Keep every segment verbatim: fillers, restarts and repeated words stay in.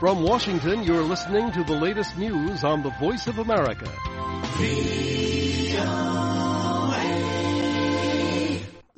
From Washington, you're listening to the latest news on the Voice of America.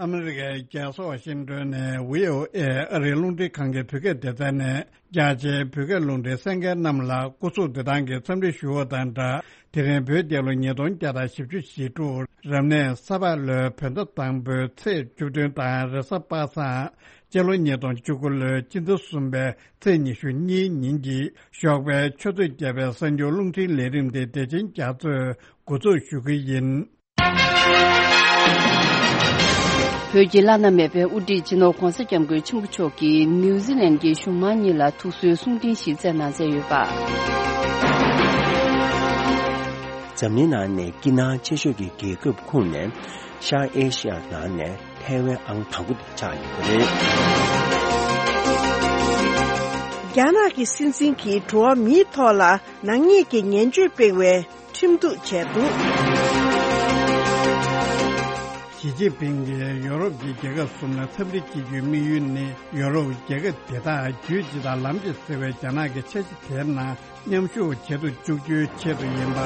ཨ་མི་རི་ཀའི་རྒྱལ་ས་ཝ་ཤིང་ཏོན་ནས་བྷི་ཨོ་ཨེ་ཨ་རིའི་རླུང་འཕྲིན་ཁང་གི་བོད་སྐད་སྡེ་ཚན་ནས་རྒྱ་ཆེའི་བོད་སྐད་རླུང་འཕྲིན་གསན་མཁན་རྣམས་ལ་སྐུ་གཟུགས་བདེ་ཐང་གི་འཚམས་འདྲི་ཞུ་བ་དང་སྦྲགས། དེ་རིང་བོད་རྒྱལ་ལོ་ཉིས་སྟོང་བརྒྱ་དང་བཞི་བཅུ་ཞེ་དྲུག་རབ་གནས་ས་ཕག་ལོའི་བོད་ཟླ་དང་པོའི་ཚེས་བཅུ་བདུན་དང་རེས་གཟའ་པ་སངས་སྤྱི་ལོ་ཉིས་སྟོང་བཅུ་དགུ་ལོའི་སྤྱི་ཟླ་གསུམ་པའི་ཚེས་ཉི་ཤུ་གཉིས་ཉིན་གྱི་ཞོགས་པའི་ཆུ་ཚོད་བརྒྱད་པའི་གསར་འགྱུར་རླུང་འཕྲིན་ལས་རིམ་དེ་བདེ་ཆེན་རྒྱ་མཚོས་འགོ་འཛུགས་ཞུ་གི་ཡིན། བོད་ཀྱི་བླ་ན་མེད་པའི་དབུ་ཁྲིད་སྤྱི་ནོར་༧གོང་ས་༧སྐྱབས་མགོན་ཆེན་པོ་མཆོག་གིས་ནིའུ་ཛི་ལན་གྱི་གཞུང་མང་གཉིས་ལ་ཐུགས་གསོའི་གསུང་འཕྲིན་ཞིག་བསྩལ་གནང་མཛད་ཡོད་པ། འཛམ་གླིང་ནང་ནས་སྐྱིད་སྣང་ཆེ་ཤོས་ཀྱི་རྒྱལ་ཁབ་ཁོངས་ནས་ཤར་ཨེ་ཤི་ཡ་ནང་ནས་ཐའེ་ཝན་ཨང་དང་པོ་དེ་ཆགས་ཡོད་པ་རེད། རྒྱ་ནག་གི་སྲིད་འཛིན་གྱིས་འགྲོ་བ་མིའི་ཐོག་ལ་ནག་ཉེས་ཀྱི་ངན་བྱུས་སྤེལ་བའི་ཁྲིམས་གཏུག་བྱས་འདུག། ཞི་ཅིན་ཕིང་གིས་ཡོ་རོབ་ཀྱི་རྒྱལ་ཁབ་གསུམ་ལ་འཚམས་འདྲི་བྱེད་རྒྱུའི་དམིགས་ཡུལ་ནི། ཡོ་རོབ་རྒྱལ་ཁབ་དེ་དག་རྒྱུད་སྤྱི་དང་ལམ་གཅིག་ཟེར་བའི་རྒྱ་ནག་གི་ཆ་གཞི་དེའི་ནང་མཉམ་ཞུགས་བྱེད་དུ་བཅུག་རྒྱུའི་ཆེད་དུ་ཡིན་པ།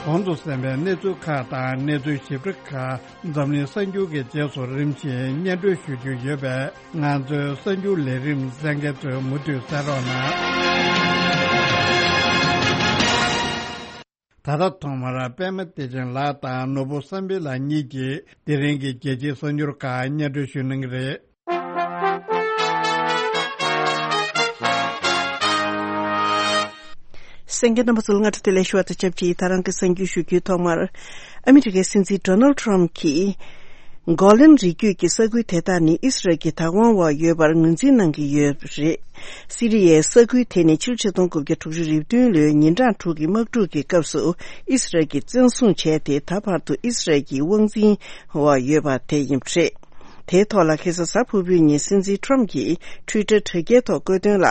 གོང་དུ་གསན་པའི་གནས་ཚུལ་ཁག་དང་གནས་ཚུལ་ཞིབ་ཕྲ་ཁག་འཛམ་གླིང་གསར་འགྱུར་གྱི་རྗེས་སུ་རིམ་བཞིན་སྙན་སྒྲོན་ཞུ་རྒྱུ་ཡོད་པས། ང་ཚོའི་གསར་འགྱུར་ལས་རིམ་གསན་མཁན་ཚོས་མུ་མཐུད་གསན་རོགས་གནང་། ད་ལྟ་ཐོག་མར་པད་མ་བདེ་ཆེན་ལགས་དང་ནོར་བུ་བསམ་འཕེལ་ལགས་གཉིས་ཀྱིས་དེ་རིང་གི་རྒྱལ་སྤྱིའི་གསར་འགྱུར་ཁག་སྙན་སྒྲོན་ཞུ་གནང་གི་རེད། གསན་མཁན་རྣམ་པ་ཚོ་ལ་སྔ་དྲོ་བདེ་ལེགས་ཞུ་བ་དང་ཆབས་ཅིག་ད་རང་གི་གསར་འགྱུར་ཞུ་རྒྱུའི་ཐོག་མར། ཨ་མི་རི་ཀའི་སྲིད་འཛིན་ཌོ་ནལ་ཊམ་གྱིས། གོ་ལན་རི་རྒྱུད་ཀྱི་ས་ཁུལ་དེ་དག་ནི་ཨི་སི་རལ་གྱི་བདག་དབང་འོག་ཡོད་པར་ངོས་འཛིན་གནང་གི་ཡོད་པ་རེད། སི་རི་ཡའི་ས་ཁུལ་དེ་ནི་ཕྱི་ལོ་ཆིག་སྟོང་དགུ་བརྒྱ་དྲུག་ཅུ་རེ་བདུན་ལོའི་ཉིན་གྲངས་དྲུག་གི་དམག་འཁྲུག་གི་སྐབས་སུ་ཨི་སི་རལ་གྱིས་བཙན་བཟུང་བྱས་ཏེ། ད་བར་དུ་ཨི་སི་རལ་གྱི་དབང་འཛིན་འོག་ཡོད་པ་དེ་ཡིན་པ་རེད། དེའི་ཐོག་ལ་ཁ་སང་གཟའ་ཕུར་བུའི་ཉིན་སྲིད་འཛིན་ཊམ་གྱིས་ཊུའི་ཊར་དྲ་རྒྱའི་ཐོག་བཀོད་དོན་ལ།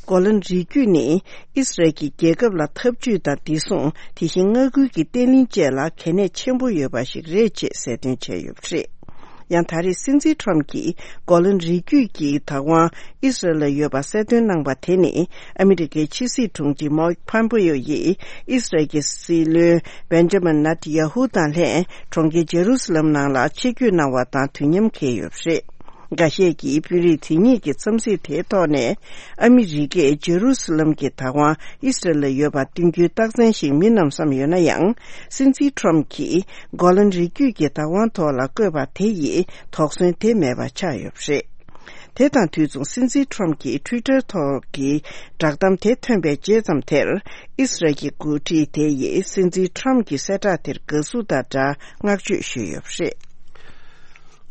གོ་ལན་རི་རྒྱུད་ནི་ཨི་སི་རལ་གྱི་རྒྱལ་ཁབ་ལ་འཐབ་ཇུས་དང་བདེ་སྲུང་། དེ་བཞིན་མངའ་ཁུལ་གྱི་བརྟན་ལྷིང་བཅས་ལ་གལ་གནད་ཆེན་པོ་ཡོད་པ་ཞིག་རེད་ཅེས་གསལ་སྟོན་བྱས་ཡོད་པ་རེད། ཡང་ད་རེས་སྲིད་འཛིན་ཊམ་གྱིས་གོ་ལན་རི་རྒྱུད་ཀྱི་བདག་དབང་ཨི་སི་རལ་ལ་ཡོད་པ་གསལ་སྟོན་གནང་པ་དེ་ནི། ཨ་མི་རི་ཀའི་ཕྱི་སྲིད་དྲུང་ཆེ་མའིག་ཕམ་པེ་ཡོ་ཡིས་ཨི་སི་རལ་གྱི་སྲིད་བློན་བེན་ཇ་མིན་ནེ་ཐན་ཡ་ཧུ་དང་ལྷན་གྲོང་ཁྱེར་ཇེ་རུ་སི་ལམ་ནང་ལ་ཆིབས་བསྒྱུར་གནང་བ་དང་དུས་མཉམ་འཁེལ་ཡོད་པ་རེད། འགའ་ཤས་ཀྱིས་དཔོན་རིགས་དེ་གཉིས་ཀྱི་འཚམས་གཟིགས་དེའི་ཐོག་ནས། ཨ་མི་རི་ཀས་ཇེ་རུ་སི་ལམ་གྱི་བདག་དབང་ཨི་སི་རལ་ལ་ཡོད་པ་བསྟུན་རྒྱུའི་རྟགས་མཚན་ཞིག་མིན་ནམ་བསམ་ཡོད་ན་ཡང་། སྲིད་འཛིན་ཊམ་གྱིས་གོ་ལན་རི་རྒྱུད་ཀྱི་བདག་དབང་ཐོག་ལ་བཀོད་པ་དེ་ཡིས་དོགས་ཟོན་དེ་མེད་པ་ཆགས་ཡོད་པ་རེད། དེ་དང་དུས་མཚུངས་སྲིད་འཛིན་ཊམ་གྱིས་ཊུའི་ཊར་ཐོག་གི་བསྒྲགས་གཏམ་དེ་ཐོན་པའི་རྗེས་ཙམ་དེར། ཨི་སི་རལ་གྱི་འགོ་ཁྲིད་དེ་ཡིས་སྲིད་འཛིན་ཊམ་གྱི་གསལ་བསྒྲགས་དེར་དགའ་བསུ་དང་སྦྲགས་བསྔགས་བརྗོད་ཞུས་ཡོད་པ་རེད།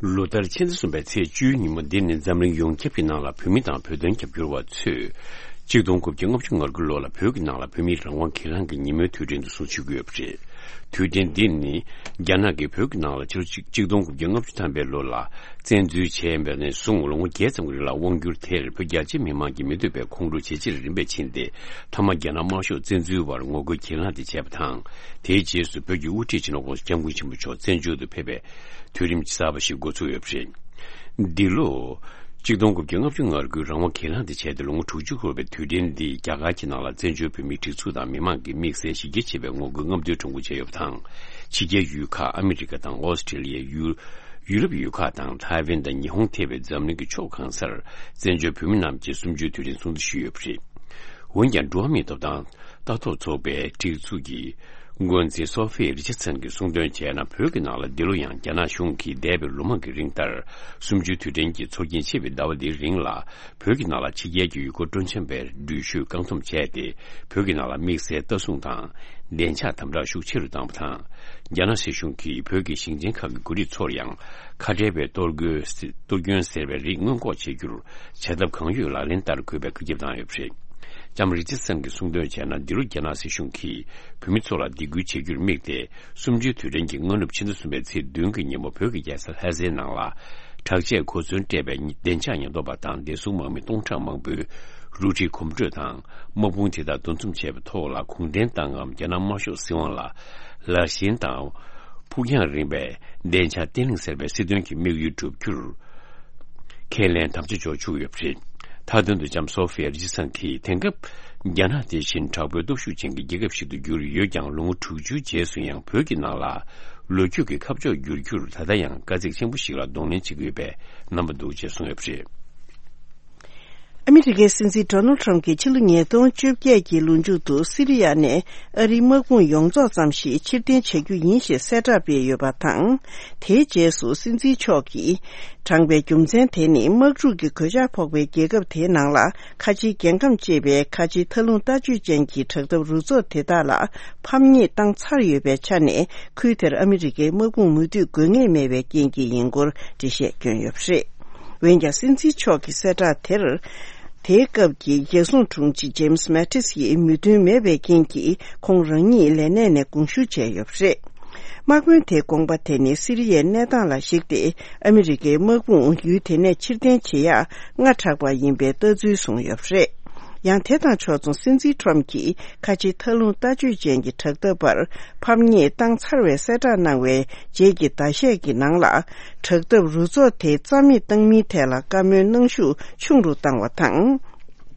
ལོ་ལྟར་ཕྱི་ཟླ་གསུམ་པའི་ཚེས་བཅུའི་ཉིན་མོ་འདི་ནི་འཛམ་གླིང་ཡོངས་ཁྱབ་ཀྱི་ནང་ལ་བོད་མི་དང་བོད་དོན་རྒྱབ་སྐྱོར་བ་ཚོས་གཅིག་སྟོང་དགུ་བརྒྱ་ལྔ་བཅུ་ང་དགུ་ལོ་ལ་བོད་ཀྱི་ནང་ལ་བོད་མིའི་རང་དབང་སྒེར་ལངས་ཀྱི་ཉིན་མོའི་དུས་དྲན་དུ་སྲུང་བརྩི་ཞུ་གི་ཡོད་པ་རེད། དུས་དྲན་འདི་ནི་རྒྱ་ནག་གིས་བོད་ཀྱི་ནང་ལ་ཕྱི་ལོ་གཅིག་གཅིག་སྟོང་དགུ་བརྒྱ་ལྔ་བཅུ་ཐམ་པའི་ལོ་ལ་བཙན་འཛུལ་བྱས་པ་ནས་བཟུང་ལོ་ངོ་བརྒྱད་ཙམ་གྱི་རིང་ལ་དབང་བསྒྱུར་དེར་བོད་རྒྱ་ཆེ་མི་མང་གིས་མི་འདོད་པའི་ཁོང་ཁྲོ་ཇེ་ཆེར་རིམ་པས་ཕྱིན་ཏེ། མཐའ་མ་རྒྱ་ནག་དམར་ཤོག་བཙན་འཛུལ་བར་ངོ་རྒོལ་གྱེན་ལངས་དེ་བྱས་པ་དང་། དེའི་རྗེས་སུ་བོད་ཀྱི་དབུ་ཁྲིད་སྤྱི་ནོར་༧གོང་ས་༧སྐྱབས་མགོན་ཆེན་པོ་མཆོག་བཙན་བྱོལ་དུ་ཕེབས་པའི་དུས་རིམ་གསར་པ་ཞིག་འགོ་ཚུགས་ཡོད་པ་རེད། འདི་ལོ། གཅིག་སྟོང་དགུ་བརྒྱ་ལྔ་བཅུ་ང་དགུའི་རང་དབང་གྱེན་ལངས་དེ་བྱས་ཏེ་ལོ་ངོ་དྲུག་ཅུ་འཁོར་བའི་དུས་དྲན་འདི་རྒྱ་གར་གྱི་ནང་ལ་བཙན་བྱོལ་བོད་མིའི་སྒྲིག་འཛུགས་དང་མི་མང་གིས་དམིགས་བསལ་གཞི་རྒྱ་ཆེ་བའི་ངོ་རྒོལ་རྔམ་སྟོན་ཁྲོམ་སྐོར་བྱས་ཡོད་པ་དང་། ཕྱི་རྒྱལ་ཡུལ་ཁག་ཨ་མི་རི་ཀ་དང་ཨོ་སི་ཀྲི་ལི་ཡ། ཡུ། ཡུ་རོབ་ཡུལ་ཁག་དང་ཐའེ་ཝན་དང་ཉི་ཧོང་ཐེ་བའི་འཛམ་གླིང་གི་ཕྱོགས་གང་སར་བཙན་བྱོལ་བོད་མི་རྣམས་ཀྱིས་གསུམ་བཅུའི་དུས་དྲན་སྲུང་བརྩི་ཞུས་ཡོད་པ་རེད། འོན་ཀྱང་འགྲོ་བ་མིའི་ཐོབ་ཐང་ལྟ་རྟོག་ཚོགས་པའི་སྒྲིག་འཛུགས་ཀྱི་འགོ་འཛིན་སོ་ཧྥི་རི་ཆར་སན་གྱིས་གསུངས་དོན་བྱས་ན། བོད་ཀྱི་ནང་ལ་འདི་ལོ་ཡང་རྒྱ་ནག་གཞུང་གིས་འདས་པའི་ལོ་མང་གི་རིང་ལྟར་གསུམ་བཅུའི་དུས་དྲན་གྱི་ཚོགས་རྒྱན་ཕྱེ་བའི་ཟླ་བ་འདིའི་རིང་ལ། བོད་ཀྱི་ནང་ལ་ཕྱི་རྒྱལ་གྱི་ཡུལ་སྐོར་སྤྲོ་འཆམ་པའི་འགྲུལ་བཞུད་བཀག་སྡོམ་བྱས་ཏེ། བོད་ཀྱི་ནང་ལ་དམིགས་བསལ་ལྟ་སྲུང་དང་བདེ་འཇགས་དམ་དྲག་ཤུགས་ཆེ་རུ་བཏང་བ་དང་། རྒྱ་ནག་སྲིད་གཞུང་གིས་བོད་ཀྱི་ཞིང་ཆེན་ཁག་གི་འགོ་ཁྲིད་ཚོར་ཡང་། ཁ་བྲལ་བའི་གཏོར་རྒོལ། གཏོར་སྐྱོན་ཟེར་བའི་རིགས་སྔོན་འགོག་བྱེད་རྒྱུར་བྱ་ཐབས་གང་ཡོད་ལག་ལེན་བསྟར་དགོས་པའི་བཀའ་ཁྱབ་བཏང་ཡོད་པ་རེད། ལྕམ་རི་ཆར་སན་གྱིས་གསུངས་དོན་བྱས་ན། འདི་ལོ་རྒྱ་ནག་སྲིད་གཞུང་གིས་བོད་མི་ཚོ་ལ་སྡིགས་སྐུལ་བྱེད་རྒྱུར་དམིགས་ཏེ། གསུམ་བཅུའི་དུས་དྲན་གྱི་སྔ་ནུབ་ཕྱི་ཟླ་གསུམ་པའི་ཚེས་བདུན་གྱི་ཉིན་མོ་བོད་ཀྱི་རྒྱལ་ས་ལྷ་སའི་ནང་ལ། དྲག་ཆས་གོ་མཚོན་སྤྲས་པའི་བདེ་འཇགས་ཉེན་རྟོག་པ་དང་བདེ་སྲུང་དམག་མི་སྟོང་ཕྲག་མང་པོས་རུ་ཁྲིའི་གོམ་བགྲོད་དང་དམག་དཔུང་དེ་དག་འདུ་འཛོམས་བྱས་པའི་ཐོག་ལ་གུང་ཁྲན་ཏང་ངམ་རྒྱ་ནག་དམར་ཤོག་སྲིད་དབང་ལ་ལར་ཞེན་དང་ཕུགས་རྒྱང་རིང་བའི་བདེ་འཇགས་བརྟན་ལྷིང་ཟེར་བའི་སྲིད་དོན་གྱི་དམིགས་ཡུལ་བསྒྲུབ་རྒྱུར་ཁས་ལེན་དམ་བཅའ་འཇོག་བཅུག་ཡོད་པ་རེད། མཐའ་དོན་དུ་ལྕམ་སོ་ཧྥི་ཡ་རི་ཇི་སན་གྱིས་དེང་སྐབས་རྒྱ་ནག་དེ་བཞིན་དྲག་པོའི་སྟོབས་ཤུགས་ཅན་གྱི་རྒྱལ་ཁབ་ཞིག་ཏུ་གྱུར་ཡོད་ཀྱང་། ལོ་ངོ་དྲུག་ཅུའི་རྗེས་སུ་ཡང་བོད་ཀྱི་ནང་ལ་ལོ་རྒྱུས་ཀྱི་ཁ་ཕྱོགས་བསྒྱུར་རྒྱུར་ད་ལྟ་ཡང་དཀའ་ཚེགས་ཆེན་པོ་ཞིག་ལ་གདོང་ལེན་བྱེད་ཀྱི་ཡོད་པའི་རྣམ་པ་འདུག་ཅེས་གསུངས་ཡོད་པ་རེད། ཨ་མི་རི་ཀའི་སྲིད་འཛིན་ཌོ་ནལ་ཁྲམ་གྱིས་ཕྱི་ལོ་ཉིས་སྟོང་བཅོ་བརྒྱད་ཀྱི་ལོ་མཇུག་ཏུ་སི་རི་ཡ་ནས་ཨ་རིའི་དམག་དཔུང་ཡོངས་རྫོགས་ཙམ་ཞིག་ཕྱིར་འཐེན་བྱ་རྒྱུ་ཡིན་ཞེས་གསལ་བསྒྲགས་སྤེལ་ཡོད་པ་དང་། དེའི་རྗེས་སུ་སྲིད་འཛིན་མཆོག་གིས་དྲངས་པའི་རྒྱུ་མཚན་དེ་ནི་དམག་འཁྲུག་གི་གོད་ཆག་ཕོག་པའི་རྒྱལ་ཁབ་དེའི་ནང་ལ་ཁ་ཆེའི་རྒྱལ་ཁམས་ཅེས་པའི་ཁ་ཆེའི་མཐའ་ལྷུང་ལྟ་སྤྱོད་ཅན་གྱི་དྲག་འཐབ་རུ་ཚོགས་དེ་དག་ལ་ཕམ་ཉེས་བཏང་ཚར་ཡོད་པའི་ཆ་ནས། ཁུལ་དེར་ཨ་མི་རི་ཀའི་དམག་དཔུང་མུ་མཐུད་དགོས་ངེས་མེད་པའི་རྐྱེན་གྱིས་ཡིན་སྐོར་འགྲེལ་བཤད་བསྐྱོན་ཡོད་པ་རེད། འོན་ཀྱང་། སྲིད་འཛིན་མཆོག་གི་གསལ་བསྒྲགས་དེར། དེའི་སྐབས་ཀྱི་རྒྱལ་སྲུང་དྲུང་ཆེ་ཇེམ་སི་མེ་ཏིས་ཡིས་མོས་མཐུན་མེད་པའི་རྐྱེན་གྱིས། ཁོང་རང་ཉིད་ལས་གནས་ནས་དགོངས་ཞུ་བྱས་ཡོད་པ་རེད། དམག་དཔོན་དེའི་དགོངས་པ་དེ་ནི་སི་རི་ཡའི་གནས་སྟངས་ལ་གཞིགས་ཏེ། ཨ་མི་རི་ཀའི་དམག་དཔུང་ཡུལ་དེ་ནས་ཕྱིར་འཐེན་བྱེད་ཡག་སྔ་དྲགས་པ་ཡིན་པའི་ལྟ་ཚུལ་བཟུང་ཡོད་པ་རེད། ཡང་། དེ་དང་ཕྱོགས་མཚུངས། སྲིད་འཛིན་ཁྲོམ་གྱིས་ཁ་ཆེའི་མཐའ་ལྷུང་ལྟ་སྤྱོད་ཅན་གྱི་དྲག་འཐབ་པར་ཕམ་ཉེས་བཏང་ཚར་བའི་གསལ་བསྒྲགས་གནང་བའི་རྗེས་ཀྱི་ཟླ་ཤས་ཀྱི་ནང་ལ། དྲག་འཐབ་རུ་ཚོགས་དེ་རྩ་མེད་བཏང་མིན་ཐད་ལ་བཀའ་མོལ་གནང་ཤུགས་ཆུང་རུ་བཏང་བ་དང་།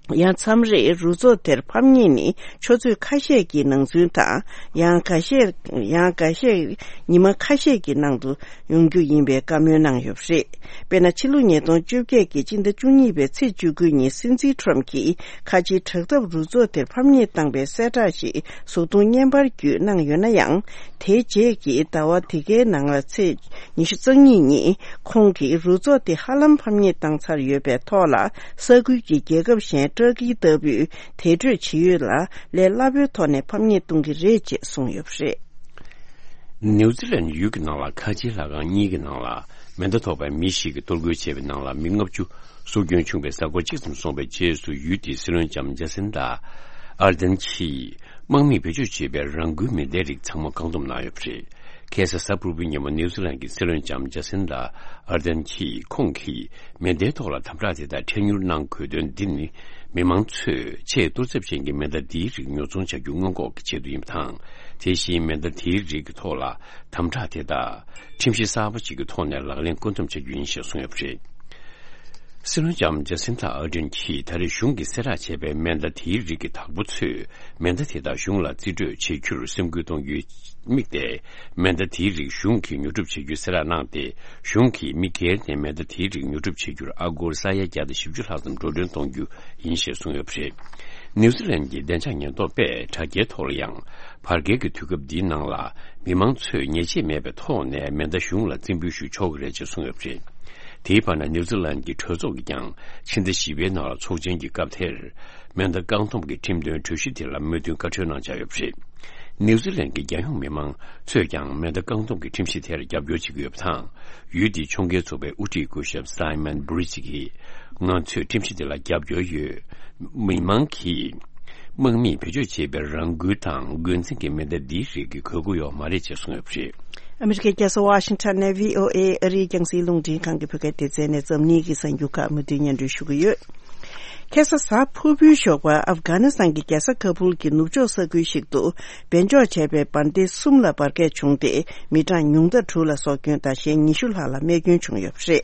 ཡང་། མཚམས་རེར་རུ་ཚོགས་དེར་ཕམ་ཉེས་ནི་ཆུ་ཚོད་ཁ་ཤས་ཀྱི་ནང་ཚུན་དང་། ཡང་ཁ་ཤས། ཡང་ཁ་ཤས། ཉི་མ་ཁ་ཤས་ཀྱི་ནང་དུ་ཡོང་རྒྱུ་ཡིན་པའི་བཀའ་མོལ་གནང་ཡོད་པ་རེད། དཔེར་ན། ཕྱི་ལོ་ཉིས་སྟོང་བཅོ་བརྒྱད་ཀྱི་སྤྱི་ཟླ་བཅུ་གཉིས་པའི་ཚེས་བཅུ་དགུ་ཉིན། སྲིད་འཛིན་ཁྲོམ་གྱིས་ཁ་ཆེའི་དྲག་འཐབ་རུ་ཚོགས་དེར་ཕམ་ཉེས་བཏང་པའི་གསལ་བསྒྲགས་ཤིག་གཟུགས་མཐོང་བརྙན་པར་བརྒྱུད་གནང་ཡོད་ན་ཡང་། དེའི་རྗེས་ཀྱི་ཟླ་བ་དེ་གའི་ནང་ལ་ཚེས་ཉི་ཤུ་རྩ་གཉིས་ཉིན། ཁོང་གིས་རུ་ཚོགས་དེ་ཧ་ལམ་ཕམ་ཉེས་བཏང་ཚར་ཡོད་པའི་ཐོག་ལ། ས་ཁུལ་གྱི་རྒྱལ་ཁབ་གཞན་ཏུར་ཀི་ལྟ་བུས་དེ་འཕྲོས་ཇི་ཡོད་ལ་ལས་སླ་པོའི་ཐོག་ནས་ཕམ་ཉེས་གཏོང་གི་རེད་ཅེས་གསུངས་ཡོད་པ་རེད། ནིའུ་ཛི་ལན་ཡུལ་གྱི་ནང་ལ་ཁ་ཆེའི་ལྷ་ཁང་གཉིས་ཀྱི་ནང་ལ་མེ་མདའ་ཐོགས་པའི་མི་ཞིག་གིས་གཏོར་རྒོལ་བྱས་པའི་ནང་ལ་མི་ལྔ་བཅུ་སྲོག་སྐྱོན་བྱུང་བའི་གཟའ་འཁོར་གཅིག་ཙམ་སོང་བའི་རྗེས་སུ། ཡུལ་དེའི་སྲིད་བློན་ལྕམ་ཇ་སིན་ཏ་ཨར་དན་གྱིས་དམག་མིས་བེད་སྤྱོད་བྱས་པའི་རང་འགུལ་མེ་མདའི་རིགས་ཚང་མ་བཀག་སྡོམ་གནང་ཡོད་པ་རེད། ཁ་སང་གཟའ་ཕུར་བུའི་ཉིན་མོ་ནིའུ་ཛི་ལན་གྱི་སྲིད་བློན་ལྕམ་ཇ་སིན་ཏ་ཨར་དན་གྱིས། ཁོང་གིས་མེ་མདའི་ཐོག་ལ་དམ་དྲག་དེ་དག་འཕྲལ་མྱུར་གནང་དགོས་དོན་འདི་ནི། མི་མང་ཚོས་ཆེས་གཏོར་ཚབས་ཅན་གྱི་མེ་མདའ་འདིའི་རིགས་ཉོ་ཚོང་བྱ་རྒྱུ་སྔོན་འགོག་གི་ཆེད་དུ་ཡིན་པ་དང་། དེ་བཞིན་མེ་མདའ་དེའི་རིགས་ཀྱི་ཐོག་ལ་དམ་དྲག་དེ་དག་ཁྲིམས་གཞི་གསར་པ་ཞིག་གི་ཐོག་ནས་ལག་ལེན་བཀོད་འདོམས་བྱ་རྒྱུ་ཡིན་ཞེས་གསུངས་ཡོད་པ་རེད། སྲིད་བློན་ལྕམ་ཇ་སིན་ཐ་ཨར་ཌེན་གྱིས་ད་རེས་གཞུང་གིས་གསལ་བསྒྲགས་བྱས་པའི་མེ་མདའ་དེའི་རིགས་ཀྱི་བདག་པོ་ཚོས་མེ་མདའ་དེ་དག་གཞུང་ལ་རྩིས་སྤྲོད་བྱེད་རྒྱུར་སེམས་ཁུར་གཏོང་རྒྱུའི་དམིགས་ཏེ། མེ་མདའ་དེའི་རིགས་གཞུང་གིས་ཉོ་སྒྲུབ་བྱེད་རྒྱུའི་གསལ་བསྒྲགས་གནང་སྟེ། གཞུང་གིས་མི་སྒེར་ནས་མེ་མདའ་དེའི་རིགས་ཉོ་སྒྲུབ་བྱེད་རྒྱུར་ཨ་སྒོར་ས་ཡ་བརྒྱ་དང་བཞི་བཅུ་ལྷག་ཙམ་འགྲོ་གྲོན་གཏོང་རྒྱུ་ཡིན་ཞེས་གསུངས་ཡོད་པ་རེད། ནིའུ་ཛི་ལན་གྱི་བདེ་འཇགས་ཉེན་རྟོག་པས་དྲ་རྒྱའི་ཐོག་ལ་ཡང་། བར་བརྒལ་གྱི་དུས་སྐབས་འདིའི་ནང་ལ་མི་མང་ཚོས་ཉེས་ཆད་མེད་པའི་ཐོག་ནས་མེ་མདའ་གཞུང་ལ་རྩིས་འབུལ་ཞུ་ཆོག་གི་རེད་ཅེས་གསུངས་ཡོད་པ་རེད། དེའི་བར་ན། ནིའུ་ཛི་ལན་གྱི་གྲོས་ཚོགས་ཀྱིས་ཀྱང་ཕྱི་ཟླ་བཞི་པའི་ནང་ལ་ཚོགས་ཆེན་གྱི་སྐབས་དེར། མེ་མདའ་བཀག་སྡོམ་གྱི་ཁྲིམས་དོན་གྲོས་གཞི་དེ་ལ་མོས་མཐུན་བཀའ་འཁྲོལ་གནང་འཆར་ཡོད་པ་རེད། ནིའུ་ཛི་ལན་གྱི་རྒྱལ་ཡོངས་མི་མང་ཚོས་ཀྱང་མེ་མདའ་བཀག་སྡོམ་གྱི་ཁྲིམས་གཞི་དེར་རྒྱབ་སྐྱོར་བྱེད་ཀྱི་ཡོད་པ་དང་། ཡུལ་དེའི་ཕྱོགས་འགལ་ཚོགས་པའི་དབུ་ཁྲིད་སྐུ་ཞབས་སའི་མན་བྷུ་རི་ཇི་གིས། ང་ཚོས་ཁྲིམས་གཞི་དེ་ལ་རྒྱབ་སྐྱོར་ཡོད། མི་མང་གིས་དམག་མིས་བེད་སྤྱོད་བྱས་པའི་རང་འགུལ་དང་འགོས་འཛིན་གྱི་མེ་མདའ་འདིའི་རིགས་ཀྱི་དགོས་མཁོ་ཡོད་མ་རེད་ཅེས་གསུངས་ཡོད་པ་རེད། ཨ་མི་རི་ཀའི་རྒྱལ་ས་ཝ་ཤིང་ཊོན་ནས་བྷི་ཨོ་ཨེ་ཨ་རིའི་རྒྱང་སྲིང་རླུང་འཕྲིན་ཁང་གི་བོད་སྐད་སྡེ་ཚན་ནས་འཛམ་གླིང་གི་གསར་འགྱུར་ཁག་མུ་མཐུད་སྙན་སྒྲོན་ཞུ་གི་ཡོད། ཁ་སང་གཟའ་ཕུར་བུའི་ཞོགས་པར་ཨབ་གྷ་ནི་སི་ཐན་གྱི་རྒྱལ་ས་ཁ་བུལ་གྱི་ནུབ་ཕྱོགས་ས་ཁུལ་ཞིག་ཏུ་སྦས་འཇོག་བྱས་པའི་འབར་མདེལ་གསུམ་ལ་འབར་གས་བྱུང་སྟེ། མི་གྲངས་ཉུང་མཐའ་དྲུག་ལ་སྲོག་སྐྱོན་དང་གཞན་ཉི་ཤུ་ལྷག་ལ་རྨས་སྐྱོན་བྱུང་ཡོད་པ་རེད།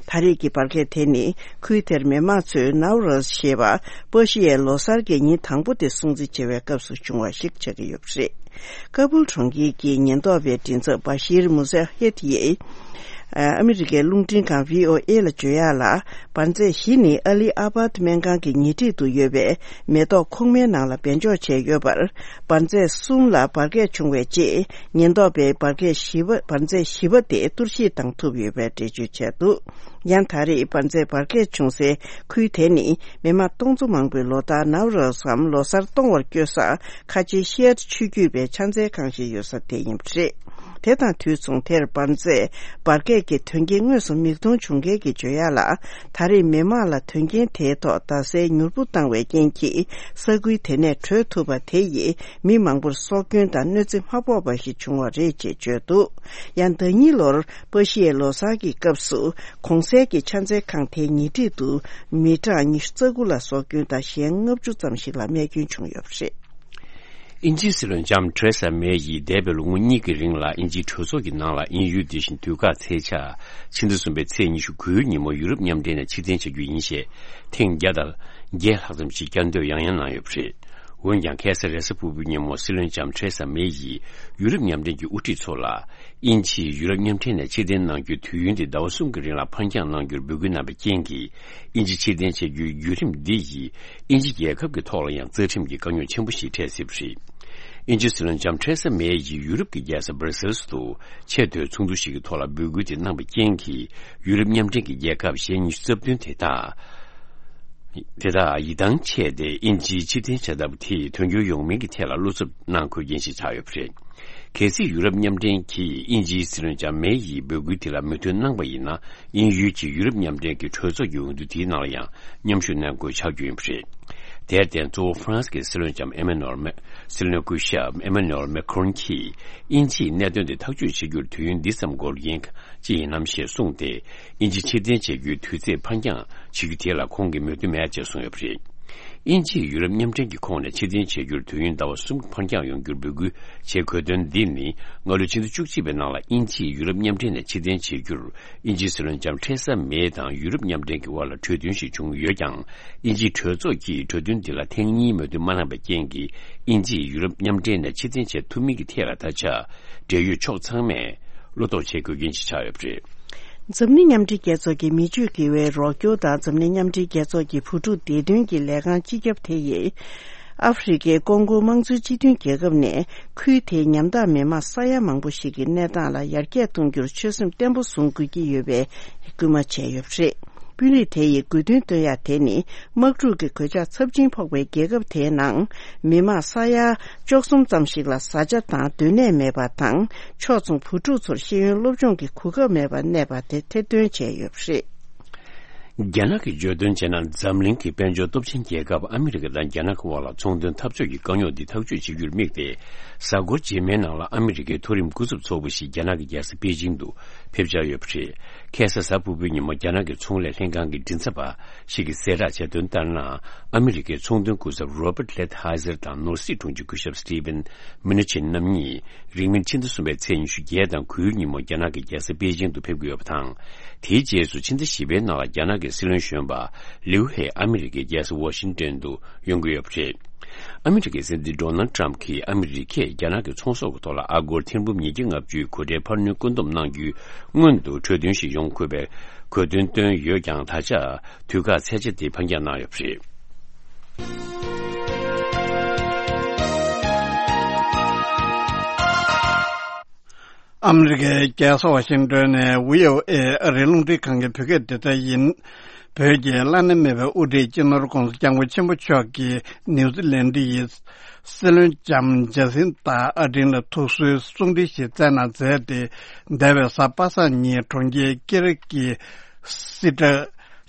ད་རེས་ཀྱི་འབར་གས་དེ་ནི་ཁུལ་དེར་མི་མང་ཚོས་ནའུ་རོས་ཞེས་པ་པ་ཤི་ཡའི་ལོ་གསར་གྱི་ཉིན་དང་པོ་དེ་སྲུང་བརྩི་བྱེད་པའི་སྐབས་སུ་བྱུང་བ་ཞིག་ཆགས་ཀྱི་ཡོད་པ་རེད། ཀ་བུལ་གྲོང་ཁྱེར་གྱི་ཉེན་རྟོག་པའི་མགྲིན་ཚབ་བ་ཤིར་མུ་ཟ་ཧེད་ཡིས། ཨ་མི་རི་ཀའི་རླུང་འཕྲིན་ཁང་བྷི་ཨོ་ཨེ་ལ་བརྗོད་ཡག་ལ། འབར་རྫས་བཞི་ནི་ཨ་ལི་ཨ་བྷ་ཏི་སྨན་ཁང་གི་ཉེ་འཁྲིས་དུ་ཡོད་པའི་མེ་ཏོག་ཁུག་མའི་ནང་ལ་སྦས་འཇོག་བྱས་ཡོད་པར། འབར་རྫས་གསུམ་ལ་འབར་གས་བྱུང་བའི་རྗེས། ཉེན་རྟོག་པས་འབར་གས་བཞི་པ། འབར་རྫས་བཞི་པ་དེ་གཏོར་བཤིག་བཏང་ཐུབ་ཡོད་པའི་འགྲེལ་བརྗོད་བྱས་འདུག་ཡང་། ད་རེས་འབར་རྫས་འབར་གས་བྱུང་སའི་ཁུལ་དེ་ནི། མི་མང་སྟོང་ཚོ་མང་པོས་ལོ་ལྟར་ནའུ་རོས་སམ་ལོ་གསར་གཏོང་བར་སྐྱོད་ས། ཁ་ཆེའི་ཤེར་ཆུ་རྒྱུད་པའི་ཕྱག་འཚལ་ཁང་ཞིག་ཡོད་ས་དེ་ཡིན་པ་རེད། དེ་དང་དུས་མཚུངས། དེར་འབར་རྫས་འབར་གས་ཀྱི་དོན་རྐྱེན་དངོས་སུ་མིག་མཐོང་བྱུང་མཁན་གྱིས་བརྗོད་ཡག་ལ། ད་རེས་མི་མང་ལ་དོན་རྐྱེན་དེའི་ཐོག་རྡ་སའི་མྱུར་པོ་བཏང་བའི་རྐྱེན་གྱིས། ས་ཁུལ་དེ་ནས་བྲོས་ཐུབ་པ་དེ་ཡིས། མི་མང་པོར་སྲོག་སྐྱོན་དང་གནོད་འཚེ་མ་ཕོག་པ་ཞིག་བྱུང་བ་རེད་ཅེས་བརྗོད་འདུག་ཡང་། ཟླ་ཉིན་ལོར་པ་ཤི་ཡའི་ལོ་གསར་གྱི་སྐབས་སུ། གོང་གསལ་གྱི་ཕྱག་འཚལ་ཁང་དེའི་ཉེ་འཁྲིས་དུ། མི་གྲངས་ཉི་ཤུ་རྩ་དགུ་ལ་སྲོག་སྐྱོན་དང་། གཞན་ལྔ་བཅུ་ཙམ་ཞིག་ལ་རྨས་སྐྱོན་བྱུང་ཡོད་པ་རེད། དབྱིན་ཇིའི་སྲིད་བློན་ལྕམ་ཐེ་རེ་ས་མེ་ཡིས་འདས་པའི་ལོ་ངོ་གཉིས་ཀྱི་རིང་ལ་དབྱིན་ཇིའི་གྲོས་ཚོགས་ཀྱི་ནང་ལ་དབྱིན་ཡུལ་འདི་བཞིན་དུས་བཀག་ཚེས་ཆ་ཕྱི་ཟླ་གསུམ་པའི་ཚེས་ཉི་ཤུ་དགུའི་ཉིན་མོ་ཡུ་རོབ་མཉམ་འབྲེལ་ནས་ཕྱིར་འཐེན་བྱ་རྒྱུ་ཡིན་ཞེས་ཐེངས་བརྒྱ་དང་བརྒྱད་ལྷག་ཙམ་ཞིག་བསྐྱར་ཟློས་ཡང་ཡང་གནང་ཡོད་པ་རེད། འོན་ཀྱང་ཁ་སང་རེས་གཟའ་ཕུར་བུའི་ཉིན་མོ་སྲིད་བློན་ལྕམ་ཐེ་རེ་ས་མེ་ཡིས་ཡུ་རོབ་མཉམ་འབྲེལ་གྱི་དབུ་ཁྲིད་ཚོ་ལ། དབྱིན་ཇིས་ཡུ་རོབ་མཉམ་འབྲེལ་ནས་ཕྱིར་འཐེན་གནང་རྒྱུའི་དུས་ཡུན་དེ་ཟླ་བ་གསུམ་གྱི་རིང་ལ་ཕར་འགྱངས་གནང་རྒྱུར་འབོད་སྐུལ་གནང་བའི་རྐྱེན་གྱིས། དབྱིན་ཇི་ཕྱིར་འཐེན་བྱེད་རྒྱུའི་བརྒྱུད་རིམ་འདི་ཡིས་དབྱིན་ཇི་རྒྱལ་ཁབ་ཀྱི་ཐོག་ལ་ཡང་རྩ་ཁྲིམས་ཀྱི་དཀའ་རྙོག་ཆེན་པོ་ཞིག་འཕྲད་སྲིད་པ་རེད། དབྱིན་ཇིའི་སྲིད་བློན་ལྕམ་ཐེ་རེ་ས་མེ་ཡིས་ཡུ་རོབ་ཀྱི་རྒྱལ་ས་སྦར་སེལ་སུ་ཆེས་མཐོའི་ཚོགས་འདུ་ཞིག་གི་ཐོག་ལ་འབོད་སྐུལ་དེ་གནང་བའི་རྐྱེན་གྱིས། ཡུ་རོབ་མཉམ་འབྲེལ་གྱི་རྒྱལ་ཁབ་ཞེ་ཉི་ཤུ་རྩ་བདུན་དེ་དག་དེ་དག་ཡིད་ཐང་ཆད་དེ། དབྱིན་ཇིའི་ཕྱིར་འཐེན་བྱ་ཐབས་དེས་དོན་འཁྱོལ་ཡོང་མིན་གྱི་ཐད་ལ་བློ་འཚབ་གནང་དགོས་རྐྱེན་ཞིག་ཆགས་ཡོད་པ་རེད། གལ་སྲིད་ཡུ་རོབ་མཉམ་འབྲེལ་གྱིས་དབྱིན་ཇིའི་སྲིད་བློན་ལྕམ་མེ་ཡིས་འབོད་སྐུལ་དེ་ལ་མོས་མཐུན་གནང་པ་ཡིན་ན། དབྱིན་ཡུལ་གྱིས་ཡུ་རོབ་མཉམ་འབྲེལ་གྱི་གྲོས་ཚོགས་ཀྱི་འོས་བསྡུ་དེའི་ནང་ལ་ཡང་མཉམ་ཞུགས་གནང་དགོས་ཆགས་རྒྱུ་ཡིན་པ་རེད། དེར་བརྟེན། གཙོ་བོ་ཧྥ་རན་སི་གི་སྲིད་བློན་ལྕམ་ཨེ་མ་ནུ་ཨེལ་མེ། སྲིད་བློན་སྐུ་ཞབས་ཨེ་མ་ནུ་ཨེལ་མེ་ཁོ་རོན་གྱིས་དབྱིན་ཇིས་གནད་དོན་དེ་ཐག་གཅོད་བྱེད་རྒྱུར་དུས་ཡུན་འདི་ཙམ་འགོར་རྐྱེན་ཅི་ཡིན་ནམ་ཞེས་གསུངས་ཏེ། དབྱིན་ཇི་ཕྱིར་འཐེན་བྱེད་རྒྱུའི་དུས་ཚེས་ཕར་འགྱངས་བྱེད་རྒྱུ་དེ་ལ་ཁོང་གིས་མོས་མཐུན་མེད་ཅེས་གསུངས་ཡོད་པ་རེད། དབྱིན་ཇིས་ཡུ་རོབ་མཉམ་འབྲེལ་གྱི་ཁོངས་ནས་ཕྱིར་འཐེན་བྱེད་རྒྱུར་དུས་ཡུན་ཟླ་བ་གསུམ་ཕར་འགྱངས་ཡོང་རྒྱུར་འབོད་སྐུལ་བྱེད་དགོས་དོན་འདི་ནི། སྔ་ལོའི་ཕྱི་ཟླ་བཅུ་གཅིག་པའི་ནང་ལ་དབྱིན་ཇིས་ཡུ་རོབ་མཉམ་འབྲེལ་ནས་ཕྱིར་འཐེན་བྱེད་རྒྱུར། དབྱིན་ཇིའི་སྲིད་བློན་ལྕམ་ཐེ་རེ་ས་མེ་དང་ཡུ་རོབ་མཉམ་འབྲེལ་གྱི་དབར་ལ་གྲོས་མཐུན་ཞིག་བྱུང་ཡོད་ཀྱང་། དབྱིན་ཇིའི་གྲོས་ཚོགས་ཀྱིས་གྲོས་མཐུན་འདི་ལ་ཐེངས་གཉིས་མོས་མཐུན་མ་གནང་བའི་རྐྱེན་གྱིས། དབྱིན་ཇིས་ཡུ་རོབ་མཉམ་འབྲེལ་ནས་ཕྱིར་འཐེན་བྱེད་ཐུབ་མིན་གྱི་ཐད་ལ་ད་ཆ། འབྲེལ་ཡོད་ཕྱོགས་ཚང་མས་བློ་དོགས་བྱེད་དགོས་རྐྱེན་ཞིག་ཆགས་ཡོད་པ་རེད། འཛམ་གླིང་མཉམ་འབྲེལ་རྒྱལ་ཚོགས་ཀྱི་མི་སྤྱོད་དགེ་བའི་རོགས་སྐྱོར་དང་འཛམ་གླིང་མཉམ་འབྲེལ་རྒྱལ་ཚོགས་ཀྱི་བུ་ཕྲུག་བདེ་དོན་གྱི་ལས་ཁང་སྤྱི་ཁྱབ་དེ་ཡིས། ཨ་ཧྥེ་རི་ཁའི་ཀོང་ཀོ་དམངས་གཙོའི་སྤྱི་མཐུན་རྒྱལ་ཁབ་ནས་ཁུལ་དེའི་ཉམ་ཐག་མི་མང་ས་ཡ་མང་པོ་ཞིག་གི་གནས་སྟངས་ལ་ཡར་རྒྱས་གཏོང་རྒྱུར་ཆོད་སེམས་བརྟན་པོ་བཟུང་དགོས་ཀྱི་ཡོད་པའི་སྐུལ་མ་བྱས་ཡོད་པ་རེད། དཔོན་རིགས་དེ་ཡིས་དགོས་འདུན་བཏོན་ཡ་དེ་ནི། དམག་འཁྲུག་གི་གོད་ཆག་ཚབས་ཆེན་ཕོག་པའི་རྒྱལ་ཁབ་དེའི་ནང་མི་མང་ས་ཡ་བཅུ་གསུམ་ཙམ་ཞིག་ལ་བཟའ་བཅའ་དང་སྡོད་གནས་མེད་པ་དང་། ཕྱོགས་མཚུངས་བུ་ཕྲུག་ཚོར་ཤེས་ཡོན་སློབ་སྦྱོང་གི་གོ་སྐབས་མེད་པར་གནས་པ་དེ་ཐེར་འདོན་བྱས་ཡོད་པ་རེད། རྒྱ་ནག་གིས་བརྗོད་དོན་བྱས་ན། འཛམ་གླིང་གི་དཔལ་འབྱོར་སྟོབས་ཆེན་རྒྱལ་ཁབ་ཨ་མི་རི་ཀ་དང་རྒྱ་ནག་གི་དབར་ལ་ཚོང་དོན་འཐབ་ཕྱོགས་ཀྱི་དཀའ་རྙོག་འདི་ཐག་གཅོད་བྱེད་རྒྱུར་དམིགས་ཏེ། གཟའ་འཁོར་རྗེས་མའི་ནང་ལ་ཨ་མི་རི་ཀའི་མཐོ་རིམ་སྐུ་ཚབ་ཚོགས་པ་ཞིག་རྒྱ་ནག་གི་རྒྱལ་ས་པེ་ཅིང་དུ་ཕེབས་འཆར་ཡོད་པ་རེད། ཁ་སང་གཟའ་ཕུར་བུའི་ཉིན་མོ་རྒྱ་ནག་གི་ཚོང་ལས་ལྷན་ཁང་གི་མགྲིན་ཚབ་པ་ཞིག་གིས་གསལ་བསྒྲགས་བྱས་དོན་ལྟར་ན། ཨ་མི་རི་ཀའི་ཚོང་དོན་སྐུ་ཚབ་Robert Lighthizer་དང་ནོར་སྲིད་དྲུང་ཆེ་སྐུ་ཞབས་Steven Mnuchin་རྣམ་གཉིས་རིང་མིན་ཕྱི་ཟླ་གསུམ་པའི་ཚེས་ཉི་ཤུ་བརྒྱད་དང་དགུའི་ཉིན་མོ་རྒྱ་ནག་གི་རྒྱལ་ས་པེ་ཅིང་དུ་ཕེབས་ཀྱི་ཡོད་པ་དང་། དེའི་རྗེས་སུ་ཕྱི་ཟླ་བཞི་པའི་ནང་ལ་རྒྱ་ནག་གི་སྲིད་བློན་གཞོན་པ་ལིའུ་ཧེ་ཨ་མི་རི་ཀའི་རྒྱལ་ས་ཝ་ཤིང་ཏོན་དུ་ཡོང་གི་ཡོད་པ་རེད། ཨ་མི་རི་ཀའི་སྲིད་འཛིན་Donald Trump་གྱིས་ཨ་མི་རི་ཀས་རྒྱ་ནག་གི་ཚོང་ཟོག་གི་ཐོག་ལ་ཨ་སྒོར་ཐེར་འབུམ་ཉིས་བརྒྱ་ལྔ་བཅུའི་གོ་ཁྲལ་འཕར་སྣོན་བཀོད་འདོམས་གནང་རྒྱུའི་སྔོན་དུ་གྲོས་མཐུན་ཞིག་ཡོང་དགོས་པའི་གོ་སྟོན་བཏོན་ཡོད་ཀྱང་། ད་ཆ་དུས་བཀག་ཚད་ཆེ་དེ་ཕར་འགྱངས་གནང་ཡོད་པ་རེད། ཨ་མི་རི་ཀའི་རྒྱལ་ས་ཝ་ཤིང་ཏོན་ནས་བྷི་ཨོ་ཨེ་ཨ་རིའི་རླུང་འཕྲིན་ཁང་གི་བོད་སྐད་སྡེ་ཚན་ཡིན། བོད་ཀྱི་བླ་ན་མེད་པའི་དབུ་ཁྲིད་སྤྱི་ནོར་༧གོང་ས་༧སྐྱབས་མགོན་ཆེན་པོ་མཆོག་གིས་ནིའུ་ཛི་ལན་ཌི་ཡི་སྲིད་བློན་ལྕམ་ཇ་སིན་ཏཱ་ཨར་ཌེན་ལ་ཐུགས་གསོའི་གསུང་འཕྲིན་ཞིག་བསྩལ་གནང་མཛད་དེ། འདས་པའི་གཟའ་པ་སངས་ཉིན་གྲོང་ཁྱེར་ཀི་རིག་གི་སི་ཏྲ་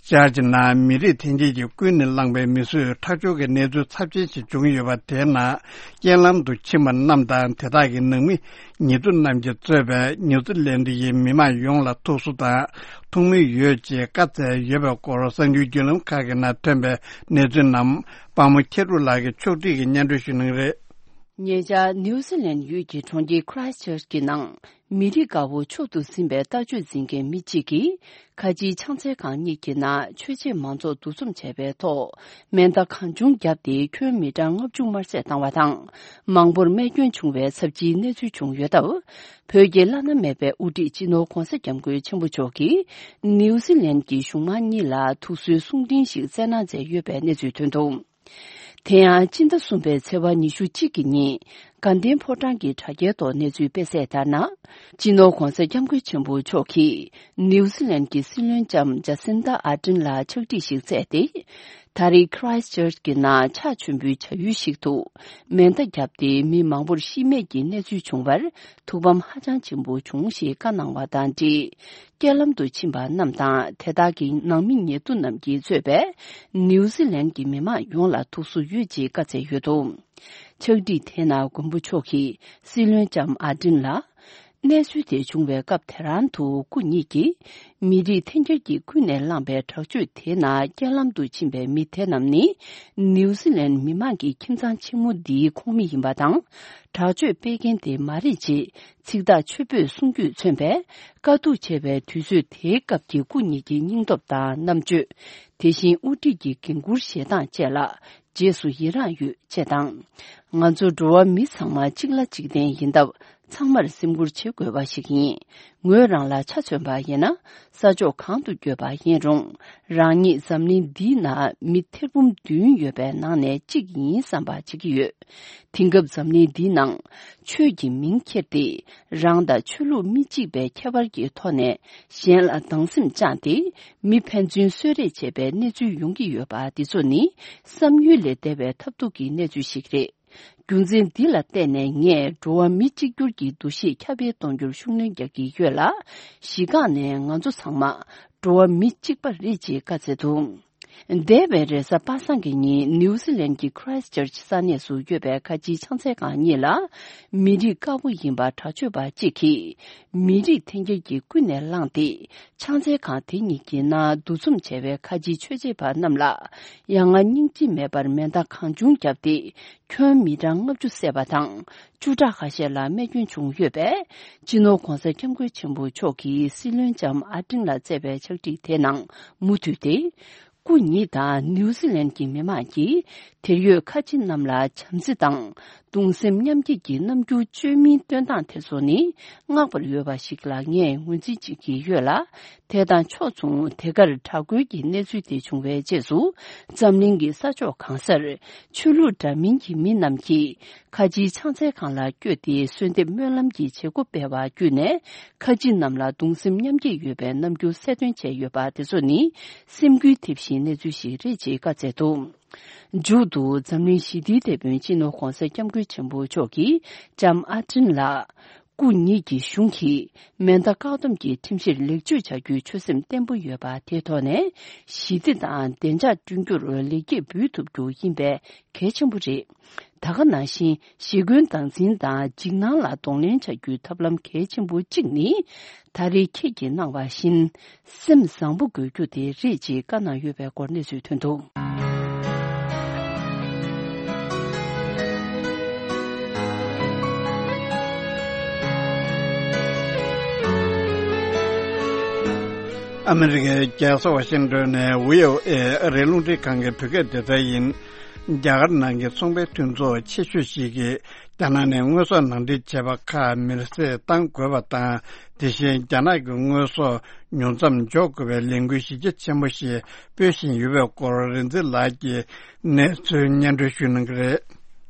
ཅར་ཇི་ནང་མི་རིགས་ཐོན་སྐྱེད་ཀྱིས་ཀུན་ནས་བསླངས་པའི་མི་གསོད་ཁྲག་སྦྱོར་གྱི་གནས་ཚུལ་ཚབས་ཆེན་ཞིག་བྱུང་ཡོད་པ། དེའི་ནང་རྐྱེན་ལམ་དུ་ཕྱིན་པ་རྣམས་དང་། དེ་དག་གི་ནང་མི་ཉེ་དུ་རྣམས་ཀྱིས་གཙོས་པའི་ནིའུ་ཛི་ལན་ཌི་ཡི་མི་མང་ཡོངས་ལ་ཐུགས་གསོ་དང་ཐུགས་སྨོན་ཡོད་ཅེས་བཀའ་སྩལ་ཡོད་པའི་སྐོར་གསར་འགྱུར་བརྒྱུད་ལམ་ཁག་གི་ནང་ཐོན་པའི་གནས་ཚུལ་རྣམས་དཔའ་མོ་ཁྱེད་རུ་ལགས་ཀྱིས་ཕྱོགས་སྒྲིག་གིས་སྙན་སྒྲོན་ཞུ་གནང་གི་རེད། ཉེ་ཆར་ནིའུ་ཛི་ལན་ཡུལ་གྱི་གྲོང་ཁྱེར་Christchurch་གྱི་ནང་མི་རིགས་དགའ་བོ་མཆོག་ཏུ་ཟིན་པའི་ལྟ་སྤྱོད་འཛིན་མཁན་མི་གཅིག་གིས་ཁ་ཆེའི་ཕྱག་འཚལ་ཁང་གཉིས་ཀྱི་ནང་ཆོས་བྱེད་མང་ཚོགས་འདུ་འཛོམས་བྱས་པའི་ཐོག་མེ་མདའ་གང་བྱུང་བརྒྱབ་སྟེ་ཁྱོན་མི་གྲངས་ལྔ་བཅུ་དམར་བསད་བཏང་བ་དང་། མང་པོར་རྨས་སྐྱོན་བྱུང་བའི་ཚབས་ཆེའི་གནས་ཚུལ་བྱུང་ཡོད་སྟབས། བོད་ཀྱི་བླ་ན་མེད་པའི་དབུ་ཁྲིད་སྤྱི་ནོར་༧གོང་ས་༧སྐྱབས་མགོན་ཆེན་པོ་མཆོག་གིས་ནིའུ་ཛི་ལན་གྱི་གཞུང་མང་གཉིས་ལ་ཐུགས་གསོའི་གསུང་འཕྲིན་ཞིག་བསྩལ་གནང་མཛད་ཡོད་པའི་གནས་ཚུལ་ཐོན་འདུག་དེ་ཡང་སྤྱི་ཟླ་གསུམ་པའི་ཚེས་པ་ཉི་ཤུ་གཅིག་གི་ཉིན་དགའ་ལྡན་ཕོ་བྲང་གི་དྲ་རྒྱའི་ཐོག་གནས་ཚུལ་སྤེལ་གསལ་ལྟར་ན། སྤྱི་ནོར་༧གོང་ས་༧སྐྱབས་མགོན་ཆེན་པོ་མཆོག་གིས་ནིའུ་ཛི་ལན་གྱི་སྲིད་བློན་ལྕམ་ཇ་སིན་ཏཱ་ཨར་ཌེན་ལ་ཕྱག་བྲིས་ཤིག་བསྩལ་ཏེ། ད་རེས་Christchurch་གྱི་ནང་ཕྱག་མཆོད་འབུལ་བྱ་ཡུལ་ཞིག་ཏུ་མེ་མདའ་བརྒྱབ་སྟེ་མི་མང་པོར་ཤི་རྨས་ཀྱི་གནས་ཚུལ་བྱུང་བར་ཐུགས་ཕམ་ཧ་ཅང་ཆེན་པོ་བྱུང་ཞེས་བཀའ་གནང་བ་དང་འབྲེལ། རྐྱེན་ལམ་དུ་ཕྱིན་པ་རྣམས་དང་དེ་དག་གི་ནང་མི་ཉེ་དུ་རྣམས་ཀྱིས་གཙོས་པའི་ནིའུ་ཛི་ལན་གྱི་མི་མང་ཡོངས་ལ་ཐུགས་གསོ་ཡོད་ཅེས་བཀའ་སྩལ་ཡོད་འདུག་ཕྱག་བྲིས་དེའི་ནང་མགོན་པོ་མཆོག་གིས་སྲིད་བློན་ལྕམ་ཨར་ཌེན་ལ། གནས་ཚུལ་དེ་བྱུང་བའི་སྐབས་དེ་རང་དུ་སྐུ་ཉིད་ཀྱིས་མི་རིགས་འཐེན་འཁྱེར་གྱིས་ཀུན་ནས་བསླངས་པའི་དྲག་སྤྱོད་དེའི་ནང་རྐྱེན་ལམ་དུ་ཕྱིན་པའི་མི་དེ་རྣམས་ནི་ནིའུ་ཛི་ལན་མི་མང་གི་ཁྱིམ་ཚང་ཆེན་མོ་འདིའི་ཁོངས་མི་ཡིན་པ་དང་། དྲག་སྤྱོད་སྤེལ་མཁན་དེ་མ་རེད་ཅེས་ཚིག་ཐག་ཆོད་པོས་གསུང་རྒྱུས་མཚོན་པས། དཀའ་སྡུག་ཆེ་བའི་དུས་ཚོད་དེའི་སྐབས་ཀྱི་སྐུ་ཉིད་ཀྱི་སྙིང་སྟོབས་དང་རྣམ་དཔྱོད། དེ་བཞིན་དབུ་ཁྲིད་ཀྱི་འགན་འཁུར་བཞེས་སྟངས་བཅས་ལ་རྗེས་སུ་ཡི་རངས་ཡོད་ཅེས་དང་། ང་ཚོ་འགྲོ་བ་མི་ཚང་མ་གཅིག་ལ་གཅིག་བརྟེན་ཡིན་སྟབས། ཚང་མར་སེམས་ཁུར་བྱེད་དགོས་པ་ཞིག་ཡིན། ངོས་རང་ལ་ཆ་མཚོན་པ་ཡིན་ན། ས་ཕྱོགས་གང་དུ་བསྐྱོད་པ་ཡིན་རུང་། རང་ཉིད་འཛམ་གླིང་འདིའི་ནང་མི་ཐེར་འབུམ་བདུན་ཡོད་པའི་ནང་ནས་གཅིག་ཡིན་བསམ་པ་བྱེད་ཀྱི་ཡོད། དེང་སྐབས་འཛམ་གླིང་འདིའི་ནང་ཆོས་ཀྱི་མིང་ཁྱེར་ཏེ། རང་དང་ཆོས་ལུགས་མི་གཅིག་པའི་ཁྱད་པར་གྱི་ཐོག་ནས་གཞན་ལ་སྡང་སེམས་བཅངས་ཏེ། མི་ཕན་ཚུན་གསོད་རེས་བྱེད་པའི་གནས་ཚུལ་ཡོང་གི་ཡོད་པ་འདི་ཚོ་ནི་བསམ་ཡུལ་ལས་འདས་པའི་ཐབས་སྡུག་གི་གནས་ཚུལ་ཞིག་རེད། རྒྱུ་མཚན་འདི་ལ་བརྟེན་ནས་ངས་འགྲོ་བ་མི་གཅིག་གྱུར་གྱི་འདུ་ཤེས་ཁྱབ་སྤེལ་གཏོང་རྒྱུར་ཤུགས་སྣོན་རྒྱག་གི་ཡོད་ལ། གཞི་རྐང་ནས་ང་ཚོ་ཚང་མ་འགྲོ་བ་མི་གཅིག་པ་རེད་ཅེས་བཀའ་སྩལ་འདུག་འདས་པའི་རེས་གཟའ་པ་སངས་ཀྱི་ཉིན་ནིའུ་ཛི་ལན་གྱི་Christchurch ས་གནས་སུ་ཡོད་པའི་ཁ་ཆེའི་ཕྱག་འཚལ་ཁང་གཉིས་ལ། མི་རིགས་དཀར་པོ་ཡིན་པ་དྲག་སྤྱོད་པ་གཅིག་གིས་མི་རིགས་འཐེན་འཁྱེར་གྱིས་ཀུན་ནས་བསླངས་ཏེ། ཕྱག་འཚལ་ཁང་དེ་གཉིས་ཀྱི་ནང་འདུ་འཛོམས་བྱས་པའི་ཁ་ཆེའི་ཆོས་བྱེད་པ་རྣམས་ལ་ཡ་ང་སྙིང་རྗེ་མེད་པར་མེ་མདའ་གང་བྱུང་བརྒྱབ་སྟེ། ཁྱོན་མི་གྲངས་ལྔ་བཅུ་བསད་པ་དང་། བཅུ་ཕྲག་ཁ་ཤས་ལ་རྨས་སྐྱོན་བྱུང་ཡོད་པས། སྤྱི་ནོར་༧གོང་ས་༧སྐྱབས་མགོན་ཆེན་པོ་མཆོག་གིས་སྲིད་བློན་ལྕམ་ཨ་ཏིན་ལ་བསྩལ་བའི་ཕྱག་བྲིས་དེའི་ནང་མུ་མཐུད་དེ། སྐུ་ཉིད་དང་ནིའུ་ཛི་ལན་གྱི་མི་མང་གིས་དེར་ཡོད་ཁ་ཆེ་རྣམས་ལ་བྱམས་བརྩེ་དང་གདུང་སེམས་མཉམ་སྐྱེད་ཀྱི་རྣམ་འགྱུར་བཅོས་མིན་སྟོན་སྟངས་དེ་ཚོ་ནི་བསྔགས་པར་འོས་པ་ཞིག་ལ་ངས་ངོས་འཛིན་བྱེད་ཀྱི་ཡོད་ལ། དེ་དང་ཕྱོགས་མཚུངས་དེ་གར་དྲག་རྒོལ་གྱི་གནས་ཚུལ་དེ་བྱུང་བའི་རྗེས་སུ། འཛམ་གླིང་གི་ས་ཕྱོགས་གང་སར་ཆོས་ལུགས་འདྲ་མིན་གྱི་མི་རྣམས་ཀྱིས་ཁ་ཆེའི་ཕྱག་འཚལ་ཁང་ལ་བསྐྱོད་དེ་གསོལ་འདེབས་སྨོན་ལམ་གྱི་བྱེད་སྒོ་སྤེལ་བ་བརྒྱུད་ནས། ཁ་ཆེ་རྣམས་ལ་གདུང་སེམས་མཉམ་སྐྱེད་ཡོད་པའི་རྣམ་འགྱུར་གསལ་སྟོན་བྱས་ཡོད་པ་དེ་ཚོ་ནི་སེམས་འགུལ་ཐེབས་ཤིང་གནས་ཚུལ་ཞིག་རེད་ཅེས་བཀའ་སྩལ་འདུག་མཇུག་ཏུ་འཛམ་གླིང་ཞི་བདེའི་དེད་དཔོན་སྤྱི་ནོར་༧གོང་ས་༧སྐྱབས་མགོན་ཆེན་པོ་མཆོག་གིས་ལྕམ་ཨ་ཏིན་ལ། སྐུ་ཉིད་ཀྱི་གཞུང་གིས་མེ་མདའ་བཀག་སྡོམ་གྱི་ཁྲིམས་གཞིར་ལེགས་བཅོས་བྱ་རྒྱུའི་ཆོད་སེམས་བརྟན་པོ་ཡོད་པ་དེའི་ཐོག་ནས་ཞི་བདེ་དང་བདེ་འཇགས་བསྐྲུན་རྒྱུར་ལེགས་སྐྱེས་འབུལ་ཐུབ་རྒྱུ་ཡིན་པས་གལ་ཆེན་པོ་རེད། ད་ག་ནང་བཞིན་ཞི་རྒོལ་སྟངས་འཛིན་དང་འཇིགས་སྣང་ལ་གདོང་ལེན་བྱ་རྒྱུའི་ཐབས་ལམ་གལ་ཆེན་པོ་གཅིག་ནི། ད་རེས་ཁྱེད་ཀྱིས་གནང་བ་བཞིན། སེམས་བཟང་པོ་དགོས་རྒྱུ་དེ་རེད་ཅེས་བཀའ་གནང་ཡོད་པའི་སྐོར་གནས་ཚུལ་ཐོན་འདུག་ཨ་མི་རི་ཀའི་རྒྱལ་ས་ཝ་ཤིང་ཏོན་ནས་ཝི་ཨོ་ཨེ་ཨ་རིའི་རླུང་འཕྲིན་ཁང་གི་བོད་སྐད་སྡེ་ཚན་ཡིན། རྒྱ་གར་ནང་གི་ཚོང་པའི་མཐུན་ཚོགས་ཆེ་ཤོས་ཤིག་གིས། རྒྱ་ནག་ནས་དངོས་ཟོག་ནང་འདྲེན་བྱས་པ་ཁག་མེར་སྲེག་གཏང་དགོས་པ་དང་། དེ་བཞིན་རྒྱ་ནག་གི་དངོས་ཟོག་ཉུང་མཚམས་འཇོག་དགོས་པའི་ལས་འགུལ་གཞི་རྒྱ་ཆེན་པོ་ཞིག་སྤེལ་བཞིན་ཡོད་པའི་སྐོར། རིག་འཛིན་ལགས་ཀྱིས་གནས་ཚུལ་སྙན་སྒྲོན་ཞུ་གནང་གི་རེད།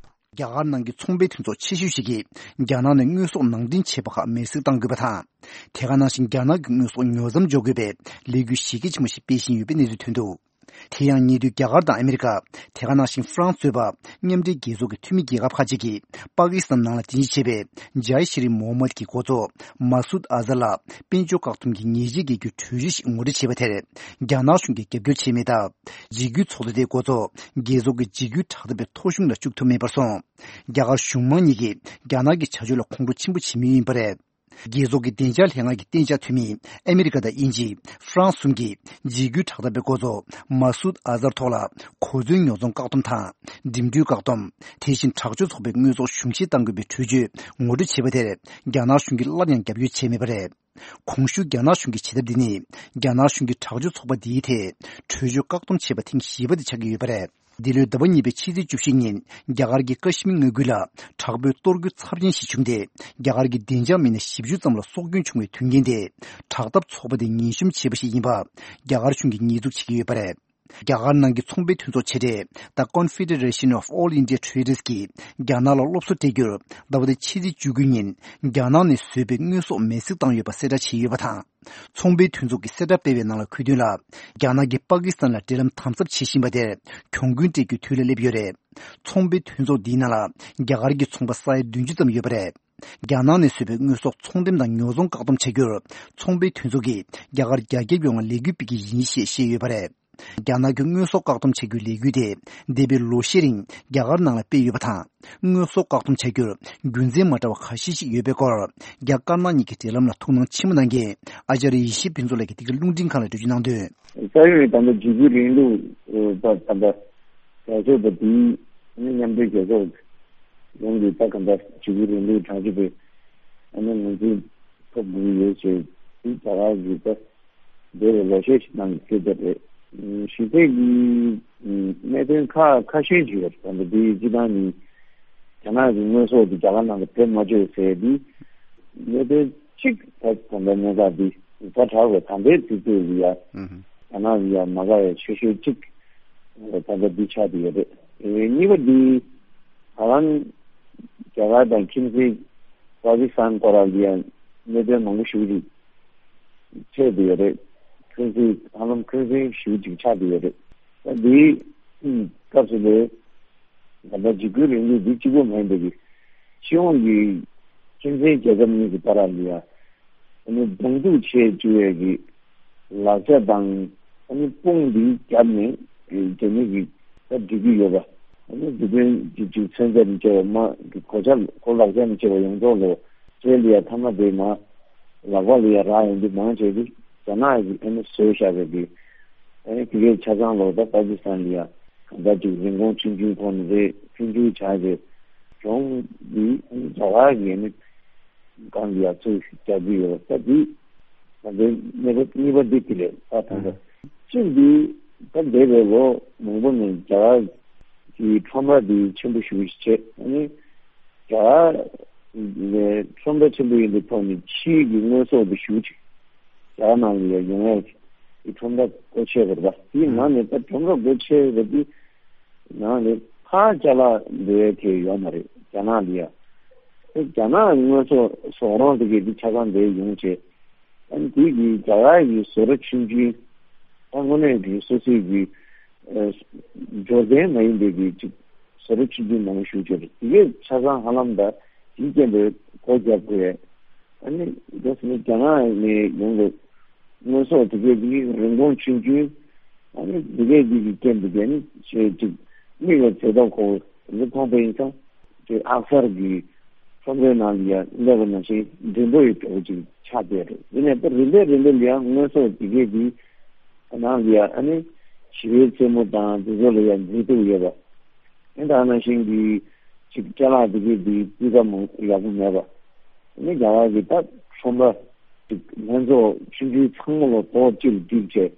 རྒྱ་གར་ནང་གི་ཚོང་པའི་མཐུན་ཚོགས་ཆེ་ཤོས་ཤིག་གིས། རྒྱ་ནག་ནས་དངོས་ཟོག་ནང་འདྲེན་བྱས་པ་ཁག་མེར་སྲེག་གཏང་དགོས་པ་དང་། དེ་ག་ནང་བཞིན་རྒྱ་ནག་གི་དངོས་ཟོག་ཉུང་མཚམས་འཇོག་དགོས་པའི་ལས་འགུལ་གཞི་རྒྱ་ཆེན་པོ་ཞིག་སྤེལ་བཞིན་ཡོད་པའི་གནས་ཚུལ་ཐོན་འདུག་དེ་ཡང་ཉེ་དུས་རྒྱ་གར་དང་ཨ་མི་རི་ཀ། དེ་ག་ནང་བཞིན་ཧྥ་རན་སི་གཙོས་པ་མཉམ་འབྲེལ་རྒྱལ་ཚོགས་ཀྱི་འཐུས་མི་རྒྱལ་ཁབ་ཁག་ཅིག་གིས་པ་ཀི་སི་ཐན་ནང་ལ་རྟེན་གཞི་བྱས་པའི་ཇའི་ཤི་རི་མོ་ཧམ་མད་ཀྱི་འགོ་གཙོ་མ་སུད་ཨ་ཛར་ལ་དཔལ་འབྱོར་བཀག་སྡོམ་གྱི་ཉེས་ཆད་འགེལ་རྒྱུའི་གྲོས་ཆོད་ཞིག་ངོ་སྤྲོད་བྱས་པ་དེར་རྒྱ་ནག་གཞུང་གིས་རྒྱབ་སྐྱོར་བྱས་མེད་སྟབས། འཇིགས་སྐུལ་ཚོགས་འདུ་དེའི་འགོ་གཙོ་རྒྱལ་ཚོགས་ཀྱི་འཇིགས་སྐུལ་དྲག་འཐབ་པའི་ཐོ་གཞུང་ལ་བཅུག་ཐུབ་མེད་པར་སོང་། རྒྱ་གར་གཞུང་མང་གཉིས་ཀྱིས་རྒྱ་ནག་གི་བྱ་སྤྱོད་ལ་ཁོང་ཁྲོ་ཆེན་པོ་བྱེད་མུས་ཡིན་པ་རེད། རྒྱལ་ཚོགས་ཀྱི་བདེ་འཇགས་ལྷན་ཁང་གི་གཏན་འཇགས་འཐུས་མི་ཨ་མི་རི་ཀ་དང་དབྱིན་ཇི། ཧྥ་རན་སི་གསུམ་གྱིས་འཇིགས་སྐུལ་དྲག་འཐབ་པའི་འགོ་གཙོ་མ་སུད་ཨ་ཛར་ཐོག་ལ་གོ་མཚོན་ཉོ་ཚོང་བཀག་སྡོམ་དང་། འགྲིམ་འགྲུལ་བཀག་སྡོམ། དེ་བཞིན་དྲག་སྤྱོད་ཚོགས་པའི་དངོས་ཟོག་གཞུང་བཞེས་གཏང་དགོས་པའི་གྲོས་ཆོད་ངོ་སྤྲོད་བྱས་པ་དེར་རྒྱ་ནག་གཞུང་གིས་སླར་ཡང་རྒྱབ་སྐྱོར་བྱས་མེད་པ་རེད། གོང་ཞུས་རྒྱ་ནག་གཞུང་གི་བྱེད་ཐབས་འདི་ནི་རྒྱ་ནག་གཞུང་གིས་དྲག་སྤྱོད་ཚོགས་པ་འདིའི་ཐད་གྲོས་ཆོད་བཀག་སྡོམ་བྱས་པ་ཐེངས་བཞི་པ་དེ་ཆགས་ཀྱི་ཡོད་པ་རེད། འདི་ལོའི་ཟླ་བ་གཉིས་པའི་ཕྱི་ཚེས་བཅུ་བཞི་ཉིན་རྒྱ་གར་གྱི་ཀ་ཤི་མིར་མངའ་ཁུལ་ལ་དྲག་པོའི་གཏོར་རྒོལ་ཚབས་ཆེན་ཞིག་བྱུང་སྟེ། རྒྱ་གར་གྱི་བདེ་འཇགས་མི་སྣ་བཞི་བཅུ་ཙམ་ལ་སྲོག་སྐྱོན་བྱུང་བའི་དོན་རྐྱེན་དེ་དྲག་འཐབ་ཚོགས་པ་དེས་ངན་གཤོམ་བྱས་པ་ཞིག་ཡིན་པ་རྒྱ་གར་གཞུང་གིས་ཉེས་འཛུགས་བྱེད་ཀྱི་ཡོད་པ་རེད། རྒྱ་གར་ནང་གི་ཚོང་པའི་མཐུན་ཚོགས་ཆེ་གྲས་The Confederation of All India Traders གིས་རྒྱ་ནག་ལ་སློབ་གསོ་སྤྲད་རྒྱུར་ཟླ་བ་འདིའི་ཕྱི་ཚེས་བཅུ་དགུ་ཉིན་རྒྱ་ནག་ནས་བཟོས་པའི་དངོས་ཟོག་མེ་བསྲེགས་བཏང་ཡོད་པ་གསལ་བསྒྲགས་བྱས་ཡོད་པ་དང་། ཚོང་པའི་མཐུན་ཚོགས་ཀྱིས་གསལ་བསྒྲགས་སྤེལ་བའི་ནང་ལ་འཁོད་དོན་ལ། རྒྱ་ནག་གིས་པ་ཀི་སི་ཐན་ལ་འབྲེལ་ལམ་དམ་ཟབ་བྱེད་བཞིན་པ་དེར་གྱོང་གུན་སྤྲད་རྒྱུའི་དུས་ལ་སླེབས་ཡོད་རེད། ཚོང་པའི་མཐུན་ཚོགས་འདིའི་ནང་ལ་རྒྱ་གར་གྱི་ཚོང་པ་ས་ཡ་བདུན་ཅུ་ཙམ་ཡོད་པ་རེད། རྒྱ་ནག་ནས་བཟོས་པའི་དངོས་ཟོག་ཚོང་འགྲེམས་དང་ཉོ་ཚོང་བཀག་སྡོམ་བྱ་རྒྱུར། ཚོང་པའི་མཐུན་ཚོགས་ཀྱིས་རྒྱ་གར་རྒྱ་ཁྱབ་ཡོངས་ལ་ལས་འགུལ་སྤེལ་གྱི་ཡིན་ཞེས་བཤད་ཡོད་པ་རེད། རྒྱ་ནག་གི་དངོས་ཟོག་བཀག་སྡོམ་བྱ་རྒྱུའི་ལས་འགུལ་དེ་འདས་པའི་ལོ་ཤས་རིང་རྒྱ་གར་ནང་ལ་སྤེལ་ཡོད་པ་དང་། དངོས་ཟོག་བཀག་སྡོམ་བྱ་རྒྱུར་རྒྱུ་མཚན་མ་འདྲ་བ་ཁ་ཤས་ཤིག་ཡོད་པའི་སྐོར། རྒྱ་དཀར་ནག་གཉིས་ཀྱི་འབྲེལ་ལམ་ལ་ཐུགས་སྣང་ཆེན་པོ་གནང་མཁན་ཨ་ཅར་ཡེ་ཤེས་ཕུན་ཚོགས་ལགས་ཀྱིས་འདི་ག་རླུང་འཕྲིན་ཁང་ལ་འགྲེལ་བརྗོད་གནང་དོན། ས་ཡོམ་ད་ལྟ་འཇིགས་སྐུལ་རིང་ལུགས་པ་ད་ལྟ་རྒྱ་ཤོག་པ་དེའི་མཉམ་འབྲེལ་རྒྱལ་ཚོགས་ཡོངས་ཀྱི་ད་ག་འདྲ་འཇིགས་སྐུལ་རིང་ལུགས་དྲག་སྤྱོད་པའི་ཨ་ནི་ངོས་འཛིན་ཐོབ་དགོས་ཀྱི་ཡོད་ཅེས་དེ་རྒྱ་གར་གྱི་ད། འདས་པའི་ལོ་ཤས་ཤིག་ནང་གི་སྐད་ཆ་རེད། གཞི་རྩའི་གི་གནད་དོན་ཁ་ཁ་ཤས་ཤིག་ཡོད་རེད། ད་འདི་སྤྱི་བཏང་ནི་རྒྱ་ནག་གི་དངོས་ཟོག་དེ་རྒྱ་གར་ནང་དུ་བེད་མ་སྤྱོད་ཟེར་དེ་གནད་དོན་གཅིག་ད་ད་ལྟ་གནད་འགག་འདི་ཛ་དྲག་པའི་ད་ལྟའི་དུས་ཚོད་ལ་ཡ་རྒྱ་ནག་ལ་ཡ་མ་དགའ་བའི་ཆེ་ཤོས་གཅིག་ད་ལྟ་འདི་ཆགས་བསྡད་ཡོད་རེད། གཉིས་པ་འདི་ད་ལམ་རྒྱ་གར་དང་ཁྱིམ་མཚེས་པ་ཀི་སི་ཐན་སྐོར་ལ་ཡ་གནད་དོན་མང་པོ་ཞིག་རེད། ཆེད་དུ་ཡོད་རེད། ཁྲིམས་སྲིད་ཧ་ལམ་ཁྲིམས་སྲིད་ཞུ་ཅིག་ཆགས་ཏེ་ཡོད་རེད། ད་འདིའི་སྐབས་སུ་ལས་ད་ལྟ་འཇིགས་སྐུལ་རིང་ལུགས་འདི་གཅིག་པོ་མིན་པའི་གི་སྤྱི་ཡོངས་ཀྱི་ཁྱིམ་མཚེས་རྒྱལ་ཁབ་གཉིས་ཀྱི་བར་ལ་ཡ་ཨ་ནི་གདོང་ཐུག་བྱེད་བཅུག་ཡས་ཀྱི་ལག་ཆ་དང་ཨ་ནི་དཔུང་འདི་བརྒྱབ་ནས་རྒྱ་མི་གི་ད་འགྲིག་གི་ཡོད་པ། ཨ་ནི་འདི་དོན་གཅིག་གཅིག་ཚན་རྩལ་མི་བྱེད་པ་མ་གོ་ཆ་གོ་ལག་ཆ་མི་བྱེད་པ་ཡོངས་རྫོགས་ལོ་ཁྲལ་ལ་ཡ་ཐ་མ་དེ་མ། ལག་པ་ལ་ཡ་རག་ཡོང་དུས་མང་ཆེ་གི་རྒྱ་ནག་གི་ཨ་ནི་བཟོས་བཞག་པའི་གི་ཨ་ནི་དེ་གའི་ཆ་ཚང་ལོ་ད་པ་ཀི་སི་ཐན་ལ་ཡ་གང་ལྟར་ཅིག་རིན་གོང་ཆུང་ཆུང་ཐོག་ནས་རེད། ཆུང་ཆུང་བྱ་རེད། གཞུང་འདི་ཨ་ནི་རྒྱ་གར་གི་ཨ་ནི་སྒང་ལ་ཡ་ཚུར་རྒྱག་གི་ཡོད་ད་འདི་ད་འདི་གནས་བབ་གཉིས་པ་འདི་དེ་རེད་ད་ད་ད་གཅིག་འདི་ད་འདས་པའི་ལོ་མང་པོ་ནས་རྒྱ་གར་གི་ཁྲོམ་ར་འདི་ཆེན་པོ་ཞིག་བྱས་ཨ་ནི། རྒྱ་གར་ནས་ཁྲོམ་ར་ཆེན་པོ་ཡིན་པའི་ཐོག་ནས་ཕྱིའི་གི་དངོས་ཟོག་དེ་ཞུ་ཅིག་རྒྱ་གར་ནང་ལ་ཡང་ཡོང་ཡས་ཀྱི་ཁྲོམ་ར་སྒོ་ཕྱེ་དགོས་པ་དེའི་ནང་ནས་ད་ཁྲོམ་ར་སྒོ་ཕྱེ་བ་དེ་ནང་ནས་ཕར་ཅ་ལག་འགྲོ་ཡས་དེ་ཡོད་མ་རེད་རྒྱ་ནག་ལ་ཡ། དེ་རྒྱ་ནག་དངོས་ཟོག་ཟོག་རོང་དེ་གས་དེ་ཆ་ཚང་དེ་ཡོང་བྱས་ཨ་ནི་དེ་གི་རྒྱ་གར་གི་བཟོ་གྲྭ་ཆུང་ཆུང་ད་དངོས་གནས་གི་སོ་སོའི་གི་འབྱོར་ལྡན་མ་ཡིན་པའི་གི་ཅིག་བཟོ་གྲྭ་ཆུང་ཆུང་མང་པོ་ཞིག་ཡོད་རེད། དེ་གས་ཆ་ཚང་ཧ་ལམ་ད་དེའི་རྐྱེན་པས་སྒོ་བརྒྱབ་དགོས། ཨ་ནི་ད་སོ་ནི་རྒྱ་ནག་ནས་ཡོང་བའི་དངོས་ཟོག་དེ་གས་དེ་རིན་གོང་ཆུང་ཆུང་ཨ་ནི་དེ་གས་དེ་གི་རྐྱེན་པས་དེ་ནི་ཆེས་ཅིག་མིག་ལ་མཛེས་ཐོག་ཁོ་འདི་མཐོང་པ་ཡིན་ཙང་དེ་ཨག་གསར་གྱི་ཁྲོམ་རའི་ནང་ལ་ཡ་སླེབས་པ་ནང་བཞིན་མགྲོན་པོ་ཡི་འདྲ་བོ་ཅིག་ཆགས་བསྡད་རེད། ཡིན་ནའི་ད་རིམ་པས་རིམ་པས་ལ་ཡ་དངོས་ཟོག་དེ་གས་དེ་ནང་ལ་ཡ་ཨ་ནི་ཞི་བའི་རྩེད་མོ་དང་དེ་ཚོ་ལ་ཡ་མཛེས་སྡུག་ཡོད་པ། ཨ་ནི་ད་ནང་བཞིན་གྱི་ཅིག་ཅ་ལག་དེ་གའི་དེའི་སྤུས་ཀ་མང་ཡག་པོ་མེད་པ། ཨ་ནི་རྒྱ་གར་གྱི་ད་ཁྲོམ་ར་ཅིག་ལྷན་ཚོགས་ཆུང་ཆུང་ཚང་མ་ལ་ཐོག་གཅིག་ལ་བསྒྲིགས་བྱས།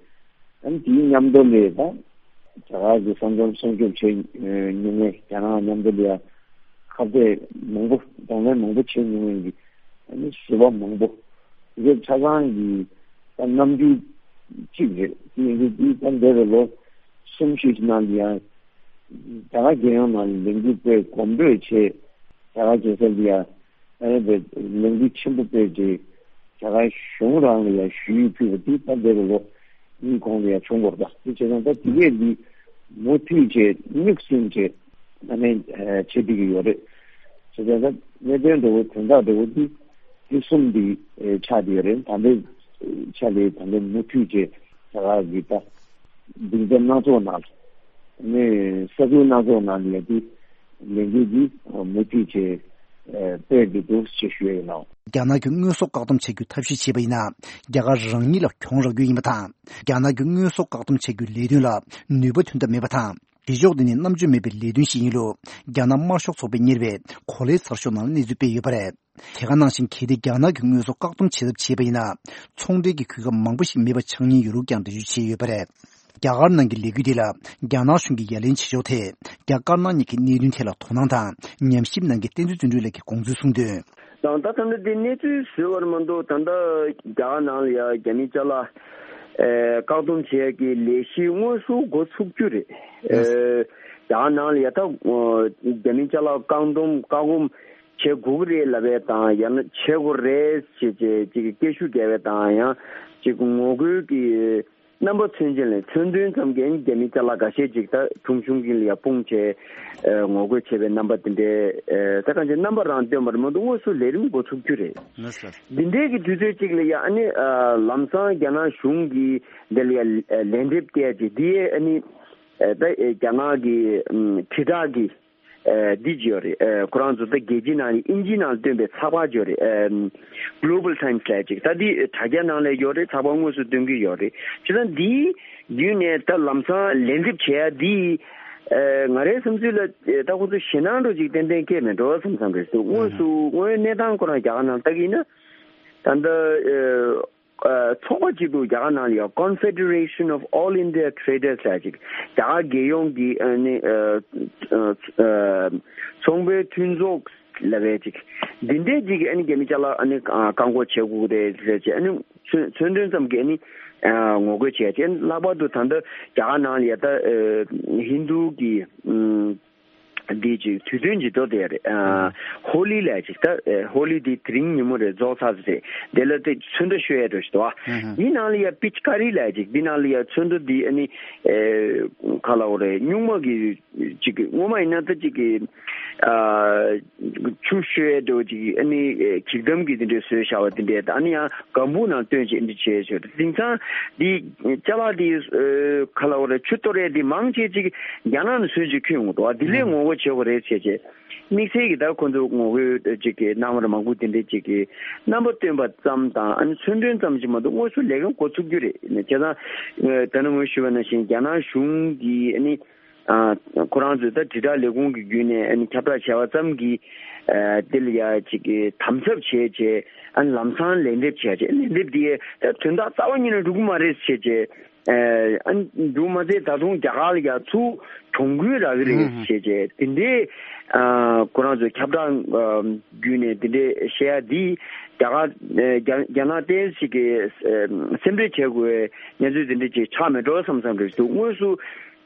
ཨ་ནི་དེའི་མཉམ་དུ་ལས་ད་རྒྱ་གར་གྱི་ས་མཚམས་སྲུང་སྐྱོབ་བྱེད་མྱོང་མཁན་རྒྱ་ནག་མཉམ་དུ་ལས་ཁ་གཏད་མང་པོ་གདོང་ལེན་མང་པོ་བྱེད་མྱོང་མཁན་གྱི་ཨ་ནི་བཟོ་པ་མང་པོ་དེ་གའི་ཆ་ཚང་གི་ད་རྣམ་འགྱུར་གཅིག་རེད། དེ་ཡིན་དུས་དེ་ད་འདས་པའི་ལོ་གསུམ་བཞི་ནང་ལ་ཡང་། རྒྱ་གར་རྒྱལ་ཡོངས་ནང་ལ་ལས་འགུལ་སྤེལ་གོམ་བགྲོད་བྱས། རྒྱ་གར་རྒྱལ་ས་ལ་ཡ་ཨ་ནི་ལས་འགུལ་ཆེན་པོ་སྤེལ་རྗེས་རྒྱ་གར་གཞུང་རང་ལ་ཡ་ཞུ་ཡིག་ཕུལ་བ་དེ་ད་འདས་པའི་ལོ་གཉིས་གོང་ལ་ཡ་བྱུང་བ་རེད། དེ་བྱས་ཙང་ད་དེ་གས་འདི་མུ་མཐུད་བྱས་མིག་བཙུམ་བྱས་ཨ་ནི་བྱེད་བསྡད་ཀྱི་ཡོད་རེད། བྱས་ཙང་ད་གནད་དོན་འདྲ་བོ་དོན་དག་འདྲ་བོ་འདི་འདི་གསུམ་འདི་ཆགས་བསྡད་ཡོད་རེད། ད་ལྟའི་ཆ་ལས་ད་ལྟ་མུ་མཐུད་བྱས་རྒྱ་གར་གྱི་ད། སྡིངས་ཆ་སྣ་ཚོགས་ནང་ནས་ས་ཁུལ་སྣ་ཚོགས་ནང་ནས་ཡ་དེ་ལས་འགུལ་འདི་མུ་མཐུད་བྱས་སྤེལ་དགོས་འདུག་ཅེས་ཞུ་ཡ་ཡིན་ནོ། རྒྱ་ནག་གི་དངོས་ཟོག་བཀག་སྡོམ་བྱ་རྒྱུའི་ཐབས་ཤེས་བྱས་པ་ཡིན་ན་རྒྱ་གར་རང་ཉིད་ལ་གྱོང་རག་རྒྱུ་ཡིན་པ་དང་། རྒྱ་ནག་གི་དངོས་ཟོག་བཀག་སྡོམ་བྱ་རྒྱུའི་ལས་དོན་ལ་ནུས་པ་ཐོན་ཐབས་མེད་པ་དང་། བྱེད་ཕྱོགས་འདི་ནི་རྣམ་དཔྱོད་མེད་པའི་ལས་དོན་ཞིག་ཡིན་ལུགས་རྒྱ་ནག་དམར་ཤོག་ཚོགས་པས་གཉེར་བའི་གོ་ལའི་ཚགས་ཤོག་ནང་ལ་གནས་ཚུལ་སྤེལ་ཡོད་པ་རེད། དེ་ག་ནང་བཞིན་གལ་ཏེ་རྒྱ་ནག་གི་དངོས་ཟོག་བཀག་སྡོམ་བྱེད་ཐབས་བྱས་པ་ཡིན་ན། ཚོང་འབྲེལ་གྱི་གོ་སྐབས་མང་པོ་ཞིག་མེད་པ་ཆགས་ཉེན་ཡོད་ལུགས་ཀྱང་འགྲེལ་བརྗོད་བྱས་ཡོད་པ་རེད། རྒྱ་གར་ནང་གི་ལས་འགུལ་དེ་ལ་རྒྱ་ནག་གཞུང་གིས་ཡ་ལན་བྱེད་ཕྱོགས་ཐད། རྒྱ་དཀར་ནག་གཉིས་ཀྱི་གནད་དོན་ཐད་ལ་དོ་སྣང་དང་ཉམས་ཞིབ་གནང་མཁན་བསྟན་འཛིན་བརྩོན་འགྲུས་ལགས་ཀྱིས་དགོངས་ཚུལ་གསུངས་དོན། དང་ད་ལྟ་འདི་གནས་ཚུལ་བཟོས་པར་མ་གཏོགས་ད་ལྟ་རྒྱ་གར་ནང་ལ་ཡ་རྒྱ་མི་ཅ་ལག་ཨེ་བཀག་སྡོམ་བྱེད་ཡག་གི་ལས་གཞི་དངོས་སུ་འགོ་ཚུགས་རྒྱུ་རེད། ཨེ་རྒྱ་གར་ནང་ལ་ཡ་ད་རྒྱ་མི་ཅ་ལག་བཀག་སྡོམ་བཀག་སྡོམ་བྱེད་དགོས་ཀྱི་རེད་ལབ་པ་དང་ཡང་ན་བྱེད་དགོས་རེད་ཅེས་ཅེས་ཅིག་སྐད་ཤུགས་རྒྱག་པ་དང་ཡང་ཅིག་ངོ་རྒོལ་གྱི་ རྣམ་པ་ཚུན་ཆད་ལས་མཚོན་དོན་ཙམ་གྱིས་རྒྱ་མི་ཅ་ལག་འགའ་ཤས་ཅིག་ད་ཁྲུང་ཆུང་གི་ལ་ཡ་སྤུངས་བྱས་ངོ་རྒོལ་བྱས་པའི་རྣམ་པ་དེ་འདྲའི་ད་གང་ཅི་རྣམ་པ་རང་སྟོན་པར་མ་གཏོགས་དངོས་སུ་ལས་རིམ་འགོ་ཚུགས་རྒྱུ་རེད། འདི་འདྲའི་གི་དུས་ཚོད་ཅིག་ལ་ཡ་ཨ་ནི་ལམ་སང་རྒྱ་ནག་གཞུང་གིས་འདི་ལ་ཡ་ལན་འདེབས་སྟེར་ཅིག་འདི་ཡས་ཨ་ནི་ད་རྒྱ་ནག་གི་དྲིལ་བསྒྲགས་ཀྱི་ཨ་འདི་ཅིག་ཡོད་རེད། ཨ་ཁོ་རང་ཚོ་ད་རྒྱལ་སྤྱིའི་ནང་ནས་དབྱིན་ཇིའི་ནང་སྟོན་པའི་ཚགས་པར་ཅིག་ཡོད་རེད། ཨ་Global Times ལབ་ཅིག་ད་འདི་དྲ་རྒྱ་ནང་ལ་ཡོད་རེད། ཚགས་པར་དངོས་སུ་སྟོན་གྱི་ཡོད་རེད། བྱས་ཙང་འདིའི་བརྒྱུད་ནས་ད་ལམ་སང་ལན་འདེབས་བྱེད་ཡ་འདི་ཨ་ང་རའི་བསམ་ཚུལ་ལ་ཨ་ད་ཁོ་ཚོ་ཞེད་སྣང་འདྲ་ཅིག་ཏན་ཏན་སྐྱེས་མེད་འགྲོ་བསམ་བསམ་རེད་འདུག་དངོས་སུ་དངོས་ཡོད་གནས་སྟངས་ཁོ་རང་རྒྱ་གར་ནང་ལྟ་གི་ཡིན་ན་ད་ལྟ་ཨ། ཚོགས་པ་གཅིག་ཏུ་རྒྱ་གར་ནང་ལ་ཡང་Confederation of All India Traders ལབ་ཅིག་རྒྱ་གར་རྒྱལ་ཡོངས་ཀྱི་ཨ་ནི་ཚོང་པའི་མཐུན་ཚོགས་ལབ་པའི་ཅིག་འདི་འདྲའི་ཅིག་ཨ་ནི་རྒྱ་མི་ཅ་ལག་ཨ་ནི་བཀག་འགོག་བྱེད་དགོས་རེད་ཟེར་ཅིག་ཨ་ནི་མཚོན་མཚོན་དོན་ཙམ་གྱི་ཨ་ནི་ངོ་རྒོལ་བྱས་ཅིག་ལྷག་པར་དུ་ད་ལྟ་རྒྱ་གར་ནང་ལ་ཡ་ད་ཧིན་རྡུ་གི་འདི་ཅིག་དུས་སྟོན་ཅིག་འགྲོ་བསྡད་ཡོད་རེད། ཨ་ཧོ་ལི་ལབ་ཅིག་ད་ཨ་ཧོ་ལི་འདི་དེ་རིང་ཉིན་མོ་རེད་རྫོགས་ཚར་ཟེར། དེ་ལ་དེ་ཚོན་ཁྲ་བཤོས་ཡ་འགྲོ་ཞིག་འདུག་ཨ། འདི་ནང་ལ་ཡ་པིཆ་ཀ་རི་ལབ་ཅིག་འདི་ནང་ལ་ཡ་ཚོན་ཁྲ་འདི་ཨ་ནི་ཨེ་ག་ལ་འོ་རེད། སྨྱུག་མ་གི་ཅིག་སྔོན་མ་ཡིན་ན་ད་ཅིག་གི་ཨ་ཆུ་བཤོས་ཡ་འགྲོ་ཅིག་ཨ་ནི་ཨེ་གྱིག་དམ་གི་དེ་འདྲའི་བཟོས་བཞག་པ་དེ་འདྲའི་ད་ཨ་ནི་ཡང་སྒམ་པོ་ནང་བཏོན་ཅིག་འདི་བྱས་ཞོར་དེང་སང་འདི་ཅ་ལག་འདི་ཨེ་ག་ལ་འོ་རེད། ཆུ་གཏོར་ཡ་འདི་མང་ཆེ་ཅིག་རྒྱ་ནག་ནས་བཟོས་ཅིག་ཁྱོན་ཡོང་གི་འདུག་ཨ། འདི་ལས་ངོ་རྒོལ་བྱེད་དགོས་རེད་བྱས་བྱས། དམིགས་བསལ་གྱི་ད་ཁོ་ཚོ་ངོ་རྒོལ་ཅིག་གི་གནང་བར་མང་པོ་དེ་འདྲ་ཅིག་གི་རྣམ་པ་སྟོན་པ་ཙམ་དང་ཨ་ནི་མཚོན་དོན་ཙམ་ཞིག་མ་གཏོགས་དངོས་སུ་ལས་ཀ་འགོ་ཚུགས་རྒྱུ་རེད། བྱས་ཙང་ད་ནི་ངོས་ཞུས་པ་ནང་བཞིན་རྒྱ་ནག་གཞུང་གིས་ཨ་ནི་ཨ་ཁོ་རང་ཚོའི་ད་དྲིལ་བསྒྲགས་ལས་ཁུངས་ཀྱི་བརྒྱུད་ནས་ཨ་ནི་ཁྱབ་བསྒྲགས་བྱས་པ་ཙམ་གྱིས་ཨ་དེ་ལ་ཡ་ཅིག་གི་དམ་ཟབ་བྱས་བྱས་ཨ་ནི་ལམ་སང་ལན་འདེབས་བྱས་བྱས་ལན་འདེབས་དེ་ད་དོན་དག་རྩ་བ་ཉིད་ནས་འགྲུབ་ཀྱི་མ་རེད་བྱས་བྱས། ཨ་འདུག་མ་ཚད་ད་དུང་རྒྱ་གར་ལ་ཡ་ཚུར་གྱོང་གུན་རག་གི་རེད་ཞེས་བྱས་དེ་འདྲའི་ཁོ་རང་ཚོའི་ཁྱབ་བསྒྲགས་བརྒྱུད་ནས་དེ་འདྲའི་བཤད་ཡ་འདི་རྒྱ་གར་རྒྱ་རྒྱ་ནག་ཏོག་ཙམ་ཞིག་གིས་སེམས་ཁྲལ་བྱེད་དགོས་གནས་ཚུལ་དེ་འདྲ་ཅིག་ཆགས་མེད་འགྲོ་བསམ་བསམ་རེད་འདུག་དངོས་སུ་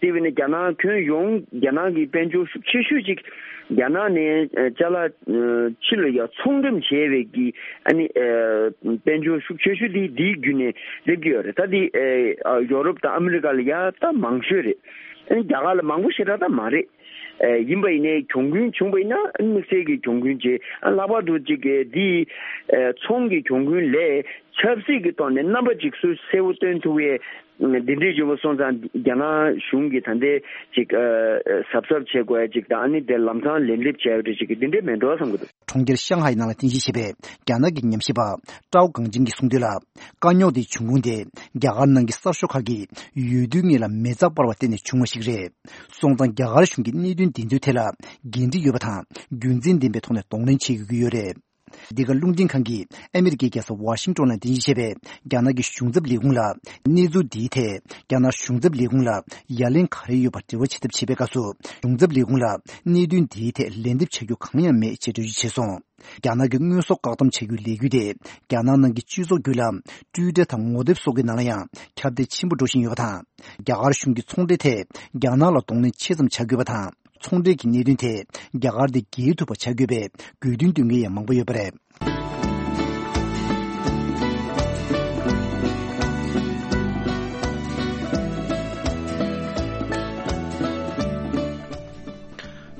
དེ་བས་ན་རྒྱ་ནག་ཁྱོན་ཡོངས་རྒྱ་ནག་གི་དཔལ་འབྱོར་ཤུགས་ཆེ་ཤོས་ཅིག་རྒྱ་ནག་ནས་ཅ་ལག་ཕྱི་ལ་ཡ་ཚོང་འགྲེམས་བྱས་པའི་གི་ཨ་ནི་དཔལ་འབྱོར་ཤུགས་ཆེ་ཤོས་དེ་འདིའི་བརྒྱུད་ནས་སླེབས་ཀྱི་ཡོད་རེད། ད་འདི་ཡོ་རོབ་དང་ཨ་མི་རི་ཀ་ལ་ཡ་ད་མང་ཤོས་རེད། ཨ་ནི་རྒྱ་གར་ལ་མང་པོ་ཞེ་དྲག་ད་མ་རེད། ཡིན་པ་ཡིན་ནའི་གྱོང་གུན་བྱུང་བ་ཡིན་ན་དམིགས་བསལ་གྱི་གྱོང་གུན་བྱེད། ལྷག་པར་དུ་ཅིག་འདི་ཚོང་གི་གྱོང་གུན་ལས་ཆབ་སྲིད་ཀྱི་ཐོག་ནས་རྣམ་པ་ཅིག་སུ་གསལ་བོ་སྟོན་ཐུབ་ཡས་འདི་འདྲའི་བྱུང་བ་སོང་ཙང་རྒྱ་ནག་གཞུང་གིས་ད་ལྟའི་ཅིག་གཟབ་གཟབ་བྱེད་དགོས་ཡ་ཅིག་དང་ཨ་ནི་དེ་ལམ་སང་ལན་འདེབས་བྱས་ཡོད་རེད་ཅིག་གི་འདི་འདྲའི་མེད་འགྲོ་བསམ་གྱི་འདུག་གྲོང་ཁྱེར་ཤང་ཧའེ་ནང་ལ་རྟེན་གཞི་བྱས་པའི་རྒྱ་ནག་གི་ཉམས་ཞིབ་པ་ཀྲའོ་གང་ཅིན་གྱིས་གསུངས་དོན་ལ། དཀའ་རྙོག་དེའི་འབྱུང་ཁུངས་དེ་རྒྱ་གར་ནང་གི་གསར་ཤོག་ཁག་གིས་འོས་བསྡུའི་སྔོན་ལ་མེ་བཙའ་སྤར་བར་བརྟེན་ནས་བྱུང་བ་ཞིག་རེད། སོང་ཙང་རྒྱ་གར་གཞུང་གིས་གནད་དོན་འདི་ཚོའི་ཐད་ལ་འགན་འཁྲི་ཡོད་པ་དང་རྒྱུ་མཚན་ལྡན་པའི་ཐོག་ནས་གདོང་ལེན་བྱེད་དགོས་ཀྱི་ཡོད་རེད། འདི་ག་རླུང་འཕྲིན་ཁང་གིས་ཨ་མི་རི་ཀའི་རྒྱལ་ས་ཝ་ཤིང་ཏོན་ལ་རྟེན་གཞི་བྱས་པའི་རྒྱ་ནག་གི་གཞུང་ཚབ་ལས་ཁུངས་ལ་གནས་ཚུལ་འདིའི་ཐད་རྒྱ་ནག་གཞུང་ཚབ་ལས་ཁུངས་ལ་ཡ་ལན་ག་རེ་ཡོད་པ་འབྲེལ་བ་བྱེད་ཐབས་བྱས་པའི་སྐབས་སུ་གཞུང་ཚབ་ལས་ཁུངས་ལ་གནད་དོན་འདིའི་ཐད་ལན་འདེབས་བྱ་རྒྱུ་གང་ཡང་མེད་ཅེས་འགྲེལ་བརྗོད་བྱས་སོང་། རྒྱ་ནག་གི་དངོས་ཟོག་བཀག་སྡོམ་བྱ་རྒྱུའི་ལས་འགུལ་དེ་རྒྱ་ནག་ནང་གི་སྤྱི་ཚོགས་བརྒྱུད་ལམ་ཊུའི་ཊར་དང་ངོ་དེབ་སོགས་ཀྱི་ནང་ལ་ཡང་ཁྱབ་གདལ་ཆེན་པོ་འགྲོ་བཞིན་ཡོད་པ་དང་། རྒྱ་གར་གཞུང་གིས་ཚོང་འབྲེལ་ཐད་རྒྱ་ནག་ལ་གདོང་ལེན་ཆེ་ཙམ་བྱ་དགོས་པ་དང་། ཚོང་འབྲེལ་གྱི་གནད་དོན་ཐད་རྒྱ་གར་དེ་རྒྱལ་ཐུབ་པ་བྱ་དགོས་པའི་དགོས་འདུན་འདོན་མཁན་ཡང་མང་པོ་ཡོད་པ་རེད།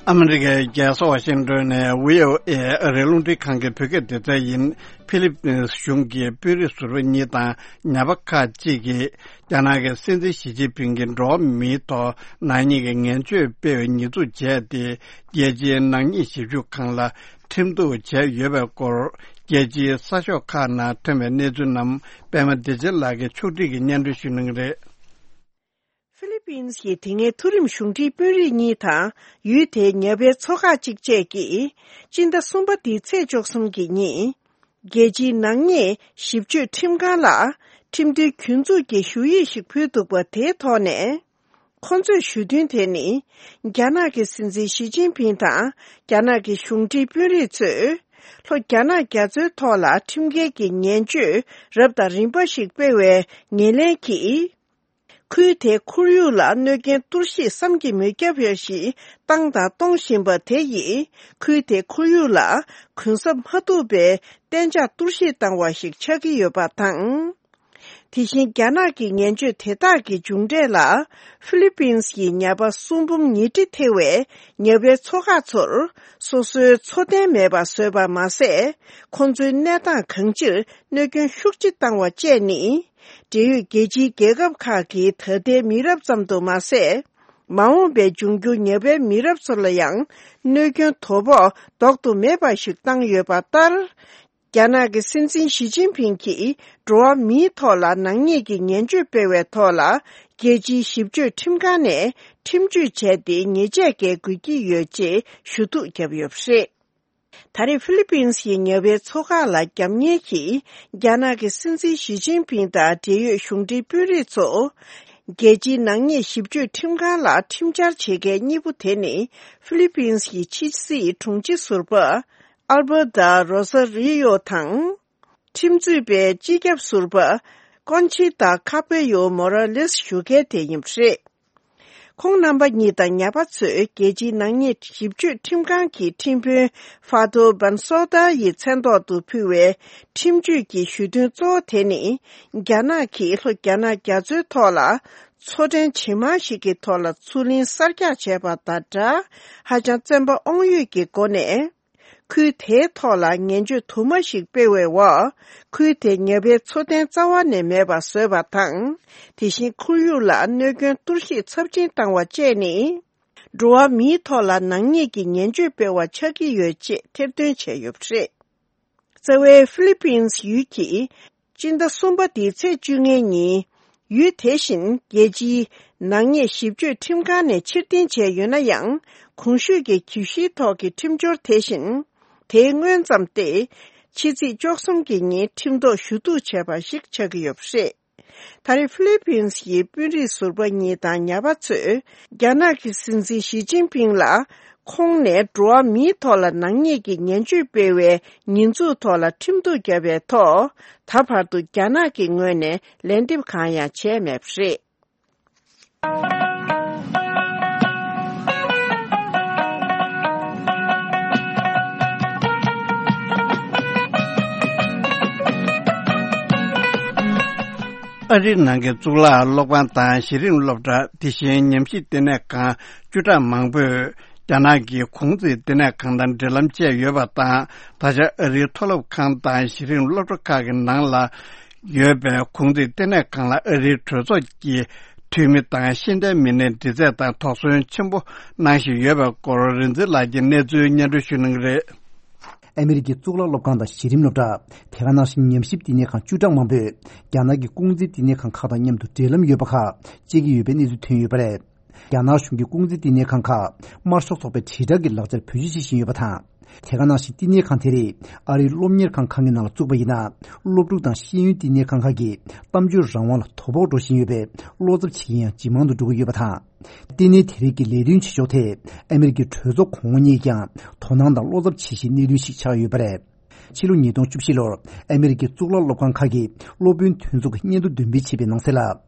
ཨ་མི་རི་ཀའི་རྒྱལ་ས་ཝ་ཤིང་ཏོན་ནས་བྷི་ཨོ་ཨེ་ཨ་རིའི་རླུང་འཕྲིན་ཁང་གི་བོད་སྐད་སྡེ་ཚན་ཡིན། ཕི་ལི་པིན་གཞུང་གི་དཔོན་རིགས་ཟུར་པ་གཉིས་དང་ཉ་པ་ཁག་ཅིག་གིས་རྒྱ་ནག་གི་སྲིད་འཛིན་ཞི་ཅིན་ཕིང་གི་འགྲོ་བ་མིའི་ཐོག་ནག་ཉེས་ཀྱི་ངན་བྱུས་སྤེལ་བའི་ཉེས་འཛུགས་བྱས་ཏེ། རྒྱལ་སྤྱིའི་ནག་ཉེས་ཞིབ་འཇུག་ཁང་ལ་ཁྲིམས་གཏུག་བྱས་ཡོད་པའི་སྐོར། རྒྱལ་སྤྱིའི་གསར་ཤོག་ཁག་ནང་ཐོན་པའི་གནས་ཚུལ་རྣམས་པད་མ་བདེ་ཆེན་ལགས་ཀྱིས་ཕྱོགས་སྒྲིག་གིས་སྙན་སྒྲོན་ཞུ་གནང་གི་རེད། ཧྥི་ལི་པིན་གྱི་དེ་སྔའི་མཐོ་རིམ་གཞུང་འབྲེལ་དཔོན་རིགས་གཉིས་དང་ཡུལ་དེའི་ཉ་པའི་ཚོ་ཁག་ཅིག་བཅས་ཀྱིས་སྤྱི་ཟླ་གསུམ་པ་འདིའི་ཚེས་བཅུ་གསུམ་གྱི་ཉིན། རྒྱལ་སྤྱིའི་ནག་ཉེས་ཞིབ་དཔྱོད་ཁྲིམས་ཁང་ལ་ཁྲིམས་མཐུན་གྱོད་འཛུགས་ཀྱི་ཞུ་ཡིག་ཞིག་ཕུལ་འདུག་པ་དེའི་ཐོག་ནས། ཁོང་ཚོས་ཞུ་དོན་དེ་ནི། རྒྱ་ནག་གི་སྲིད་འཛིན་ཞི་ཅིན་ཕིང་དང་རྒྱ་ནག་གི་གཞུང་འབྲེལ་དཔོན་རིགས་ཚོས། ལྷོ་རྒྱ་ནག་རྒྱ་མཚོའི་ཐོག་ལ་ཁྲིམས་འགལ་གྱི་ངན་བྱུས་རབ་དང་རིམ་པ་ཞིག་སྤེལ་བའི་ངོས་ལེན་གྱིས། ཁུལ་དེའི་ཁོར་ཡུག་ལ་གནོད་སྐྱོན་གཏོར་བཤིག་བསམ་གྱིས་མི་ཁྱབ་པ་ཞིག་བཏང་དང་གཏོང་བཞིན་པ་དེ་ཡིས་ཁུལ་དེའི་ཁོར་ཡུག་ལ་གུན་གསབ་མ་ཐུབ་པའི་གཏན་འཇགས་གཏོར་བཤིག་བཏང་བ་ཞིག་ཆགས་ཀྱི་ཡོད་པ་དང་། དེ་བཞིན་རྒྱ་ནག་གི་ངན་བྱུས་དེ་དག་གི་མཇུག་འབྲས་ལ། ཧྥི་ལི་པིན་གྱི་ཉ་པ་གསུམ་འབུམ་ཉིས་ཁྲི་ཐེ་བས་ཉ་པའི་མཚོ་འགག་ཚོར་སོ་སོའི་འཚོ་རྟེན་མེད་པར་བཟོས་པ་མ་ཟད། ཁོང་ཚོའི་གནས་སྟངས་གང་ཅིར་གནོད་སྐྱོན་ཤུགས་ཆེ་བཏང་བ་བཅས་ནི། འབྲེལ་ཡོད་རྒྱལ་སྤྱིའི་རྒྱལ་ཁབ་ཁག་གི་ད་ལྟའི་མི་རབས་ཙམ་དུ་མ་ཟད། མ་འོངས་པའི་འབྱུང་འགྱུར་ཉ་པའི་མི་རབས་ཚོ་ལ་ཡང་གནོད་སྐྱོན་དོ་ཕོག་ལྡོག་ཏུ་མེད་པ་ཞིག་བཏང་ཡོད་པ་ལྟར། རྒྱ་ནག་གི་སྲིད་འཛིན་ཞི་ཅིན་ཕིང་གིས་འགྲོ་བ་མིའི་ཐོག་ལ་ནག་ཉེས་ཀྱི་ངན་བྱུས་སྤེལ་བའི་ཐོག་ལ། རྒྱལ་སྤྱིའི་ཞིབ་དཔྱོད་ཁྲིམས་ཁང་ནས་ཁྲིམས་གཅོད་བྱས་ཏེ་ཉེས་ཆད་འགེལ་དགོས་ཀྱི་ཡོད་ཅེས་ཞུ་གཏུག་བརྒྱབ་ཡོད་པ་རེད། ད་རེས་ཧྥི་ལི་པིན་གྱི་ཉ་པའི་མཚོ་འགག་ལ་རྒྱབ་གཉེར་གྱིས། རྒྱ་ནག་གི་སྲིད་འཛིན་ཞི་ཅིན་ཕིང་དང་འབྲེལ་ཡོད་གཞུང་འབྲེལ་དཔོན་རིགས་ཚོ། རྒྱལ་སྤྱིའི་ནག་ཉེས་ཞིབ་དཔྱོད་ཁྲིམས་ཁང་ལ་ཁྲིམས་འཆར་བྱེད་མཁན་གཉིས་པོ་དེ་ནི། ཧྥི་ལི་པིན་གྱི་ཕྱི་སྲིད་དྲུང་ཆེ་ཟུར་པ། ཨལ་བྷར་ཏ་རོ་ས་རི་ཡོ་དང་། ཁྲིམས་རྩོད་པའི་སྤྱི་ཁྱབ་ཟུར་པ། ཀོན་ཆི་ཏ་ཁ་པེ་ཡོ་མོ་ར་ལེས་ཞུ་མཁན་དེ་ཡིན་པ་རེད། ཁོང་རྣམ་པ་གཉིས་དང་ཉ་པ་ཚོས་རྒྱལ་སྤྱིའི་ནག་ཉེས་ཞིབ་དཔྱོད་ཁྲིམས་ཁང་གི་ཁྲིམས་དཔོན་ཧྥ་ཏོ་བན་སོ་ཏཱ་ཡི་མཚན་ཐོག་ཏུ་ཕུལ་བའི་ཁྲིམས་གཅོད་ཀྱི་ཞུ་དོན་གཙོ་བོ་དེ་ནི། རྒྱ་ནག་གིས་ལྷོ་རྒྱ་ནག་རྒྱ་མཚོའི་ཐོག་ལ་མཚོ་ཕྲན་ཇེ་མང་ཞིག་གི་ཐོག་ལ་མཚོ་གླིང་གསར་རྒྱག་བྱས་པ་དང་སྦྲགས། ཧ་ཅང་བཙན་པ་དབང་ཡོད་ཀྱི་སྒོ་ནས། ཁུལ་དེའི་ཐོག་ལ་ངན་བྱུས་དུ་མ་ཞིག་སྤེལ་བའི་འོག་ཁུལ་དེ་ཉ་པའི་འཚོ་རྟེན་རྩ་བ་ནས་མེད་པ་བཟོས་པ་དང་། དེ་བཞིན་ཁོར་ཡུག་ལ་གནོད་སྐྱོན་གཏོར་བཤིག་ཚབས་ཆེན་བཏང་བ་བཅས་ནི། འགྲོ་བ་མིའི་ཐོག་ལ་ནག་ཉེས་ཀྱི་ངན་བྱུས་སྤེལ་བ་ཆགས་ཀྱི་ཡོད་ཅེས་ཐེར་འདོན་བྱས་ཡོད་པ་རེད། རྩ་བའི་ཧྥི་ལི་པིན་ཡུལ་གྱིས། སྤྱི་ཟླ་གསུམ་པ་འདིའི་ཚེས་བཅོ་ལྔའི་ཉིན། ཡུལ་དེ་བཞིན་རྒྱལ་སྤྱིའི་ནག་ཉེས་ཞིབ་དཔྱོད་ཁྲིམས་ཁང་ནས་ཕྱིར་འཐེན་བྱས་ཡོད་ན་ཡང་། གོང་ཞུས་ཀྱི་གྱོད་གཞིའི་ཐོག་གི་ཁྲིམས་སྦྱོར་དེ་བཞིན། དེའི་སྔོན་ཙམ་སྟེ། ཕྱི་ཚེས་བཅུ་གསུམ་གྱི་ཉིན་ཁྲིམས་ཐོག་ཞུ་གཏུག་བྱས་པ་ཞིག་ཆགས་ཀྱི་ཡོད་པ་རེད། ད་རེས་ཧྥི་ལི་པིན་གྱི་དཔོན་རིགས་ཟུར་པ་གཉིས་དང་ཉ་པ་ཚོས། རྒྱ་ནག་གི་སྲིད་འཛིན་ཞི་ཅིན་ཕིང་ལ། ཁོང་ནས་འགྲོ་བ་མིའི་ཐོག་ལ་ནག་ཉེས་ཀྱི་ངན་བྱུས་སྤེལ་བའི་ཉེས་འཛུགས་ཐོག་ལ་ཁྲིམས་གཏུག་བརྒྱབ་པའི་ཐོག་ད་བར་དུ་རྒྱ་ནག་གི་ངོས་ནས་ལན་འདེབས་གང་ཡང་བྱས་མེད་པ་རེད། ཨ་རིའི་ནང་གི་གཙུག་ལག་སློབ་ཁང་དང་གཞི་རིམ་སློབ་གྲྭ། དེ་བཞིན་ཉམས་ཞིབ་བསྟི་གནས་ཁང་བཅུ་ཕྲག་མང་པོས་རྒྱ་ནག་གི་གུང་ཚིགས་བསྟི་གནས་ཁང་དང་འབྲེལ་ལམ་བཅད་ཡོད་པ་དང་། ད་ཆ་ཨ་རིའི་མཐོ་སློབ་ཁང་དང་གཞི་རིམ་སློབ་གྲྭ་ཁག་གི་ནང་ལ་ཡོད་པའི་གུང་ཚིགས་བསྟི་གནས་ཁང་ལ་ཨ་རིའི་གྲོས་ཚོགས་ཀྱི་འཐུས་མི་དང་ཤེས་ལྡན་མི་སྣའི་འདྲི་རྩད་དང་དོགས་ཟོན་ཆེན་པོ་གནང་བཞིན་ཡོད་པའི་སྐོར། རིག་འཛིན་ལགས་ཀྱིས་གནས་ཚུལ་སྙན་སྒྲོན་ཞུ་གནང་གི་རེད། ཨ་མི་རི་ཀའི་གཙུག་ལག་སློབ་ཁང་དང་གཞི་རིམ་སློབ་གྲྭ། དེ་ག་ནང་བཞིན་ཉམས་ཞིབ་བསྟི་གནས་ཁང་བཅུ་ཕྲག་མང་པོས་རྒྱ་ནག་གི་ཀུང་ཟི་བསྟི་གནས་ཁང་ཁག་དང་མཉམ་དུ་འབྲེལ་ལམ་ཡོད་པ་ཁག་བཅད་ཀྱི་ཡོད་པའི་གནས་ཚུལ་ཐོན་ཡོད་པ་རེད། རྒྱ་ནག་གཞུང་གི་ཀུང་ཟི་བསྟི་གནས་ཁང་ཁག་དམར་ཤོག་ཚོགས་པའི་དྲིལ་བསྒྲགས་ཀྱི་ལག་ཆར་བེད་སྤྱོད་བྱེད་བཞིན་ཡོད་པ་དང་། དེ་ག་ནང་བཞིན་བསྟི་གནས་ཁང་དེ་རིགས་ཨ་རིའི་སློབ་གཉེར་ཁང་ཁང་གི་ནང་ལ་བཙུགས་པ་ཡིན་ན། སློབ་ཕྲུག་དང་ཤེས་ཡོན་བསྟི་གནས་ཁང་ཁག་གི་གཏམ་བརྗོད་རང་དབང་ལ་དོ་ཕོག་འགྲོ་བཞིན་ཡོད་པས། བློ་འཚབ་བྱེད་ཀྱིན་ཡང་ཇེ་མང་དུ་འགྲོ་གི་ཡོད་པ་དང་། བསྟི་གནས་དེ་རིགས་ཀྱི་ལས་དོན་བྱེད་ཕྱོགས་ཐད་ཨ་མི་རི་ཀའི་གྲོས་ཚོགས་གོང་འོག་གཉིས་ཀྱང་དོ་སྣང་དང་བློ་འཚབ་བྱེད་བཞིན་གནས་དོན་ཞིག་ཆགས་ཡོད་པ་རེད། ཕྱི་ལོ་ཉིས་སྟོང་བཅུ་བཞི་ལོར་ཨ་མི་རི་ཀའི་གཙུག་ལག་སློབ་ཁང་ཁག་གིས་སློབ་དཔོན་མཐུན་ཚོགས་ཀྱི་སྙན་ཐོ་འདོན་སྤེལ་བྱས་པའི་ནང་གསལ་ལ།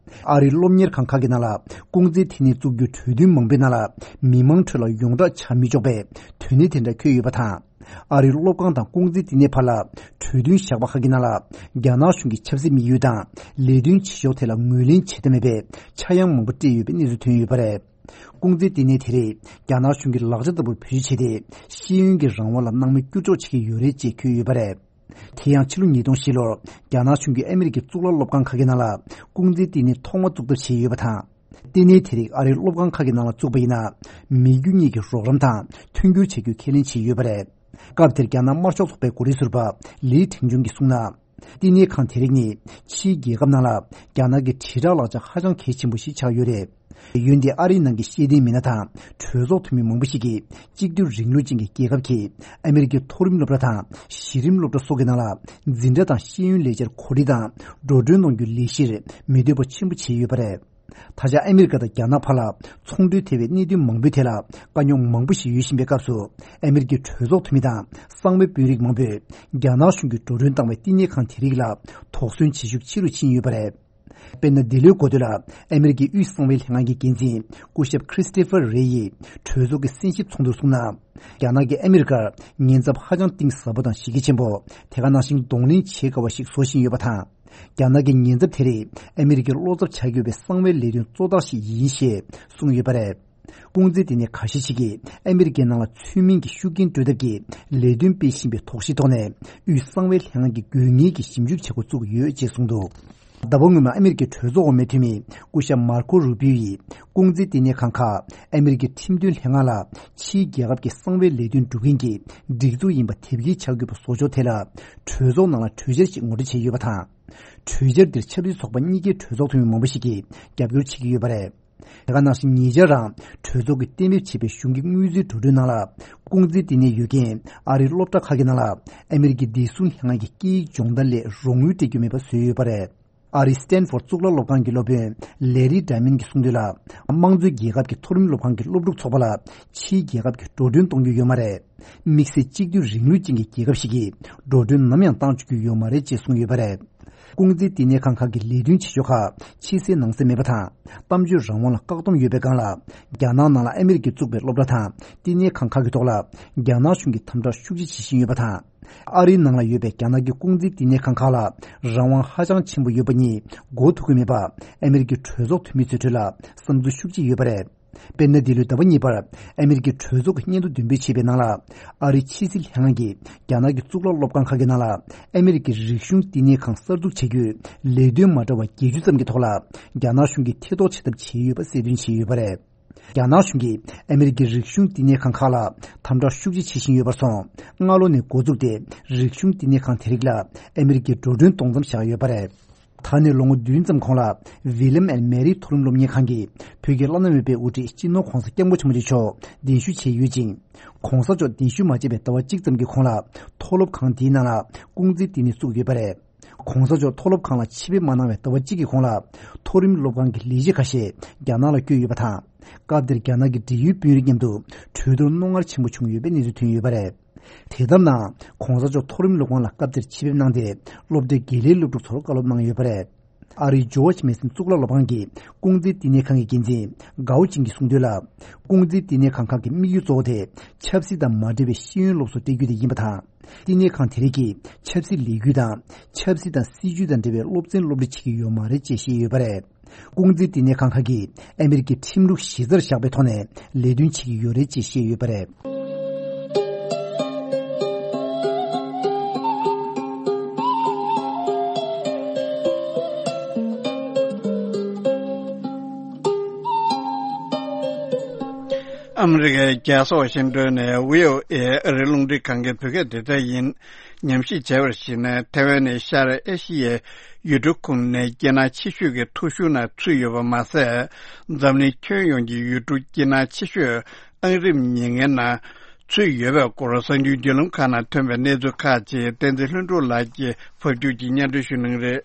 ཨ་རིའི་སློབ་གཉེར་ཁང་ཁག་གི་ནང་ལ་ཀུང་ཟིའི་བསྟི་གནས་བཙུགས་རྒྱུའི་གྲོས་མཐུན་མང་པོའི་ནང་ལ་མི་མང་ཁྲོད་ལ་ཡོངས་གྲགས་ཆགས་མི་ཆོག་པའི་དོན་གནད་དེ་འདྲ་འཁོད་ཡོད་པ་དང་། ཨ་རིའི་སློབ་ཁང་དང་ཀུང་ཟིའི་བསྟི་གནས་བར་ལ་གྲོས་མཐུན་བཞག་པ་ཁག་གི་ནང་ལ། རྒྱ་ནག་གཞུང་གི་ཆབ་སྲིད་དམིགས་ཡུལ་དང་ལས་དོན་བྱེད་ཕྱོགས་ཐད་ལ་ངོས་ལེན་བྱེད་ཐབས་མེད་པའི་ཆག་ཡང་མང་པོ་སྤྲད་ཡོད་པའི་གནས་ཚུལ་ཐོན་ཡོད་པ་རེད། ཀུང་ཟིའི་བསྟི་གནས་དེ་རིགས་རྒྱ་ནག་གཞུང་གི་ལག་ཆ་ལྟ་བུར་བེད་སྤྱོད་བྱས་ཏེ། ཤེས་ཡོན་གྱི་རང་དབང་ལ་སྣང་མེད་བསྐྱུར་འཇོག་བྱེད་ཀྱི་ཡོད་རེད་ཅེས་འཁོད་ཡོད་པ་རེད། དེ་ཡང་ཕྱི་ལོ་ཉིས་སྟོང་བཞི་ལོར་རྒྱ་ནག་གཞུང་གིས་ཨ་མི་རི་ཀའི་གཙུག་ལག་སློབ་ཁང་ཁག་གི་ནང་ལ་ཀུང་ཟིའི་བསྟི་གནས་ཐོག་མ་བཙུགས་ཐབས་བྱས་ཡོད་པ་དང་། བསྟི་གནས་དེ་རིགས་ཨ་རིའི་སློབ་ཁང་ཁག་གི་ནང་ལ་བཙུགས་པ་ཡིན་ན། མི་རྒྱུ་གཉིས་ཀྱི་རོགས་རམ་དང་མཐུན་འགྱུར་བྱ་རྒྱུའི་ཁས་ལེན་བྱས་ཡོད་པ་རེད། སྐབས་དེར་རྒྱ་ནག་དམར་ཤོག་ཚོགས་པའི་འགོ་ཁྲིད་ཟུར་པ་ལི་ཁྲེང་ཆུང་གིས་གསུངས་ན། བསྟི་གནས་ཁང་དེ་རིགས་ནི་ཕྱིའི་རྒྱལ་ཁབ་ནང་ལ་རྒྱ་ནག་གི་དྲིལ་བསྒྲགས་ལག་ཆ་ཧ་ཅང་གལ་ཆེན་པོ་ཞིག་ཆགས་ཡོད་རེད། འོན་ཏེ་ཨ་རིའི་ནང་གི་ཤེས་ལྡན་མི་སྣ་དང་གྲོས་ཚོགས་འཐུས་མི་མང་པོ་ཞིག་གིས། གཅིག་སྡུད་རིང་ལུགས་ཅན་གྱི་རྒྱལ་ཁབ་ཀྱིས་ཨ་མི་རི་ཀའི་མཐོ་རིམ་སློབ་གྲྭ་དང་གཞི་རིམ་སློབ་གྲྭ་སོགས་ཀྱི་ནང་ལ་འཛིན་གྲྭ་དང་ཤེས་ཡོན་ལས་འཆར་གོ་སྒྲིག་དང་འགྲོ་གྲོན་གནང་རྒྱུའི་ལས་གཞིར་མི་འདོད་པ་ཆེན་པོ་བྱས་ཡོད་པ་རེད། ད་ཆ་ཨ་མི་རི་ཀ་དང་རྒྱ་ནག་བར་ལ་ཚོང་འབྲེལ་ཐེ་བའི་གནད་དོན་མང་པོའི་ཐད་ལ་དཀའ་རྙོག་མང་པོ་ཞིག་ཡོད་བཞིན་པའི་སྐབས་སུ། ཨ་མི་རི་ཀའི་གྲོས་ཚོགས་འཐུས་མི་དང་གསང་བའི་དཔོན་རིགས་མང་པོས་རྒྱ་ནག་གཞུང་གིས་འགྲོ་གྲོན་བཏང་བའི་བསྟི་གནས་ཁང་དེ་རིགས་ལ་དོགས་ཟོན་བྱེད་ཤུགས་ཆེ་རུ་ཕྱིན་ཡོད་པ་རེད། དཔེར་ན། འདི་ལོའི་འགོ་སྟོད་ལ་ཨ་མི་རི་ཀའི་དབུས་གསང་བའི་ལྷན་ཁང་གི་འགན་འཛིན་སྐུ་ཞབས་ཁྲིས་ཏི་ཕར་རེ་ཡིས་གྲོས་ཚོགས་ཀྱི་གསན་ཞིབ་ཚོགས་འདུར་གསུངས་ན། རྒྱ་ནག་གིས་ཨ་མི་རི་ཀར་ཉེན་ཚབས་ཧ་ཅང་གཏིང་ཟབ་པོ་དང་གཞི་རྒྱ་ཆེན་པོ། དེ་ག་ནང་བཞིན་གདོང་ལེན་བྱེད་དཀའ་བ་ཞིག་བཟོ་བཞིན་ཡོད་པ་དང་ རྒྱ་ནག་གི་ཉེན་ཚབས་དེ་རིགས་ཨ་མི་རི་ཀའི་བློ་འཚབ་ཆགས་ཡོད་པའི་གསང་བའི་ལས་དོན་གཙོ་རྟགས་ཤིག་ཡིན་ཞེས་གསུངས་ཡོད་པ་རེད། ཀུང་ཟི་ལྟེ་གནས་ཁ་ཤས་ཤིག་གིས་ཨ་མི་རི་ཀའི་ནང་ལ་ཚུལ་མིན་གྱི་ཤུགས་རྐྱེན་སྤྲོད་ཐབས་ཀྱི་ལས་དོན་སྤེལ་བཞིན་པའི་དོགས་གཞིའི་ཐོག་ནས། དབུས་གསང་བའི་ལྷན་ཁང་གིས་དགོས་ངེས་ཀྱི་ཞིབ་འཇུག་བྱེད་འགོ་བཙུགས་ཡོད་ཅེས་གསུངས་འདུག་ཟླ་བ་སྔོན་མ་ཨ་མི་རི་ཀའི་གྲོས་ཚོགས་འོག་མའི་འཐུས་མི་སྐུ་ཞབས་མར་ཁོ་རུ་པིའོ་ཡིས་ཀུང་ཟི་ལྟེ་གནས་ཁང་ཁག་ཨ་མི་རི་ཀའི་ཁྲིམས་དོན་ལྷན་ཁང་ལ་ཕྱིའི་རྒྱལ་ཁབ་ཀྱི་གསང་བའི་ལས་དོན་སྒྲུབ་མཁན་གྱི་སྒྲིག་འཛུགས་ཡིན་པ་དེབ་སྐྱེལ་བྱ་དགོས་པ་བཟོ་ཕྱོགས་ཐད་ལ། གྲོས་ཚོགས་ནང་ལ་གྲོས་འཆར་ཞིག་ངོ་སྤྲོད་བྱས་ཡོད་པ་དང་། གྲོས་འཆར་འདིར་ཆབ་སྲིད་ཚོགས་པ་གཉིས་ཀའི་གྲོས་ཚོགས་འཐུས་མི་མང་པོ་ཞིག་གིས་རྒྱབ་སྐྱོར་བྱེད་ཀྱི་ཡོད་པ་རེད། དེ་ག་ནང་བཞིན་ཉེ་ཆར་རང་གྲོས་ཚོགས་ཀྱིས་གཏན་འབེབས་བྱས་པའི་གཞུང་གི་དངུལ་རྩིས་འགྲོ་གྲོན་ནང་ལ། ཀུང་ཟི་ལྟེ་གནས་ཡོད་མཁན་ཨ་རིའི་སློབ་གྲྭ་ཁག་གི་ནང་ལ་ཨ་མི་རི་ཀའི་བདེ་སྲུང་ལྷན་ཁང་གི་སྐད་ཡིག་སྦྱོང་བརྡར་སླད་རོགས་དངུལ་སྤྲད་རྒྱུ་མེད་པ་བཟོས་ཡོད་པ་རེད། ཨ་རིའི་སི་ཏན་ཧྥོར་གཙུག་ལག་སློབ་ཁང་གི་སློབ་དཔོན་ལེ་རི་ཌ་མན་གྱིས་གསུངས་དོན་ལ། དམངས་གཙོའི་རྒྱལ་ཁབ་ཀྱི་མཐོ་རིམ་སློབ་ཁང་གི་སློབ་ཕྲུག་ཚོགས་པ་ལ་ཕྱིའི་རྒྱལ་ཁབ་ཀྱིས་འགྲོ་གྲོན་གཏོང་རྒྱུ་ཡོད་མ་རེད། དམིགས་བསལ་གཅིག་སྡུད་རིང་ལུགས་ཅན་གྱི་རྒྱལ་ཁབ་ཞིག་གིས་འགྲོ་གྲོན་ནམ་ཡང་གཏང་བཅུག་རྒྱུ་ཡོད་མ་རེད་ཅེས་གསུངས་ཡོད་པ་རེད། ཀུང་ཟི་ལྟེ་གནས་ཁང་ཁག་གི་ལས་དོན་བྱེད་ཕྱོགས་ཁག་ཕྱི་གསལ་ནང་གསལ་མེད་པ་དང་། གཏམ་བརྗོད་རང་དབང་ལ་བཀག་སྡོམ་ཡོད་པའི་སྒང་ལ། རྒྱ་ནག་ནང་ལ་ཨ་མི་རི་ཀས་བཙུགས་པའི་སློབ་གྲྭ་དང་ལྟེ་གནས་ཁང་ཁག་གི་ཐོག་ལ་རྒྱ་ནག་གཞུང་གིས་དམ་དྲག་ཤུགས་ཆེ་བྱེད་བཞིན་ཡོད་པ་དང་། ཨ་རིའི་ནང་ལ་ཡོད་པའི་རྒྱ་ནག་གི་ཀུང་ཟིའི་ལྟེ་གནས་ཁང་ཁག་ལ་རང་དབང་ཧ་ཅང་ཆེན་པོ་ཡོད་པ་གཉིས་མགོ་ཐུག་གི་མེད་པ། ཨ་མི་རི་ཀའི་གྲོས་ཚོགས་འཐུས་མི་ཚོའི་ཁྲོད་ལ་བསམ་ཚུལ་ཤུགས་ཆེ་ཡོད་པ་རེད། དཔེར་ན། འདི་ལོའི་ཟླ་བ་གཉིས་པར་ཨ་མི་རི་ཀའི་གྲོས་ཚོགས་ཀྱི་སྙན་ཐོ་འདོན་སྤེལ་བྱས་པའི་ནང་ལ། ཨ་རིའི་ཕྱི་སྲིད་ལྷན་ཁང་གིས་རྒྱ་ནག་གི་གཙུག་ལག་སློབ་ཁང་ཁག་གི་ནང་ལ་ཨ་མི་རི་ཀའི་རིག་གཞུང་ལྟེ་གནས་ཁང་གསར་འཛུགས་བྱ་རྒྱུའི་ལས་དོན་མ་འདྲ་བ་བརྒྱད་ཅུ་ཙམ་གྱི་ཐོག་ལ། རྒྱ་ནག་གཞུང་གིས་ཐེ་གཏོགས་བྱེད་ཐབས་བྱས་ཡོད་པ་གསལ་སྟོན་བྱས་ཡོད་པ་རེད། རྒྱ་ནག་གཞུང་གིས་ཨ་མི་རི་ཀའི་རིག་གཞུང་ལྟེ་གནས་ཁང་ཁག་ལ་དམ་དྲག་ཤུགས་ཆེ་བྱེད་བཞིན་ཡོད་པར་སོང་། སྔ་ལོ་ནས་འགོ་བཙུགས་ཏེ། རིག་གཞུང་ལྟེ་གནས་ཁང་དེ་རིགས་ལ་ཨ་མི་རི་ཀས་འགྲོ་གྲོན་གཏོང་མཚམས་བཞག་ཡོད་པ་རེད། ད་ནས་ལོ་ངོ་བདུན་ཙམ་གོང་ལ། ཝི་ལམ་ཨེན་མེ་རི་མཐོ་རིམ་སློབ་གཉེར་ཁང་གིས་བོད་ཀྱི་བླ་ན་མེད་པའི་དབུ་ཁྲིད་སྤྱི་ནོར་༧གོང་ས་༧སྐྱབས་མགོན་ཆེན་པོ་མཆོག་གདན་ཞུ་བྱས་ཡོད་ཅིང་། ༧གོང་ས་མཆོག་གདན་ཞུ་མ་བྱས་པའི་ཟླ་བ་གཅིག་ཙམ་གྱི་གོང་ལ། མཐོ་སློབ་ཁང་དེའི་ནང་ལ་ཀུང་ཟིའི་ལྟེ་གནས་བཙུགས་ཡོད་པ་རེད། ༧གོང་ས་མཆོག་མཐོ་སློབ་ཁང་ལ་ཆེད་ཕེབས་མ་གནང་བའི་ཟླ་བ་གཅིག་གི་གོང་ལ། མཐོ་རིམ་སློབ་ཁང་གི་ལས་བྱེད་ཁ་ཤས་རྒྱ་ནག་ལ་བསྐྱོད་ཡོད་པ་དང་། སྐབས་དེར་རྒྱ་ནག་གི་འབྲེལ་ཡོད་དཔོན་རིགས་མཉམ་དུ་གྲོས་བསྡུར་རྣོ་ངར་ཆེན་པོ་བྱུང་ཡོད་པའི་གནས་ཚུལ་ཐོན་ཡོད་པ་རེད། དེ་ལྟར་ན། ༧གོང་ས་མཆོག་མཐོ་རིམ་སློབ་ཁང་ལ་སྐབས་དེར་ཆེད་ཕེབས་གནང་སྟེ། སློབ་གྲྭའི་དགེ་ལས་སློབ་ཕྲུག་ཚོར་བཀའ་སློབ་གནང་ཡོད་པ་རེད། ཨ་རིའི་ཇོརྗ་མེ་སོན་གཙུག་ལག་སློབ་ཁང་གི་ཀུང་ཟིའི་ལྟེ་གནས་ཁང་གི་འགན་འཛིན་གའོ་ཅིང་གིས་གསུངས་དོན་ལ། ཀུང་ཟིའི་ལྟེ་གནས་ཁང་ཁག་གི་དམིགས་ཡུལ་གཙོ་བོ་དེ། ཆབ་སྲིད་དང་མ་འབྲེལ་བའི་ཤེས་ཡོན་སློབ་གསོ་སྤྲད་རྒྱུ་དེ་ཡིན་པ་དང་། ལྟེ་གནས་ཁང་དེ་རིགས་ཀྱིས་ཆབ་སྲིད་ལས་འགུལ་དང་། ཆབ་སྲིད་དང་སྲིད་ཇུས་དང་འབྲེལ་བའི་སློབ་ཚན་སློབ་ཁྲིད་བྱེད་ཀྱི་ཡོད་མ་རེད་ཅེས་བཤད་ཡོད་པ་རེད། ཀུང་ཟིའི་ལྟེ་གནས་ཁང་ཁག་གིས་ཨ་མི་རི་ཀའི་ཁྲིམས་ལུགས་གཞི་རྩར་བཞག་པའི་ཐོག་ནས་ལས་དོན་བྱེད་ཀྱི་ཡོད་རེད་ཅེས་བཤད་ཡོད་པ་རེད། ཨ་མི་རི་ཀའི་རྒྱལ་ས་ཝ་ཤིང་ཏོན་ནས་བྷི་ཨོ་ཨེ་ཨ་རིའི་རླུང་འཕྲིན་ཁང་གི་བོད་སྐད་སྡེ་ཚན་ཡིན། ཉམས་ཞིབ་བྱས་པར་གཞིགས་ན། ཐའེ་ཝན་ནི་ཤར་ཨེ་ཤི་ཡའི་ཡུལ་གྲུ་ཁོངས་ནས་སྐྱིད་སྣང་ཆེ་ཤོས་ཀྱི་ཐོ་གཞུང་ནང་ཚུད་ཡོད་པ་མ་ཟད། འཛམ་གླིང་ཁྱོན་ཡོངས་ཀྱི་ཡུལ་གྲུ་སྐྱིད་སྣང་ཆེ་ཤོས་ཨང་རིམ་ཉེར་ལྔའི་ནང་ཚུད་ཡོད་པའི་སྐོར། གསར་འགྱུར་བརྒྱུད་ལམ་ཁག་ནང་ཐོན་པའི་གནས་ཚུལ་ཁག་ཅིག་བསྟན་འཛིན་ལྷུན་གྲུབ་ལགས་ཀྱིས་ཕབ་སྒྱུར་གྱིས་སྙན་སྒྲོན་ཞུ་གནང་གི་རེད།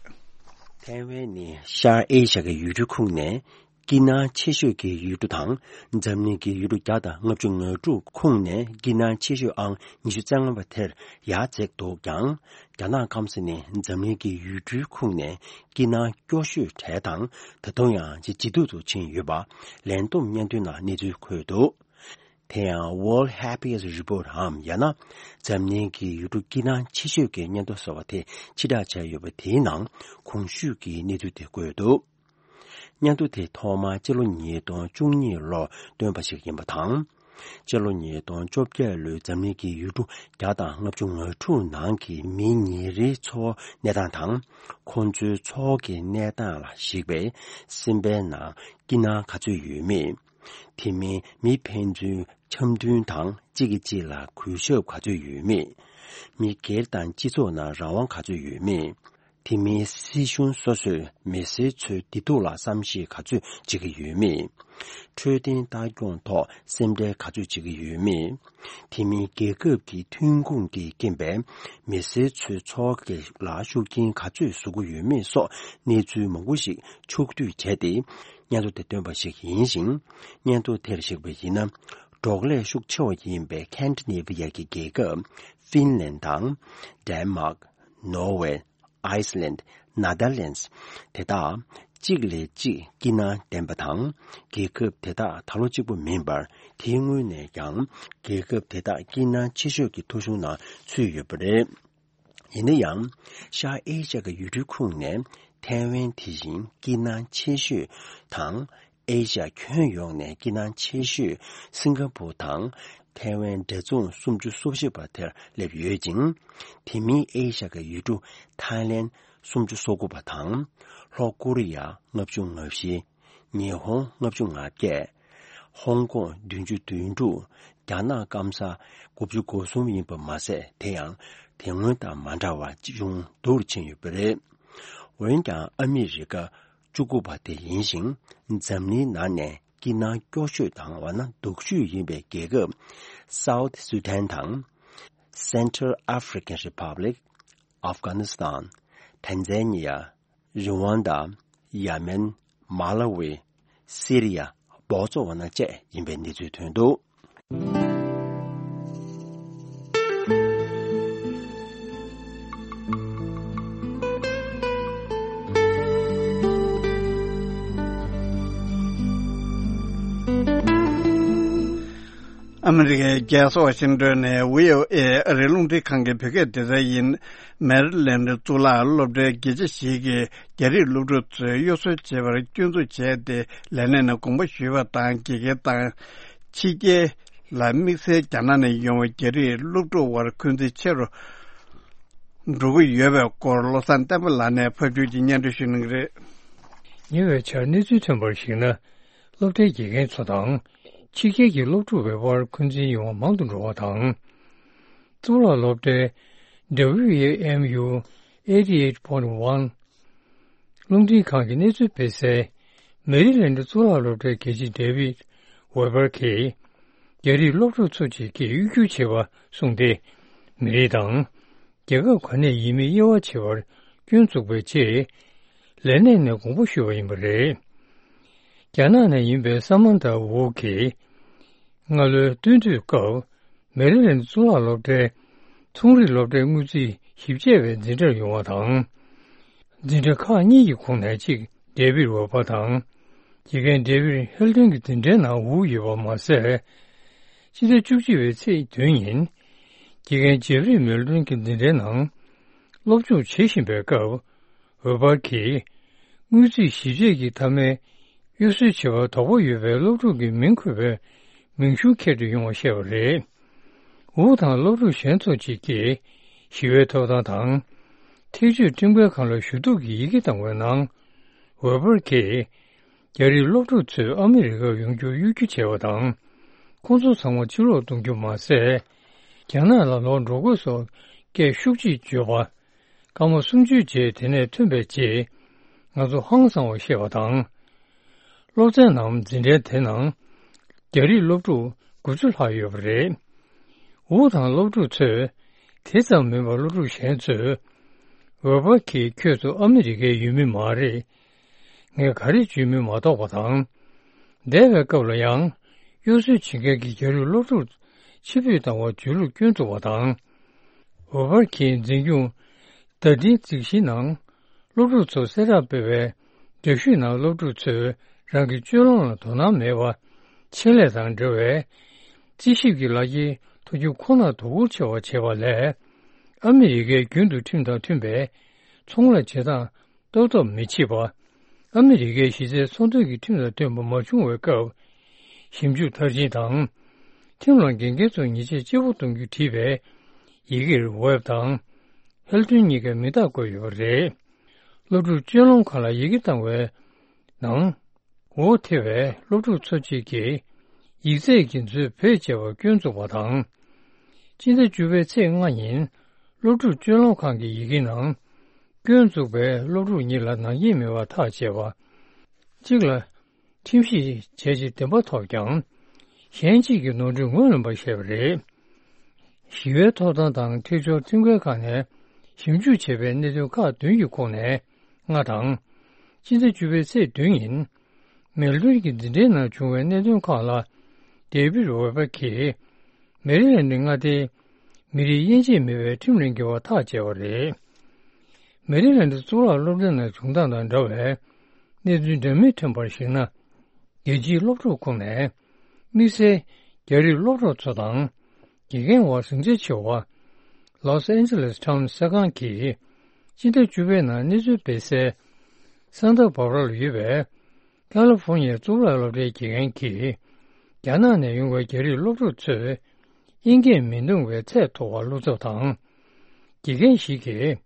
ཐའེ་ཝན་ནི་ཤར་ཨེ་ཤ་ཡའི་ཡུལ་གྲུ་ཁོངས་ནས། སྐྱིད་སྣང་ཆེ་ཤོས་ཀྱི་ཡུལ་གྲུ་དང་། འཛམ་གླིང་གི་ཡུལ་གྲུ་བརྒྱ་དང་ལྔ་བཅུ་ང་དྲུག་ཁོངས་ནས་སྐྱིད་སྣང་ཆེ་ཤོས་ཨང་ཉི་ཤུ་རྩ་ལྔ་པ་དེར་ཡར་འཛེགས་འདུག་ཀྱང་། རྒྱ་ནག་སྐམ་ས་ནི་འཛམ་གླིང་གི་ཡུལ་གྲུའི་ཁོངས་ནས་སྐྱིད་སྣང་སྐྱོ་ཤོས་གྲས་དང་། ད་དུང་ཡང་ཇེ་ཇེ་སྡུག་ཏུ་ཕྱིན་ཡོད་པ། ལན་ཏུང་སྙན་ཐོའི་ནང་གནས་ཚུལ་འཁོད་འདུག་དེ་ཡང་World Happiest Report འམ། ཡང་ན། འཛམ་གླིང་གི་ཡུལ་གྲུ་སྐྱིད་སྣང་ཆེ་ཤོས་ཀྱི་སྙན་ཐོ་ཟེར་བ་དེ་ཕྱིར་བསྒྲགས་བྱས་ཡོད་པ་དེའི་ནང་གོང་ཞུས་ཀྱི་གནས་ཚུལ་དེ་འཁོད་འདུག་སྙན་ཐོ་དེ་ཐོག་མར་སྤྱི་ལོ་ཉིས་སྟོང་བཅུ་གཉིས་ལོར་བཏོན་པ་ཞིག་ཡིན་པ་དང་། སྤྱི་ལོ་ཉིས་སྟོང་བཅོ་བརྒྱད་ལོའི་འཛམ་གླིང་གི་ཡུལ་གྲུ་བརྒྱ་དང་ལྔ་བཅུ་ང་དྲུག་ནང་གི་མི་ཉིན་རེའི་འཚོ་བ་གནས་སྟངས་དང་། ཁོང་ཚོའི་འཚོ་བ་གི་གནས་སྟངས་ལ་གཞིགས་པའི་སེམས་པའི་ནང་སྐྱིད་སྣང་ག་ཚོད་ཡོད་མེད། དེ་མིན་མི་ཕན་ཚུན་འཆམ་མཐུན་དང་གཅིག་གིས་གཅིག་ལ་གུས་ཞབས་ག་ཚོད་ཡོད་མེད། མི་སྒེར་དང་སྤྱི་ཚོགས་ནང་རང་དབང་ག་ཚོད་ཡོད་མེད། དེ་མིན་སྲིད་གཞུང་སོ་སོས་མི་སེར་ཚོའི་བདེ་སྡུག་ལ་བསམ་ཤེས་ག་ཚོད་བྱེད་ཀྱི་ཡོད་མེད། འཕྲོད་བསྟེན་ལྟ་སྐྱོང་ཐོག་སེམས་ཁྲལ་ག་ཚོད་བྱེད་ཀྱི་ཡོད་མེད། དེ་མིན་རྒྱལ་ཁབ་ཀྱི་ཐོན་ཁུངས་ཀྱི་རྐྱེན་པས་མི་སེར་ཚོའི་འཚོ་བ་ལ་ཤུགས་རྐྱེན་ག་ཚོད་བཟོ་གི་ཡོད་མེད་སོགས་གནས་ཚུལ་མང་པོ་ཞིག་ཕྱོགས་བསྡུས་བྱས་ཏེ། སྙན་ཐོ་དེ་བཏོན་པ་ཞིག་ཡིན་ཞིང་། སྙན་ཐོ་དེར་གཞིགས་པ་ཡིན་ན། འབྲོག་ལས་ཤུགས་ཆེ་བ་ཡིན་པའི་ཁན་ཌི་ནེ་ཝི་ཡ་གི་རྒྱལ་ཁབ་ཧྥིན་ལན་དང་། ཌེན་མཱག་ནོར་ཝེ། ཨའི་སི་ལན། ནེ་དར་ལན་དེ་དག་གཅིག་ལས་གཅིག་སྐྱིད་སྣང་ལྡན་པ་དང་། རྒྱལ་ཁབ་དེ་དག་ད་ལོ་གཅིག་པུ་མིན་པར། དེའི་སྔོན་ནས་ཀྱང་རྒྱལ་ཁབ་དེ་དག་སྐྱིད་སྣང་ཆེ་ཤོས་ཀྱི་ཐོ་གཞུང་ནང་ཚུད་ཡོད་པ་རེད། ཡིན་ན་ཡང་། ཤར་ཨེ་ཤ་ཡའི་ཡུལ་གྲུའི་ཁོངས་ནས་ཐའེ་ཝན་དེ་བཞིན་སྐྱིད་སྣང་ཆེ་ཤོས་དང་། ཨེ་ཤ་ཡ་ཁྱོན་ཡོངས་ནས་སྐྱིད་སྣང་ཆེ་ཤོས་སིང་ག་པུར་དང་། ཐའེ་ཝན་འབྲེལ་རྫོང་སུམ་ཅུ་སོ་བཞི་པ་དེར་སླེབས་ཡོད་ཅིང་། དེ་མིན་ཨེ་ཤ་ཡའི་ཡུལ་གྲུ་ཐའི་ལེན་སུམ་ཅུ་སོ་དགུ་པ་དང་། ལྷོ་ཀོ་རི་ཡ་ལྔ་བཅུ་ང་བཞི། ཉི་ཧོང་ལྔ་བཅུ་ང་བརྒྱད། ཧོང་ཀོང་བདུན་ཅུ་དོན་དྲུག་རྒྱ་ནག་སྐམ་ས་དགུ་བཅུ་གོ་གསུམ་ཡིན་པ་མ་ཟད། དེ་ཡང་དེ་སྔོན་དང་མ་འདྲ་བ་ཅུང་སྡུག་རུ་ཕྱིན་ཡོད་པ་རེད། འོན་ཀྱང་ཨ་མི་རི་ཀ་བཅུ་དགུ་པ་དེ་ཡིན་ཞིང་། འཛམ་གླིང་ནང་ནས་སྐྱིད་སྣང་སྐྱོ་ཤོས་དང་འོ་ན་སྡུག་ཤོས་ཡིན་པའི་རྒྱལ་ཁབ་South Sudan དང་། Central African Republic། Afghanistan། Tanzania། Rwanda། Yemen། Malawi། Syria། Botswana བཅས་ཡིན་པའི་གནས་ཚུལ་ཐོན་འདུག། ཨ་མི་རི་ཀའི་རྒྱལ་ས་ཝ་ཤིང་ཏོན་ནས་བྷི་ཨོ་ཨེ་ཨ་རིའི་རླུང་འཕྲིན་ཁང་གི་བོད་སྐད་སྡེ་ཚན་ཡིན། མེ་རི་ལེན་ཌི་གཙུག་ལག་སློབ་གྲྭའི་དགེ་ཆེ་ཞིག་གིས་རྒྱ་རིགས་སློབ་ཕྲུག་ཚོས་གཡོ་ཟོལ་བྱེད་པར་སྐྱོན་འཛུགས་བྱས་ཏེ། ལས་གནས་ནས་དགོངས་པ་ཞུས་པ་དང་། དགེ་རྒན་དང་ཕྱི་རྒྱལ་ལ་དམིགས་བསལ་རྒྱ་ནག་ནས་ཡོང་བའི་རྒྱ་རིགས་སློབ་ཕྲུག་དབར་འཁོན་འཛིན་ཆེ་རུ་འགྲོ་གི་ཡོད་པའི་སྐོར། བློ་བཟང་བསྟན་པ་ལགས་ནས་ཕབ་སྒྱུར་གྱིས་སྙན་སྒྲོན་ཞུ་གནང་གི་རེད། ཉེ་བའི་ཆར་གནས་ཚུལ་ཐོན་པར་གཞིགས་ན། སློབ་གྲྭའི་དགེ་རྒན་ཚོ་དང་། ཕྱི་རྒྱལ་གྱི་སློབ་ཕྲུག་བར་འཁོན་འཛིན་ཡོང་བ་མང་དུ་འགྲོ་བ་དང་། གཙུག་ལག་སློབ་གྲྭའི་W A M U eighty eight point one རླུང་འཕྲིན་ཁང་གི་གནས་ཚུལ་སྤེལ་སའི་མེ་རི་ལེན་ཌི་གཙུག་ལག་སློབ་གྲྭའི་དགེ་ཆེ་ཌེ་ཝིད་ཝེ་པར་གྱིས། རྒྱ་རིགས་སློབ་ཕྲུག་ཚོ་གཅིག་གིས་གཡོ་སྒྱུ་བྱས་པ་གསུངས་ཏེ། མི་རིགས་དང་། རྒྱལ་ཁབ་ག་ནས་ཡིན་མིན་དབྱེ་བ་ཕྱེ་བར་སྐྱོན་བཙུགས་པའི་རྗེས། ལས་གནས་ནས་དགོངས་པ་ཞུས་པ་ཡིན་པ་རེད། རྒྱ་ནག་ནས་ཡིན་པའི་ས་མན་ཐ་ཝུའུ་གིས། སྔ་ལོའི་སྟོན་དུས་སྐབས། མེ་རི་ལེན་ཌི་གཙུག་ལག་སློབ་གྲྭའི་ཚོང་རིག་སློབ་གྲྭའི་དངུལ་རྩིས་ཞིབ་དཔྱད་པའི་འཛིན་གྲྭར་ཡོང་བ་དང་། འཛིན་གྲྭ་ཁག་གཉིས་ཀྱི་ཁོངས་ནས་གཅིག་ཌེ་བིད་ཝེ་པར་དང་། དགེ་རྒན་ཌེ་བིད་ཧེལ་ཏོན་གྱི་འཛིན་གྲྭའི་ནང་ཝུའུ་ཡོད་པ་མ་ཟད། ཕྱི་ཟླ་བཅུ་གཅིག་པའི་ཚེས་བདུན་ཉིན། དགེ་རྒན་ཇེབ་རི་མེལ་ཏོན་གྱི་འཛིན་གྲྭའི་ནང་སློབ་སྦྱོང་བྱེད་བཞིན་པའི་སྐབས། ཝེ་པར་གྱིས། དངུལ་རྩིས་ཞིབ་དཔྱད་ཀྱི་མཐའ་མའི་གཡོ་ཟོལ་བྱེད་པར་དོགས་པ་ཡོད་པའི་སློབ་ཕྲུག་གི་མིང་འཁོད་པའི་མིང་གཞུང་འཁྱེར་དུ་ཡོང་བ་བཤད་པ་རེད། ཝུའུ་དང་སློབ་ཕྲུག་གཞན་ཚོ་གཅིག་གིས་ཞི་བའི་ཐོབ་ཐང་དང་། ཐེག་གཅོད་ཁྲིམས་འགལ་ཁང་ལ་ཞུ་གཏུག་གི་ཡི་གེ་བཏང་བའི་ནང་། ཝེ་པར་གྱིས། རྒྱ་རིགས་སློབ་ཕྲུག་ཚོས་ཨ་མི་རི་ཀར་ཡོང་རྒྱུར་གཡོ་སྒྱུ་བྱས་པ་དང་། ཁོང་ཚོ་ཚང་མ་ཕྱིར་ལོག་གཏོང་རྒྱུ་མ་ཟད། རྒྱ་ནག་ལ་ལོག་འགྲོ་དགོས་སོགས་སྐད་ཤུགས་ཆེ་བརྗོད་པ། སྐར་མ་སུམ་ཅུའི་རྗེས་དེ་ནས་ཐོན་པའི་རྗེས། ང་ཚོ་ཧང་སང་བར་བཤད་པ་དང་། སློབ་ཚན་ནམ་འཛིན་གྲྭའི་དེ་ནང་། རྒྱ་རིགས་སློབ་ཕྲུག་དགུ་བཅུ་ལྷག་ཡོད་པ་རེད། ཝུའུ་དང་སློབ་ཕྲུག་ཚོས། དེ་ཙམ་མིན་པར་སློབ་ཕྲུག་གཞན་ཚོས། ཝེ་པར་གྱིས་ཁྱོད་ཚོ་ཨ་མི་རི་ཀའི་ཡུལ་མི་མ་རེད། ངས་ག་རེ་བརྗོད་མིན་མ་རྟོགས་པ་དང་། འདས་པའི་སྐབས་ལ་ཡང་། གཡོ་ཟོལ་བྱེད་མཁན་གྱི་རྒྱ་རིགས་སློབ་ཕྲུག་ཕྱིར་འབུད་བཏང་བར་བརྗོད་ལུགས་སྐྱོན་བཙུགས་པ་དང་། ཝེ་པར་གྱིས་འཛིན་སྐྱོང་བརྡ་འཕྲིན་རྩིས་གཞིའི་ནང་། སློབ་ཕྲུག་ཚོར་གསལ་བསྒྲགས་སྤེལ་བའི་འདྲ་བཤུས་ནང་སློབ་ཕྲུག་ཚོས་རང་གི་སྤྱོད་ལམ་ལ་དོ་སྣང་མེད་པ། ཆེད་ལས་དང་འབྲེལ་བའི་རྩིས་ཞིབ་ཀྱི་ལག་འཁྱེར་ཐོབ་རྒྱུ་ཁོ་ནར་དོ་ཁུར་ཆེ་བ་བྱེད་པ་ལས། ཨ་མི་རི་ཀའི་རྒྱུན་དུ་ཁྲིམས་དང་མཐུན་པའི་ཚོང་ལས་བྱེད་སྟངས་ཏོག་ཏོག་མི་བྱེད་པ། ཨ་མི་རི་ཀའི་གཞི་རྩའི་ཚོང་དོན་གྱི་ཁྲིམས་དང་མཐུན་པ་མ་བྱུང་བའི་སྐབས། ཞིབ་འཇུག་མཐར་ཕྱིན་དང་། ཁྲིམས་ལ་འགལ་འགལ་ཚོར་ཉེས་ཆད་ལྕི་པོ་གཏོང་རྒྱུ་བྲིས་པའི་ཡི་གེར་ཝེབ་དང་། ཧེལ་ཏོན་གཉིས་ཀའི་མིང་རྟགས་བཀོད་ཡོད་པ་རེད། སློབ་ཕྲུག་སྤྱོད་ལམ་ཁང་ལ་ཡི་གེ་བཏང་བའི་ནང་། འོ་དེ་བས་སློབ་ཕྲུག་ཚོ་གཅིག་གིས་ཡིག་ཚད་ཀྱི་མཛོད་བེད་སྤྱད་པར་སྐྱོན་བཙུགས་པ་དང་། སྤྱི་ཟླ་བཅུ་པའི་ཚེས་ལྔ་ཉིན་སློབ་ཕྲུག་སྤྱོད་ལམ་ཁང་གི་ཡི་གེ་ནང་སྐྱོན་བཙུགས་པས་སློབ་ཕྲུག་གཉིས་ལ་ནག་ཉེས་མེད་པར་ཐག་བཅད་པ། གཅིག་ལ་ཁྲིམས་ཞིབ་བྱས་རྗེས་བདེན་པ་ཐོབ་ཀྱང་། གཞན་གཅིག་གིས་ནོར་འཁྲུལ་ངོས་ལེན་པར་བཤད་པ་རེད། ཞི་བའི་ཐོབ་ཐང་དང་འཁྲིག་སྦྱོར་ཁྲིམས་འགལ་ཁང་ནས་ཞིབ་འཇུག་བྱས་པའི་གནད་དོན་ཁག་བདུན་གྱི་ཁོངས་ནས་ལྔ་དང་། སྤྱི་ཟླ་བཅུ་པའི་ཚེས་བདུན་ཉིན། མེལ་བྷོན་གྱི་འཛིན་གྲྭའི་ནང་བྱུང་བའི་གནད་དོན་ཁག་ལ། ཌེ་བིད་ཝེ་པར་གྱིས། མེ་རི་ལན་ཌི་མངའ་སྡེའི་མི་རིགས་དབྱེ་འབྱེད་མེད་པའི་ཁྲིམས་ལ་འགལ་བར་ཐག་བཅད་པ་རེད། མེ་རི་ལན་ཌི་གཙུག་ལག་སློབ་གྲྭའི་ནང་བྱུང་སྟངས་དང་འདྲ་བའི་གནས་ཚུལ་འདྲ་མིན་ཐོན་པར་གཞིགས་ན། རྒྱལ་སྤྱིའི་སློབ་ཕྲུག་ཁོངས་ནས། དམིགས་བསལ་རྒྱ་རིགས་སློབ་གྲོགས་ཚོ་དང་། དགེ་རྒན་བར་ཟིང་ཆ་ཆེ་བ། ལོས་ཨན་ཇེ་ལེས་ཊའུན་གསར་ཁང་གིས་སྤྱི་ཟླ་བཅུ་པའི་ནང་གནས་ཚུལ་སྤེལ་གསལ། ས་མཐོ་བྷ་བྷ་ར་ལ་ཡོད་པའི་ཀ་ལི་ཧྥོར་ནི་ཡའི་གཙུག་ལག་སློབ་གྲྭའི་དགེ་རྒན་གྱིས་རྒྱ་ནག་ནས་ཡོང་བའི་རྒྱ་རིགས་སློབ་ཕྲུག་ཚོས་དབྱིན་སྐད་མི་འདོན་པའི་ཚད་མཐོ་བ་བློ་འཚབ་དང་། དགེ་རྒན་ཞིག་གིས་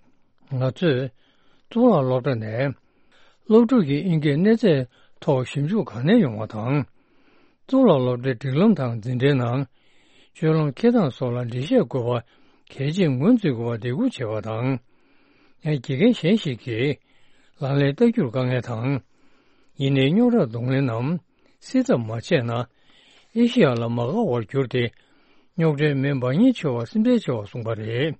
ང་ཚོས་གཙུག་ལག་སློབ་གྲྭ་ནས་སློབ་ཕྲུག་གི་དབྱིན་སྐད་གནས་ཚད་ཐོག་ཞིབ་འཇུག་ག་ནས་ཡོང་བ་དང་། གཙུག་ལག་སློབ་གྲྭའི་སྒྲིག་ལམ་དང་འཛིན་གྲྭའི་ནང་སྤྱོད་ལམ་འཁྱེར་སྟངས་སོགས་ལ་འགྲེལ་བཤད་དགོས་པ་གལ་ཆེར་ངོས་འཛིན་དགོས་པ་འདེད་སྐུལ་བྱས་པ་དང་། ཡང་དགེ་རྒན་གཞན་ཞིག་གིས་ལག་ལེན་བསྟར་རྒྱུར་དཀའ་ངལ་དང་། ཡིན་ནའི་རྙོག་དྲ་གདོང་ལེན་ནམ་སེལ་ཐབས་མ་བྱས་ན། ཨེ་ཤི་ཡ་ལ་མ་དགའ་བར་གྱུར་ཏེ། རྙོག་དྲའི་མེ་འབར་ཉེན་ཆེ་བ་སེམས་ཁྲལ་ཆེ་བ་གསུངས་པ་རེད།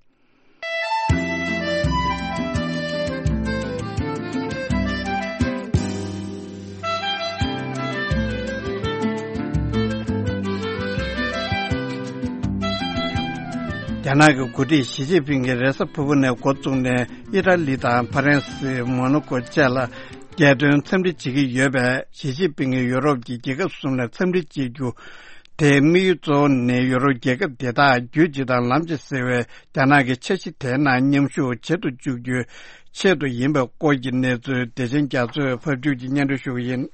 རྒྱ་ནག་གི་འགོ་ཁྲིད་ཞི་ཅིན་ཕིང་གིས་རེས་གཟའ་ཕུར་བུ་ནས་འགོ་བཙུགས་ནས་ཨི་ཊ་ལི་དང་ཕ་རན་སི། མོ་ནོ་ཀོ་བཅས་ལ་རྒྱལ་དོན་འཚམས་འདྲི་བྱེད་ཀྱི་ཡོད་པས། ཞི་ཅིན་ཕིང་གིས་ཡུ་རོབ་ཀྱི་རྒྱལ་ཁབ་གསུམ་ལ་འཚམས་འདྲི་བྱེད་རྒྱུ་དེའི་དམིགས་ཡུལ་གཙོ་བོ་ནི་ཡུ་རོབ་རྒྱལ་ཁབ་དེ་དག་རྒྱུད་གཅིག་དང་ལམ་གཅིག་ཟེར་བའི་རྒྱ་ནག་གི་འཆར་གཞི་དེའི་ནང་མཉམ་ཞུགས་བྱེད་དུ་བཅུག་རྒྱུའི་ཆེད་དུ་ཡིན་པའི་སྐོར་གྱི་གནས་ཚུལ་བདེ་ཆེན་རྒྱ་མཚོས་ཕབ་སྒྱུར་གྱིས་སྙན་སྒྲོན་ཞུ་གི་ཡིན།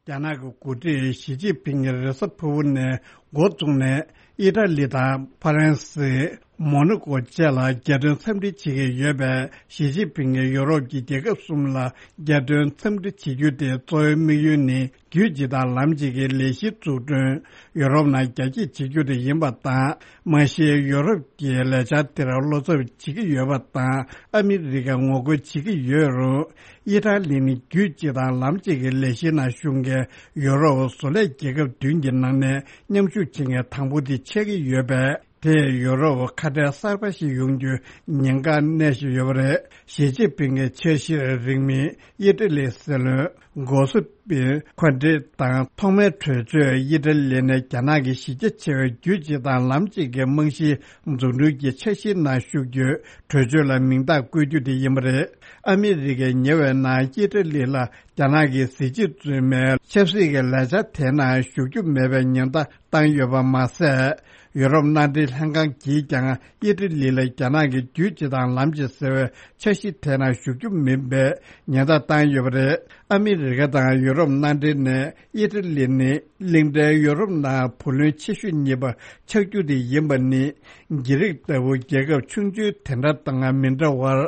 རྒྱ་ནག་གི་འགོ་ཁྲིད་ཞི་ཅིན་ཕིང་གིས་རེས་གཟའ་ཕུར་བུ་ནས་འགོ་བཙུགས་ནས་ཨི་ཊ་ལི་དང་ཕ་རན་སི། མོ་ནོ་ཀོ་བཅས་ལ་རྒྱལ་དོན་འཚམས་འདྲི་བྱེད་ཀྱི་ཡོད་པས། ཞི་ཅིན་ཕིང་གིས་ཡུ་རོབ་ཀྱི་རྒྱལ་ཁབ་གསུམ་ལ་རྒྱལ་དོན་འཚམས་འདྲི་བྱེད་རྒྱུ་དེ་གཙོ་བོའི་དམིགས་ཡུལ་ནི་རྒྱུད་གཅིག་དང་ལམ་གཅིག་གི་ལས་གཞི་འཛུགས་སྐྲུན་ཡུ་རོབ་ནང་རྒྱ་སྐྱེད་བྱེད་རྒྱུ་དེ་ཡིན་པ་དང་། མ་གཞི་ཡུ་རོབ་ཀྱིས་ལས་འཆར་དེར་བློ་འཚབ་བྱེད་ཀྱི་ཡོད་པ་དང་། ཨ་མི་རི་ཀས་ངོ་རྒོལ་བྱེད་ཀྱི་ཡོད་རུང་། ཨི་ཊ་ལི་ནི་རྒྱུད་གཅིག་དང་ལམ་གཅིག་གི་ལས་གཞིའི་ནང་ཞུགས་མཁན་ཡུ་རོབ་བཟོ་ལས་རྒྱལ་ཁབ་བདུན་གྱི་ནང་ནས་མཉམ་ཞུགས་བྱེད་མཁན་དང་པོ་དེ་ཆགས་ཀྱི་ཡོད་པས། དེས་ཡུ་རོབ་ཁ་བྲལ་གསར་པ་ཞིག་ཡོང་རྒྱུའི་ཉེན་ཁ་གནས་བཞིན་ཡོད་པ་རེད། ཞི་ཅིན་ཕིང་གི་འཆར་གཞིར་རིང་མིན་ཨི་ཊ་ལིའི་སྲིད་བློན་གོ་སི་པེ་ཁོན་ཏེ་དང་ཐོག་མའི་གྲོས་ཆོད་ཨི་ཊ་ལི་ནས་རྒྱ་ནག་གི་གཞི་རྒྱ་ཆེ་བའི་རྒྱུད་གཅིག་དང་ལམ་གཅིག་གི་རྨང་གཞིའི་འཛུགས་སྐྲུན་གྱི་འཆར་གཞིའི་ནང་ཞུགས་རྒྱུའི་གྲོས་ཆོད་ལ་མིང་རྟགས་བཀོད་རྒྱུ་དེ་ཡིན་པ་རེད། ཨ་མི་རི་ཀས་ཉེ་བའི་ནང་ཨི་ཊ་ལི་ལ་རྒྱ་ནག་གི་གཟི་བརྗིད་རྫུན་མའི་ཆབ་སྲིད་ཀྱི་ལས་འཆར་དེའི་ནང་ཞུགས་རྒྱུ་མེད་པའི་ཉེན་བརྡ་བཏང་ཡོད་པ་མ་ཟད། ཡུ་རོབ་མནའ་འབྲེལ་ལྷན་ཁང་གིས་ཀྱང་ཨི་ཊ་ལི་ལ་རྒྱ་ནག་གི་རྒྱུད་གཅིག་དང་ལམ་གཅིག་ཟེར་བའི་འཆར་གཞི་དེ་ནང་ཞུགས་རྒྱུ་མིན་པའི་ཉེན་བརྡ་བཏང་ཡོད་པ་རེད། ཨ་མི་རི་ཀ་དང་ཡུ་རོབ་མནའ་འབྲེལ་ནས་ཨི་ཊ་ལི་ནི་གླིང་ཕྲན་ཡུ་རོབ་ནང་བུ་ལོན་ཆེ་ཤོས་གཉིས་པ་ཆགས་རྒྱུ་དེ་ཡིན་པ་ནི། གྷི་རིག་ལྟ་བུ་རྒྱལ་ཁབ་ཆུང་ཆུང་དེ་འདྲ་དང་མི་འདྲ་བར།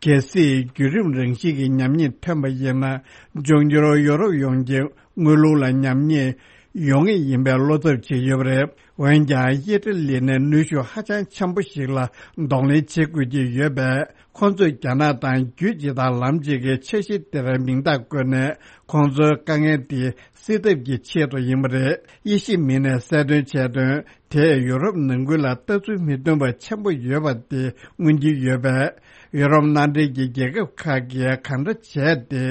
གལ་སྲིད་བརྒྱུད་རིམ་རང་བཞིན་གྱི་ཉམས་ཉེས་ཐོན་པ་ཡིན་ན། འབྱུང་འགྱུར་ཡོ་རོབ་ཡོངས་ཀྱི་དངུལ་ལུགས་ལ་ཉམས་ཉེས་ཡོང་ངེས་ཡིན་པའི་བློ་འཚབ་བྱེད་ཡོད་པ་རེད། འོན་ཀྱང་ཨི་ཊ་ལི་ནས་ནུས་ཤུགས་ཧ་ཅང་ཆེན་པོ་ཞིག་ལ་གདོང་ལེན་བྱེད་དགོས་ཀྱི་ཡོད་པས། ཁོང་ཚོས་རྒྱ་ནག་དང་རྒྱུད་གཅིག་དང་ལམ་གཅིག་གི་འཆར་གཞི་དེར་མིང་རྟགས་བཀོད་ནས། ཁོང་ཚོའི་དཀའ་ངལ་དེ་སེལ་ཐབས་ཀྱི་ཆེད་དུ་ཡིན་པ་རེད། དབྱེ་ཞིབ་མི་སྣས་གསལ་སྟོན་བྱས་དོན། དེས་ཡུ་རོབ་ནང་ཁུལ་ལ་ལྟ་ཚུལ་མི་མཐུན་པ་ཆེན་པོ་ཡོད་པ་དེ་མངོན་གྱི་ཡོད་པས། ཡུ་རོབ་མནའ་འབྲེལ་གྱི་རྒྱལ་ཁབ་ཁག་གིས་གང་འདྲ་བྱས་ཏེ།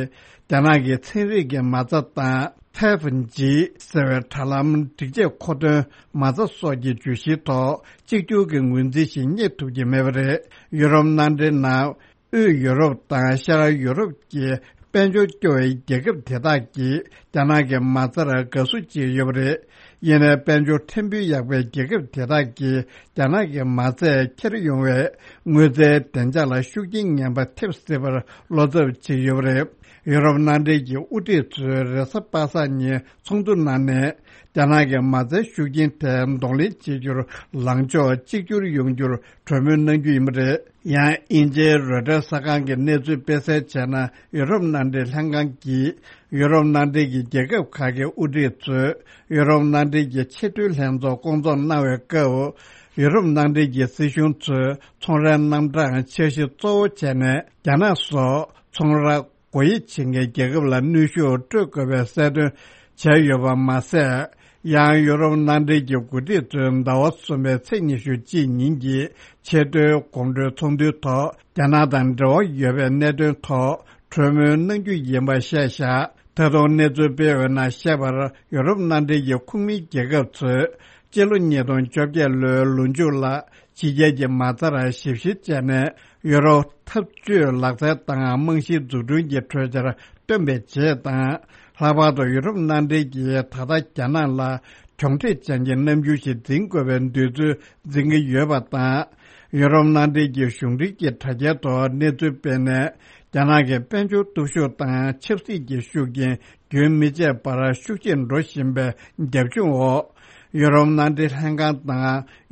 རྒྱ་ནག་གི་ཚན་རིག་གི་མ་རྩ་དང་། ཐེབ་ཇི་ཟེར་བའི་དྲ་ལམ་སྒྲིག་ཆས་མཁོ་འདོན་མ་རྩ་སོགས་ཀྱི་བརྗོད་གཞིའི་ཐོག་གཅིག་གྱུར་གྱི་ངོས་འཛིན་ཞིག་རྙེད་ཐུབ་ཀྱི་མེད་པ་རེད། ཡུ་རོབ་མནའ་འབྲེལ་ནང་། དབུས་ཡུ་རོབ་དང་ཤར་ཡུ་རོབ་ཀྱི་དཔལ་འབྱོར་སྐྱོ་བའི་རྒྱལ་ཁབ་དེ་དག་གིས་རྒྱ་ནག་གི་མ་རྩར་དགའ་བསུ་བྱས་ཡོད་པ་རེད། ཡིན་ནའི་དཔལ་འབྱོར་ཕྲན་བུ་ཡག་པའི་རྒྱལ་ཁབ་དེ་དག་གིས་རྒྱ་ནག་གི་མ་རྩས་འཁྱེར་ཡོང་བའི་དངུལ་རྩའི་བདེ་འཇགས་ལ་ཤུགས་རྐྱེན་ངན་པ་ཐེབས་སྲིད་པར་བློ་འཚབ་བྱེད་ཡོད་པ་རེད། ཡུ་རོབ་མནའ་འབྲེལ་གྱི་དབུ་ཁྲིད་ཚོས་རེས་གཟའ་པ་སངས་ཉིན་ཚོགས་འདུ་གནང་ནས། རྒྱ་ནག་གི་མ་རྩའི་ཤུགས་རྐྱེན་དེ་གདོང་ལེན་བྱེད་རྒྱུར་ལངས་ཕྱོགས་གཅིག་གྱུར་ཡོང་རྒྱུར་གྲོས་མོལ་གནང་རྒྱུ་ཡིན་པ་རེད། ཡང་དབྱིན་ཇིའི་རོའི་ཊར་གསར་ཁང་གིས་གནས་ཚུལ་སྤེལ་གསལ་བྱས་ན། ཡུ་རོབ་མནའ་འབྲེལ་ལྷན་ཁང་གིས་ཡུ་རོབ་མནའ་འབྲེལ་གྱི་རྒྱལ་ཁབ་ཁག་གི་དབུ་ཁྲིད་ཚོས་ཡུ་རོབ་མནའ་འབྲེལ་གྱི་ཆེས་མཐོའི་ལྷན་ཚོགས་སྐོང་ཚོགས་གནང་བའི་སྐབས། ཡུ་རོབ་མནའ་འབྲེལ་གྱི་སྲིད་གཞུང་ཚོས་ཚོང་རའི་རྣམ་གྲངས་འཆར་གཞི་གཙོ་བོ་བྱས་ནས། རྒྱ་ནག་སོགས་ཚོང་ར་སྒོ་དབྱེ་བྱེད་མཁན་རྒྱལ་ཁབ་ལ་གནོན་ཤུགས་སྤྲོད་དགོས་པའི་གསལ་སྟོན་བྱས་ཡོད་པ་མ་ཟད། ཡང་ཡུ་རོབ་མནའ་འབྲེལ་གྱི་འགོ་ཁྲིད་ཚོས་ཟླ་བ་གསུམ་པའི་ཚེས་ཉི་ཤུ་གཅིག་ཉིན་གྱི་ཆེས་མཐོའི་གོང་བགྲོའི་ཚོགས་འདུའི་ཐོག་རྒྱ་ནག་དང་འབྲེལ་བ་ཡོད་པའི་གནད་དོན་ཐོག་གྲོས་མོལ་གནང་རྒྱུ་ཡིན་པ་བཤད་བཞག་ད་དུང་གནས་ཚུལ་སྤེལ་བའི་ནང་བཤད་པར། ཡུ་རོབ་མནའ་འབྲེལ་གྱི་ཁོངས་མིའི་རྒྱལ་ཁབ་ཚོས་སྤྱི་ལོ་ཉིས་སྟོང་བཅོ་བརྒྱད་ལོའི་ལོ་མཇུག་ལ། ཕྱི་རྒྱལ་གྱི་མ་རྩར་ཞིབ་བཤེར་བྱས་ནས། ཡུ་རོ་འཐབ་ཇུས་ལག་རྩལ་དང་རྨང་གཞིའི་འཛུགས་སྐྲུན་གྱི་གྲོས་འཆར་བཏོན་པའི་རྗེས་དང་། ལྷག་པར་དུ་ཡུ་རོབ་མནའ་འབྲེལ་གྱིས་ད་ལྟ་རྒྱ་ནག་ལ་གྱོང་ཁྲེལ་ཅན་གྱི་རྣམ་འགྱུར་ཞིག་འཛིན་དགོས་པའི་འདོད་ཚུལ་འཛིན་གྱི་ཡོད་པ་དང་། ཡུ་རོབ་མནའ་འབྲེལ་གྱི་གཞུང་འབྲེལ་གྱི་དྲ་རྒྱའི་ཐོག་གནས་ཚུལ་སྤེལ་ནས། རྒྱ་ནག་གི་དཔལ་འབྱོར་སྟོབས་ཤུགས་དང་ཆབ་སྲིད་ཀྱི་ཤུགས་རྐྱེན་རྒྱུན་མི་ཆད་པར་ཤུགས་ཆེར་འགྲོ་བཞིན་པའི་རྒྱབ་ལྗོངས་འོག་ཡུ་རོབ་མནའ་འབྲེལ་ལྷན་ཁང་དང་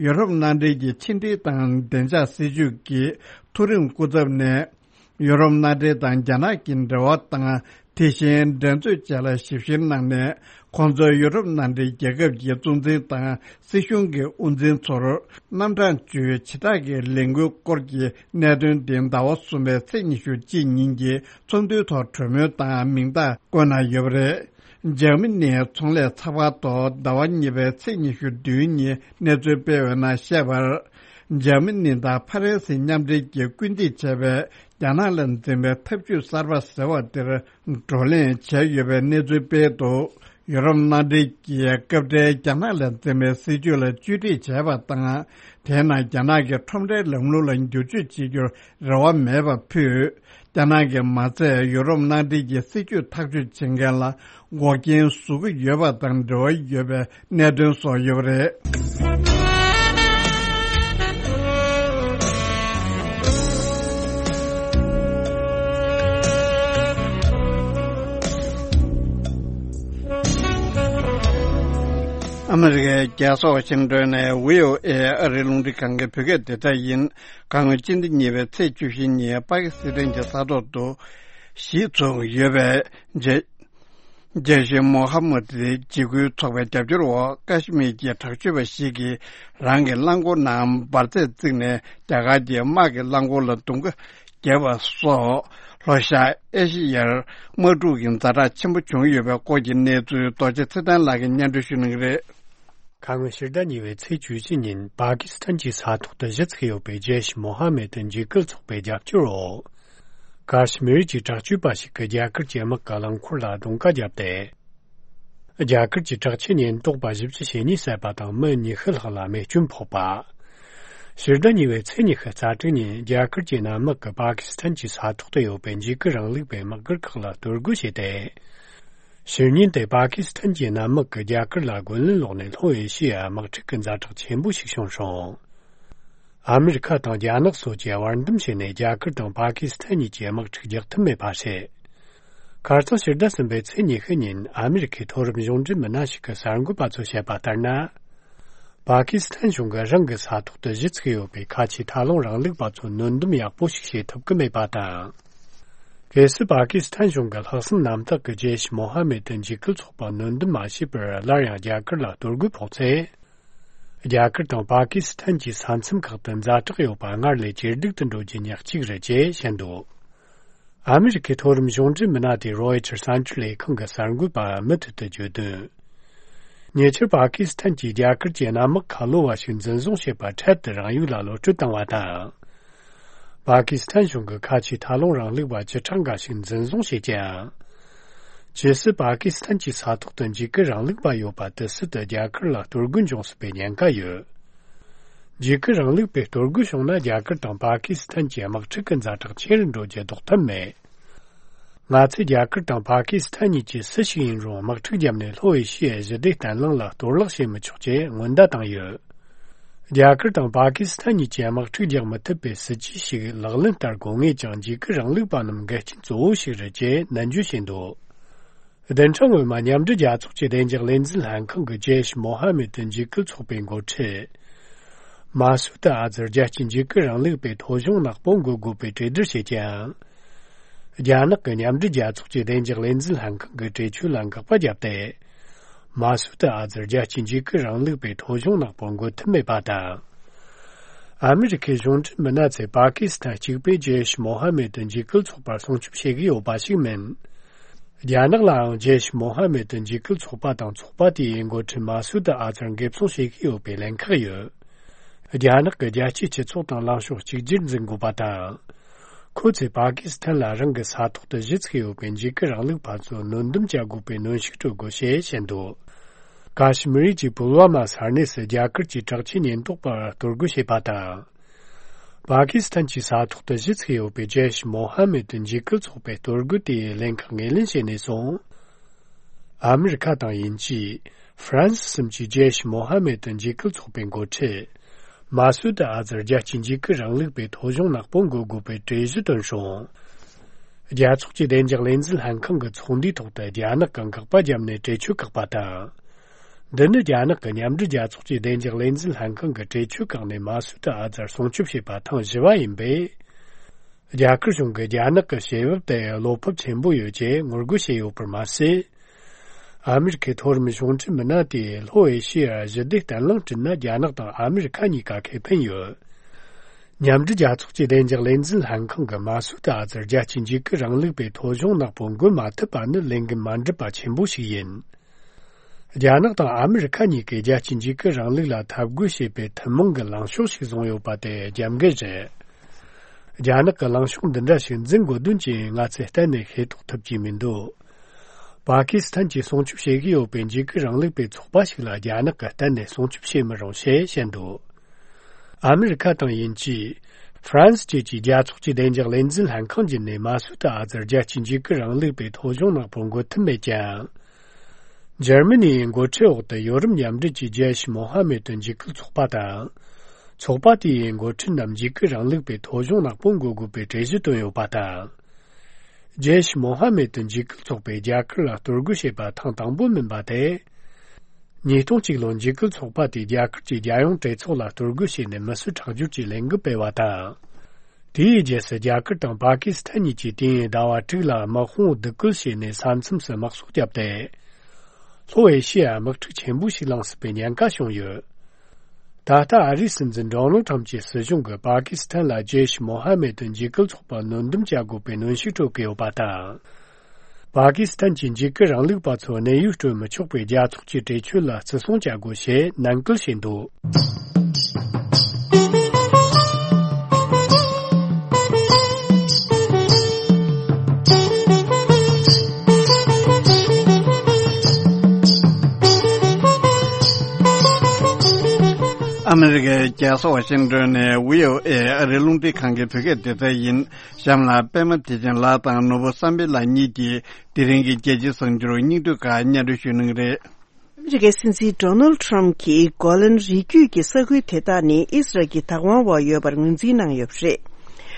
ཡུ་རོབ་མནའ་འབྲེལ་གྱི་ཕྱི་འབྲེལ་དང་བདེ་འཇགས་སྲིད་ཇུས་ཀྱི་མཐོ་རིམ་སྐུ་ཚབ་ནས། ཡུ་རོབ་མནའ་འབྲེལ་དང་རྒྱ་ནག་གི་འབྲེལ་བ་དང་དེ་བཞིན་འགྲན་རྩོད་བཅས་ལ་ཞིབ་བཤེར་གནང་ནས། ཁོང་ཚོས་ཡུ་རོབ་མནའ་འབྲེལ་རྒྱལ་ཁབ་ཀྱི་གཙོ་འཛིན་དང་སྲིད་གཞུང་གི་དབུ་འཛིན་ཚོར་རྣམ་གྲངས་བཅུའི་ཇེ་དྲག་གི་ལས་འགུལ་སྐོར་གྱི་གནད་དོན་དེ་ཟླ་བ་གསུམ་པའི་ཚེས་ཉི་ཤུ་གཅིག་ཉིན་གྱི་ཚོགས་འདུའི་ཐོག་གྲོས་མོལ་དང་མིང་རྟགས་བཀོད་གནང་ཡོད་པ་རེད། འཇར་མ་ནིའི་ཚོང་ལས་ཚགས་པར་ཐོག་ཟླ་བ་གཉིས་པའི་ཚེས་ཉི་ཤུ་བདུན་ཉིན་གནས་ཚུལ་སྤེལ་བའི་ནང་བཤད་པར། འཇར་མ་ནི་དང་ཕ་རན་སི་མཉམ་འབྲེལ་གྱིས་སྐུལ་འདེད་བྱས་པའི་རྒྱ་ནག་ལ་འཛིན་པའི་ཐབས་ཇུས་གསར་པ་ཟེར་བ་དེར་བགྲོ་གླེང་བྱས་ཡོད་པའི་གནས་ཚུལ་སྤེལ་འདུག་ཡུ་རོབ་མནའ་འབྲེལ་གྱིས་སྐབས་འཕྲལ་རྒྱ་ནག་ལ་འཛིན་པའི་སྲིད་ཇུས་ལ་བཅོས་སྒྲིག་བྱས་པ་དང་། དེས་ན་རྒྱ་ནག་གི་ཁྲོམ་རའི་ལམ་ལུགས་ལ་འགྱུར་བཅོས་བྱེད་རྒྱུར་རེ་བ་མེད་པ་ཕུད། རྒྱ་ནག་གིས་མ་ཚད་ཡུ་རོབ་མནའ་འབྲེལ་གྱི་སྲིད་ཇུས་ཐག་གཅོད་བྱེད་མཁན་ལ་འགོག་རྐྱེན་བཟོ་གི་ཡོད་པ་དང་འབྲེལ་བ་ཡོད་པའི་གནད་དོན་སོགས་ཡོད་པ་རེད། ཨ་མི་རི་ཀའི་རྒྱལ་ས་ཝ་ཤིང་ཏོན་ནས་བྷི་ཨོ་ཨེ་ཨ་རིའི་རླུང་འཕྲིན་ཁང་གི་བོད་སྐད་སྡེ་ཚན་ཡིན། ཁ་སྔོན་སྤྱི་ཟླ་གཉིས་པའི་ཚེས་བཅུ་བཞི་ཉིན་པ་ཀི་སི་ཐན་གྱི་ས་ཐོག་ཏུ་གཞིས་ཚུགས་ཡོད་པའི་རྗེ་རྗེ་ཤེས་མོ་ཧ་མུད་འཇིགས་སྐུལ་ཚོགས་པའི་རྒྱབ་སྐྱོར་འོག་ཀ་ཤི་མིར་གྱི་དྲག་སྤྱོད་པ་ཞིག་གིས་རང་གི་རླངས་འཁོར་ནང་འབར་རྫས་བརྩིགས་ནས་རྒྱ་གར་གྱི་དམག་གི་རླངས་འཁོར་ལ་རྡུང་རྡེག་བརྒྱབ་པ་སོགས། ལྷོ་ཤར་ཨེ་ཤི་ཡར་དམག་འཁྲུག་གི་ཛ་དྲག་ཆེན་པོ་བྱུང་ཡོད་པའི་སྐོར་གྱི་གནས་ཚུལ་རྡོ་རྗེ་ཚེ་བརྟན་ལགས་ཀྱིས་སྙན་སྒྲོན་ཞུ་གནང་གི་རེད། ཁ་སྔོན་ཕྱི་ཟླ་གཉིས་པའི་ཚེས་བཅུ་གཅིག་ཉིན་པ་ཀི་སི་ཐན་གྱི་ས་ཐོག་ཏུ་གཞི་ཚུགས་ཡོད་པའི་རྗེ་ཤེས་མོ་ཧ་མེད་འཇིགས་སྐུལ་ཚོགས་པའི་རྒྱབ་སྐྱོར་འོག་ཀ་ཤི་མིར་གྱི་དྲག་སྤྱོད་པ་ཞིག་གིས་རྒྱ་གར་གྱི་དམག་གི་རླངས་འཁོར་ལ་རྡུང་རྡེག་བརྒྱབ་སྟེ། རྒྱ་གར་གྱི་དྲག་ཆས་ཉེན་རྟོག་པ་བཞི་བཅུ་ཞེ་གཉིས་བསད་པ་དང་མི་ཉི་ཤུ་ལྷག་ལ་རྨས་སྐྱོན་ཕོག་པ། ཕྱི་ཟླ་གཉིས་པའི་ཚེས་ཉི་ཤུ་རྩ་དྲུག་ཉིན་རྒྱ་གར་གྱི་གནམ་དམག་གིས་པ་ཀི་སི་ཐན་གྱི་ས་ཐོག་ཏུ་ཡོད་པའི་འཇིགས་སྐུལ་རིང་ལུགས་པའི་དམག་སྒར་ཁག་ལ་གཏོར་རྒོལ་བྱས་ཏེ། ཕྱི་ཉིན་དེ་པ་ཀི་སི་ཐན་གྱི་གནམ་དམག་གིས་རྒྱ་གར་ལ་རྒོལ་ལན་སློག་ནས་ལྷོ་ཨེ་ཤི་ཡའི་དམག་འཁྲུག་གི་ཛ་དྲག་ཆེན་པོ་ཞིག་བྱུང་སོང་། ཨ་མི་རི་ཁ་དང་རྒྱ་ནག་སོགས་ཀྱིས་བར་འདུམ་བྱས་ནས་རྒྱ་གར་དང་པ་ཀི་སི་ཐན་གཉིས་ཀྱི་དམག་འཁྲུག་རྒྱག་ཐུབ་མེད་པ་རེད། ཁ་རྩང་ཕྱི་ཟླ་གསུམ་པའི་ཚེས་ཉི་ཤུ་ཉིན་ཨ་མི་རི་ཁའི་མཐོ་རིམ་གཞུང་འབྲེལ་མི་སྣ་ཞིག་གིས་གསར་འགོད་པ་ཚོར་བཤད་པ་ལྟར་ན། པ་ཀི་སི་ཐན་གཞུང་གིས་རང་གི་ས་ཐོག་ཏུ་གཞི་ཚུགས་ཡོད་པའི་ཁ་ཆེའི་མཐའ་ལྷུང་རིང་ལུགས་པ་ཚོ་གནོན་སྡོམ་ཡག་པོ་ཞིག་བྱེད་ཐུབ་ཀྱི་མེད་པ་དང་། གལ་སྲིད་པ་ཀི་སི་ཐན་གཞུང་གིས་ལྷག་བསམ་རྣམ་དག་གིས་རྗེ་ཤེས་མོ་ཧ་མེད་འཇིགས་སྐུལ་ཚོགས་པ་གནོན་སྡོམ་མ་བྱས་པར་སླར་ཡང་རྒྱ་གར་ལ་གཏོར་རྒོལ་ཕོག་ཚེ། རྒྱ་གར་དང་པ་ཀི་སི་ཐན་གྱི་ས་མཚམས་ཁག་ཏུ་ཛ་དྲག་ཡོད་པ་སྔར་ལས་ཇེ་སྡུག་ཏུ་འགྲོ་རྒྱུ་ཉག་གཅིག་རེད་ཅེས་བཤད་འདུག་ཨ་མི་རི་ཁའི་མཐོ་རིམ་གཞུང་འབྲེལ་མི་སྣ་དེས་རོའི་ཊར་གསར་འགྱུར་ལས་ཁང་གི་གསར་འགོད་པར་མུ་མཐུད་དུ་བརྗོད་དོན། ཉེ་ཆར་པ་ཀི་སི་ཐན་གྱིས་རྒྱ་གར་གྱི་གནམ་དམག་ཁ་ལོ་བ་ཞིག་འཛིན་བཟུང་བྱས་པ་འཕྲལ་དུ་རང་ཡུལ་ལ་གློད་གྲོལ་བཏང་བ་དང་། པ་ཀི་སི་ཐན་གཞུང་གིས་ཁ་ཆེའི་མཐའ་ལྷུང་རིང་ལུགས་པ་བཅུ་ཕྲག་འགའ་ཞིག་འཛིན་བཟུང་བྱས་ཀྱང་། ཇི་སྲིད་པ་ཀི་སི་ཐན་གྱི་ས་ཐོག་ཏུ་འཇིགས་སྐུལ་རིང་ལུགས་པ་ཡོད་པ་དེ་སྲིད་དུ་རྒྱ་གར་ལ་གཏོར་རྒོལ་འབྱུང་སྲིད་པའི་ཉེན་ཁ་ཡོད། འཇིགས་སྐུལ་རིང་ལུགས་པས་གཏོར་རྒོལ་བྱུང་ན་རྒྱ་གར་དང་པ་ཀི་སི་ཐན་གྱི་དམག་འཁྲུག་གི་ཛ་དྲག་ཆེ་རུ་འགྲོ་རྒྱུ་ལྡོག་ཐབས་མེད། ང་ཚོས་རྒྱ་གར་དང་པ་ཀི་སི་ཐན་གཉིས་ཀྱིས་སུ་ཞིག་ཡིན་རུང་དམག་འཁྲུག་བརྒྱབ་ནས་ལྷོ་ཨེ་ཤི་ཡའི་ཞི་བདེ་བརྟན་ལྷིང་ལ་གཏོར་བརླག་བྱེད་མི་ཆོག་ཅེས་སྔོན་བརྡ་བཏང་ཡོད། རྒྱ་གར་དང་པ་ཀི་སི་ཐན་གཉིས་ཀྱིས་དམག་འཁྲུག་རྒྱག་མི་ཐུབ་པའི་སྲིད་ཇུས་ཤིག་ལག་ལེན་བསྟར་དགོས་ངེས་ཀྱང་འཇིགས་སྐུལ་རིང་ལུགས་པ་རྣམས་འགལ་རྐྱེན་གཙོ་བོ་ཞིག་རེད་ཅེས་ནན་བརྗོད་བྱས་འདུག་བདུན་ཕྲག་སྔོན་མ་མཉམ་འབྲེལ་རྒྱལ་ཚོགས་ཀྱི་བདེ་འཇགས་ལས་འཛིན་ལྷན་ཁང་གིས་ཇེ་ཤེས་མོ་ཧ་མེད་འཇིགས་སྐུལ་ཚོགས་པའི་འགོ་ཁྲིད་མ་སུད་ཨ་ཛར་རྒྱལ་སྤྱིའི་འཇིགས་སྐུལ་རིང་ལུགས་པའི་ཐོ་གཞུང་ནག་པོ་འགོད་དགོས་པའི་གྲོས་བསྡུར་བྱས་ཀྱང་། རྒྱ་ནག་གིས་མཉམ་འབྲེལ་རྒྱལ་ཚོགས་ཀྱི་བདེ་འཇགས་ལས་འཛིན་ལྷན་ཁང་གི་གྲོས་ཆོད་ལ་འགག་པ་བརྒྱབ་སྟེ། མ་སུད་ཨ་ཛར་རྒྱལ་སྤྱིའི་འཇིགས་སྐུལ་རིང་ལུགས་པའི་ཐོ་གཞུང་ནག་པོ་འགོད་ཐུབ་མེད་པ་དང་། ཨ་མི་རི་ཁའི་གཞུང་འབྲེལ་མི་སྣ་ཚོས་པ་ཀི་སི་ཐན་གཅིག་པུས་ཇེ་ཤེས་མོ་ཧ་མེད་འཇིགས་སྐུལ་ཚོགས་པར་སྲུང་སྐྱོབ་བྱེད་ཀྱི་ཡོད་པ་ཞིག་མིན། རྒྱ་ནག་ལའང་ཇེ་ཤེས་མོ་ཧ་མེད་འཇིགས་སྐུལ་ཚོགས་པ་དང་ཚོགས་པ་དེའི་འགོ་ཁྲིད་མ་སུད་ཨ་ཛར་འགེབས་སྲུང་བྱེད་ཀྱི་ཡོད་པའི་ལན་ཁག་ཡོད། རྒྱ་ནག་གི་རྒྱལ་སྤྱིའི་སྤྱི་ཚོགས་དང་ལངས་ཕྱོགས་གཅིག་གྱུར་འཛིན་དགོས་པ་དང་། ཁོ་ཚོས་པ་ཀི་སི་ཐན་ལ་རང་གི་ས་ཐོག་ཏུ་གཞི་ཚུགས་ཡོད་པའི་འཇིགས་སྐུལ་རིང་ལུགས་པ་ཚོ་གནོན་སྡོམ་བྱ་དགོས་པའི་གནོན་ཤུགས་སྤྲོད་དགོས་ཞེས་བཤད་འདུག་ཀ་ཤི་མིར་གྱི་པུལ་ཝ་མ་ས་གནས་སུ་རྒྱ་གར་གྱི་དྲག་ཆས་ཉེན་རྟོག་པར་གཏོར་རྒོལ་བྱས་པ་དང་། པ་ཀི་སི་ཐན་གྱི་ས་ཐོག་ཏུ་གཞི་ཚུགས་ཡོད་པའི་ཇེ་ཤེས་མོ་ཧ་མེད་འཇིགས་སྐུལ་ཚོགས་པའི་གཏོར་རྒོལ་དེའི་ལན་ཁག་ངོས་ལེན་བྱས་ནས་བཟུང་། ཨ་མི་རི་ཁ་དང་དབྱིན་ཇི། ཧྥ་རན་སི་གསུམ་གྱིས་ཇེ་ཤེས་མོ་ཧ་མེད་འཇིགས་སྐུལ་ཚོགས་པའི་འགོ་ཁྲིད། མ་སུད་ཨ་ཛར་རྒྱལ་གཅེས་འཇིགས་སྐུལ་རིང་ལུགས་པའི་ཐོ་གཞུང་ནག་པོ་འགོད་དགོས་པའི་གྲོས་གཞི་བཏོན་སོང་། རྒྱལ་ཚོགས་ཀྱི་བདེ་འཇགས་ལས་འཛིན་ལྷན་ཁང་གི་ཚོགས་འདུའི་ཐོག་ཏུ་རྒྱ་ནག་གི་འགག་པ་བརྒྱབ་ནས་གྲོས་ཆོད་བཀག་པ་དང་། འདི་ནི་རྒྱ་ནག་གི་མཉམ་འབྲེལ་རྒྱལ་ཚོགས་ཀྱི་བདེ་འཇགས་ལས་འཛིན་ལྷན་ཁང་གི་གྲོས་ཆོད་བཀག་ནས་མ་སུད་ཨ་ཛར་སྲུང་སྐྱོབ་བྱེད་པ་ཐེངས་བཞི་པ་ཡིན་པས། རྒྱ་གར་གཞུང་གིས་རྒྱ་ནག་གི་བྱེད་བབ་དེ་བློ་ཕམ་ཆེན་པོ་ཡོད་ཅེས་ངོ་རྒོལ་བྱས་ཡོད་པར་མ་ཟད། ཨ་མེ་རི་ཁའི་མཐོ་རིམ་གཞུང་འབྲེལ་མི་སྣ་དེས་ལྷོ་ཨེ་ཤེ་ཡར་ཞི་བདེ་བརྟན་ལྷིང་བསྐྲུན་ན་རྒྱ་ནག་དང་ཨ་མེ་རི་ཁ་གཉིས་ཀ་ཁེ་ཕན་ཡོད། མཉམ་འབྲེལ་རྒྱལ་ཚོགས་ཀྱི་བདེ་འཇགས་ལས་འཛིན་ལྷན་ཁང་གིས་མ་སུད་ཨ་ཛར་རྒྱལ་གཅེས་འཇིགས་སྐུལ་རིང་ལུགས་པའི་ཐོ་གཞུང་ནག་པོ་འགོད་མ་ཐུབ་པ་ནི་ལས་འགན་མ་འགྲུབ་པ་ཆེན་པོ་ཞིག་ཡིན། རྒྱ་ནག་དང་ཨ་མེ་རི་ཁ་གཉིས་ཀས་རྒྱལ་གཅེས་འཇིགས་སྐུལ་རིང་ལུགས་ལ་འཐབ་རྒོལ་བྱེད་པའི་ཐུན་མོང་གི་ལངས་ཕྱོགས་ཤིག་བཟུང་ཡོད་པ་དེ་རྒྱབ་འགལ་རེད། རྒྱ་ནག་གི་ལངས་ཕྱོགས་འདི་འདྲ་ཞིག་འཛིན་དགོས་དོན་ཅི་ཡིན་ང་ཚོས་གཏན་ནས་ཤེས་རྟོགས་ཐུབ་ཀྱི་མི་འདུག་པ་ཀི་སི་ཐན་གྱིས་སྲུང་སྐྱོབ་བྱེད་ཀྱི་ཡོད་པའི་འཇིགས་སྐུལ་རིང་ལུགས་པའི་ཚོགས་པ་ཞིག་ལ་རྒྱ་ནག་གིས་གཏན་ནས་སྲུང་སྐྱོབ་བྱེད་མི་རུང་ཞེས་བཤད་འདུག་ཨ་མེ་རི་ཁ་དང་དབྱིན་ཇི། ཧྥ་རན་སི་བཅས་ཀྱིས་རྒྱལ་ཚོགས་ཀྱི་བདེ་འཇགས་ལས་འཛིན་ལྷན་ཁང་བརྒྱུད་ནས་མ་སུད་ཨ་ཛར་རྒྱལ་གཅེས་འཇིགས་སྐུལ་རིང་ལུགས་པའི་ཐོ་གཞུང་ནག་པོ་འགོད་ཐུབ་མེད་ཀྱང་། འཇར་མ་ནིའི་འགོ་ཁྲིད་འོག་ཏུ་ཡོ་རོབ་མཉམ་འབྲེལ་གྱི་ཇེ་ཤི་མོ་ཧ་མེ་ཏུ་འཇིགས་སྐུལ་ཚོགས་པ་དང་། ཚོགས་པ་དེའི་འགོ་ཁྲིད་རྣམས་འཇིགས་སྐུལ་རིང་ལུགས་པའི་ཐོ་གཞུང་ནག་པོ་འགོད་དགོས་པའི་གྲོས་གཞི་བཏོན་ཡོད་པ་དང་། ཇེ་ཤི་མོ་ཧ་མེ་ཏུ་འཇིགས་སྐུལ་ཚོགས་པས་རྒྱ་གར་ལ་གཏོར་རྒོལ་བྱས་པ་ཐེངས་དང་པོ་མིན་པ་དེ། ཉིས་སྟོང་གཅིག་ལོར་འཇིགས་སྐུལ་ཚོགས་པ་དེས་རྒྱ་གར་གྱི་རྒྱལ་ཡོངས་གྲོས་ཚོགས་ལ་གཏོར་རྒོལ་བྱས་ནས་མི་གསོད་ཁྲག་སྦྱོར་གྱི་ལས་འགུལ་སྤེལ་བ་དང་། དེའི་རྗེས་སུ་རྒྱ་གར་དང་པ་ཀི་སི་ཐན་གཉིས་ཀྱིས་དུས་ཡུན་ཟླ་བ་དྲུག་ལ་དམག་དཔུང་སྡུག་སྐུལ་བྱས་ནས་ས་མཚམས་སུ་དམག་སོགས་བརྒྱབ་སྟེ། ལྷོ་ཨེ་ཤི་ཡར་དམག་འཁྲུག་ཆེན་པོ་ཞིག་ལངས་སྲིད་པའི་ཉེན་ཁ་བྱུང་ཡོད། ད་ལྟ་ཨ་རིའི་སྲིད་འཛིན་ཌོ་ནལ་ཁྲམ་གྱི་སྲིད་གཞུང་གིས་པ་ཀི་སི་ཐན་ལ་ཇེ་ཤི་མོ་ཧ་མེ་ཏུ་འཇིགས་སྐུལ་ཚོགས་པར་གནོན་སྡོམ་བྱ་དགོས་པའི་གནོན་ཤུགས་སྤྲོད་ཀྱི་ཡོད་པ་དང་། པ་ཀི་སི་ཐན་གྱི་འཇིགས་སྐུལ་རིང་ལུགས་པ་ཚོར་གནས་ཡུལ་སྤྲོད་མི་ཆོག་པའི་རྒྱལ་ཚོགས་ཀྱི་གྲོས་ཆོད་ལ་བརྩི་སྲུང་བྱ་དགོས་ཞེས་ནན་སྐུལ་བྱས་འདུག་ཨ་མེ་རི་ཀའི་རྒྱལ་ས་ཝ་ཤིང་ཏོན་ནས་བྷི་ཨོ་ཨེ་ཨ་རིའི་རླུང་འཕྲིན་ཁང་གི་བོད་སྐད་སྡེ་ཚན་ཡིན། གཤམ་ལ་པད་མ་བདེ་ཆེན་ལགས་དང་ནོར་བུ་བསམ་འཕེལ་ལགས་གཉིས་ཀྱིས་དེ་རིང་གི་རྒྱལ་སྤྱིའི་གསར་འགྱུར་སྙིང་བསྡུས་ཁག་སྙན་སྒྲོན་ཞུ་གནང་གི་རེད། ཨ་མི་རི་ཀའི་སྲིད་འཛིན་ཌོ་ནལ་ཁྲམ་གྱིས་གོ་ལན་རི་རྒྱུད་ཀྱི་ས་ཁུལ་དེ་དག་ནི་ཨི་སི་རལ་གྱི་བདག་དབང་འོག་ཡོད་པར་ངོས་འཛིན་གནང་ཡོད་པ་རེད།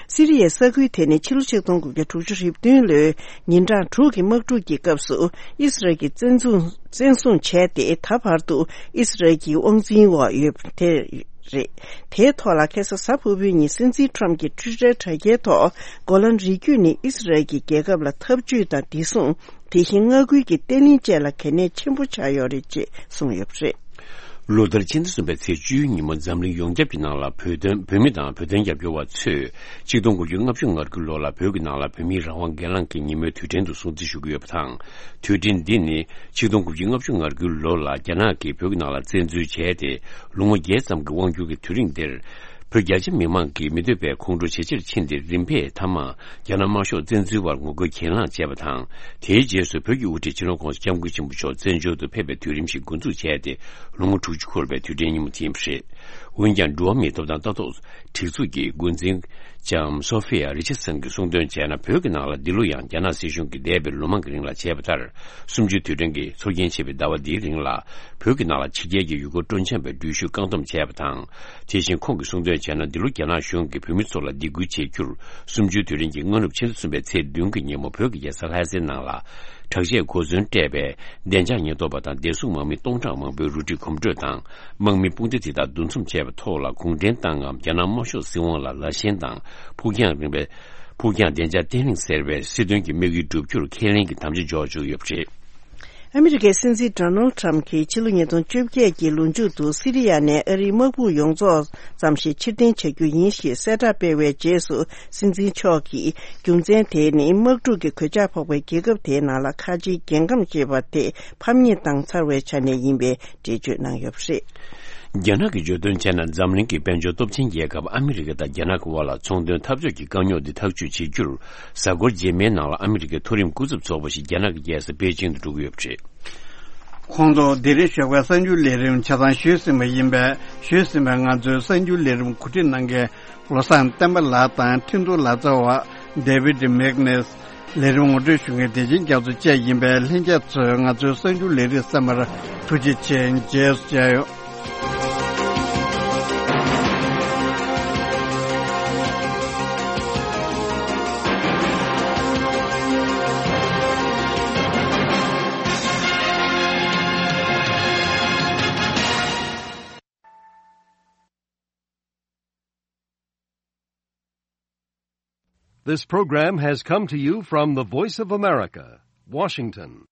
སི་རི་ཡའི་ས་ཁུལ་དེ་ནི་ཕྱི་ལོ་ཆིག་སྟོང་དགུ་བརྒྱ་དྲུག་ཅུ་རེ་བདུན་ལོའི་ཉིན་གྲངས་དྲུག་གི་དམག་འཁྲུག་གི་སྐབས་སུ་ཨི་སི་རལ་གྱིས་བཙན་བཟུང་བཙན་བཟུང་བྱས་ཏེ་ད་བར་དུ་ཨི་སི་རལ་གྱི་དབང་འཛིན་འོག་ཡོད་པ་དེ་རེད། དེའི་ཐོག་ལ་ཁ་སང་གཟའ་ཕུར་བུའི་ཉིན་སྲིད་འཛིན་ཁྲམ་གྱིས་ཊུའི་ཊར་དྲ་རྒྱའི་ཐོག་གོ་ལན་རི་རྒྱུད་ནི་ཨི་སི་རལ་གྱི་རྒྱལ་ཁབ་ལ་འཐབ་ཇུས་དང་བདེ་སྲུང་། དེ་བཞིན་མངའ་ཁུལ་གྱི་བརྟན་ལྷིང་བཅས་ལ་གལ་གནད་ཆེན་པོ་ཆགས་ཡོད་རེད་ཅེས་གསུངས་ཡོད་པ་རེད། ལོ་ལྟར་ཕྱི་ཟླ་གསུམ་པའི་ཚེས་བཅུའི་ཉིན་མོ་འཛམ་གླིང་ཡོངས་ཁྱབ་ཀྱི་ནང་ལ་བོད་དོན་བོད་མི་དང་བོད་དོན་རྒྱབ་སྐྱོར་བ་ཚོས་ཆིག་སྟོང་དགུ་བརྒྱ་ལྔ་བཅུ་ང་དགུའི་ལོ་ལ་བོད་ཀྱི་ནང་ལ་བོད་མིའི་རང་དབང་སྒེར་ལངས་ཀྱི་ཉིན་མོའི་དུས་དྲན་དུ་སྲུང་བརྩི་ཞུ་གི་ཡོད་པ་དང་། དུས་དྲན་འདི་ནི་ཆིག་སྟོང་དགུ་བརྒྱ་ལྔ་བཅུ་ང་དགུའི་ལོ་ལ་རྒྱ་ནག་གིས་བོད་ཀྱི་ནང་ལ་བཙན་འཛུལ་བྱས་ཏེ་ལོ་ངོ་བརྒྱད་ཙམ་གྱི་དབང་སྒྱུར་གྱི་དུས་རིང་འདིར། བོད་རྒྱ་ཆེ་མི་མང་གིས་མི་འདོད་པའི་ཁོང་ཁྲོ་ཇེ་ཆེར་ཕྱིན་ཏེ་རིམ་པས་མཐའ་མ་རྒྱ་ནག་དམར་ཤོག་བཙན་འཛུལ་བར་ངོ་རྒོལ་གྱེན་ལངས་བྱས་པ་དང་། དེའི་རྗེས་སུ་བོད་ཀྱི་དབུ་ཁྲིད་སྤྱི་ནོར་༸གོང་ས་༸སྐྱབས་མགོན་ཆེན་པོ་མཆོག་བཙན་བྱོལ་དུ་ཕེབས་པའི་དུས་རིམ་ཞིག་འགོ་འཛུགས་བྱས་ཏེ་ལོ་ངོ་དྲུག་ཅུ་འཁོར་བའི་དུས་དྲན་ཉིན་མོ་དེ་ཡིན་པ་རེད། འོན་ཀྱང་འགྲོ་བ་མིའི་ཐོབ་ཐང་ལྟ་རྟོག་སྒྲིག་འཛུགས་ཀྱི་འགོ་འཛིན་ལྕམ་སོ་ཧྥི་ཡ་རི་ཆར་སན་གྱིས་གསུངས་དོན་བྱས་ན། བོད་ཀྱི་ནང་ལ་འདི་ལོ་ཡང་རྒྱ་ནག་སྲིད་གཞུང་གིས་འདས་པའི་ལོ་མང་གི་རིང་ལ་བྱས་པ་ལྟར་གསུམ་བཅུའི་དུས་དྲན་གྱི་ཚོགས་རྒྱན་ཆེ་བའི་ཟླ་བ་འདིའི་རིང་ལ་བོད་ཀྱི་ནང་ལ་ཕྱི་རྒྱལ་གྱི་ཡུལ་སྐོར་སྤྲོ་འཆམ་པའི་འགྲུལ་བཞུད་བཀག་སྡོམ་བྱས་པ་དང་། དེ་བཞིན་ཁོང་གིས་གསུངས་དོན་བྱས་ན། འདི་ལོ་རྒྱ་ནག་གཞུང་གིས་བོད་མི་ཚོ་ལ་སྡིགས་སྐུལ་བྱེད་རྒྱུར་གསུམ་བཅུའི་དུས་དྲན་གྱི་སྔ་ནུབ་ཕྱི་ཟླ་གསུམ་པའི་ཚེས་བདུན་གྱི་ཉིན་མོ་བོད་ཀྱི་རྒྱལ་ས་ལྷ་སའི་ནང་ལ་དྲག་ཆས་གོ་མཚོན་སྤྲས་པའི་བདེ་འཇགས་ཉེན་རྟོག་པ་དང་བདེ་སྲུང་དམག་མི་སྟོང་ཕྲག་མང་པོས་རུ་སྒྲིག་གོམ་བགྲོད་དང་། དམག་མི་དཔུང་སྡེ་དེ་དག་འདུ་འཛོམས་བྱས་པའི་ཐོག་ལ་གུང་ཁྲན་ཏང་ངམ་རྒྱ་ནག་དམར་ཤོག་སྲིད་དབང་ལ་ལ་ཞེན་དང་། ཕུགས་རྒྱང་རིང་བའི་ཕུགས་རྒྱང་བདེ་འཇགས་བརྟན་ལྷིང་ཟེར་བའི་སྲིད་དོན་གྱི་དམིགས་ཡུལ་བསྒྲུབ་རྒྱུར་ཁས་ལེན་གྱི་དམ་བཅའ་འཇོག་བཅུག་ཡོད་པ་རེད། ཨ་མི་རི་ཀའི་སྲིད་འཛིན་ཌོ་ནལ་ཁྲམ་གྱིས་ཕྱི་ལོ་ཉིས་སྟོང་བཅོ་བརྒྱད་ཀྱི་ལོ་མཇུག་ཏུ་སི་རི་ཡ་ནས་ཨ་རིའི་དམག་དཔུང་ཡོངས་རྫོགས་ཙམ་ཞིག་ཕྱིར་འཐེན་བྱ་རྒྱུ་ཡིན་ཞེས་གསལ་བསྒྲགས་སྤེལ་བའི་རྗེས་སུ། སྲིད་འཛིན་མཆོག་གིས་རྒྱུ་མཚན་དེ་ནི་དམག་འཁྲུག་གི་གོད་ཆག་ཕོག་པའི་རྒྱལ་ཁབ་དེའི་ནང་ལ་ཁ་ཆེའི་རྒྱལ་ཁམས་ཞེས་པ་དེ་ཕམ་ཉེས་བཏང་ཚར་བའི་ཆ་ནས་ཡིན་པའི་འགྲེལ་བརྗོད་གནང་ཡོད་པ་རེད། རྒྱ་ནག་གིས་བརྗོད་དོན་བྱས་ན། འཛམ་གླིང་གི་དཔལ་འབྱོར་སྟོབས་ཆེན་རྒྱལ་ཁབ་ཨ་མི་རི་ཀ་དང་རྒྱ་ནག་གི་དབར་ལ་ཚོང་དོན་འཐབ་ཕྱོགས་ཀྱི་དཀའ་རྙོག་འདི་ཐག་གཅོད་བྱེད་རྒྱུར། གཟའ་འཁོར་རྗེས་མའི་ནང་ལ་ཨ་མི་རི་ཀའི་མཐོ་རིམ་སྐུ་ཚབ་ཚོགས་པ་ཞིག་རྒྱ་ནག་གི་རྒྱལ་ས་པེ་ཅིང་དུ་འགྲོ་གི་ཡོད་པ་རེད། ཁོང་ཚོ་དེ་རིང་ཞོགས་པའི་གསར་འགྱུར་ལས་རིམ་ཆ་ཚང་ཞུས་ཟིན་པ་ཡིན་པས། ཞུས་ཟིན་པའི་ང་ཚོའི་གསར་འགྱུར་ལས་རིམ་གོ་སྒྲིག་གནང་མཁན་བློ་བཟང་བསྟན་པ་ལགས་དང་ཁྲིན་ཏུ་ལག་རྩལ་བ་ཌེ་བིད་མེག་ནེས། ལས་རིམ་ངོ་སྤྲོད་ཞུ་མཁན་བདེ་ཆེན་རྒྱ་མཚོ་བཅས་ཡིན་པས། ལྷན་རྒྱས་ཚོས་ང་ཚོའི་གསར་འགྱུར་ལས་རིམ་གསན་པར་ཐུགས་རྗེ་ཆེ། མཇལ་སུ་མཇལ་ཡོང་། This program has come to you from the Voice of America, Washington.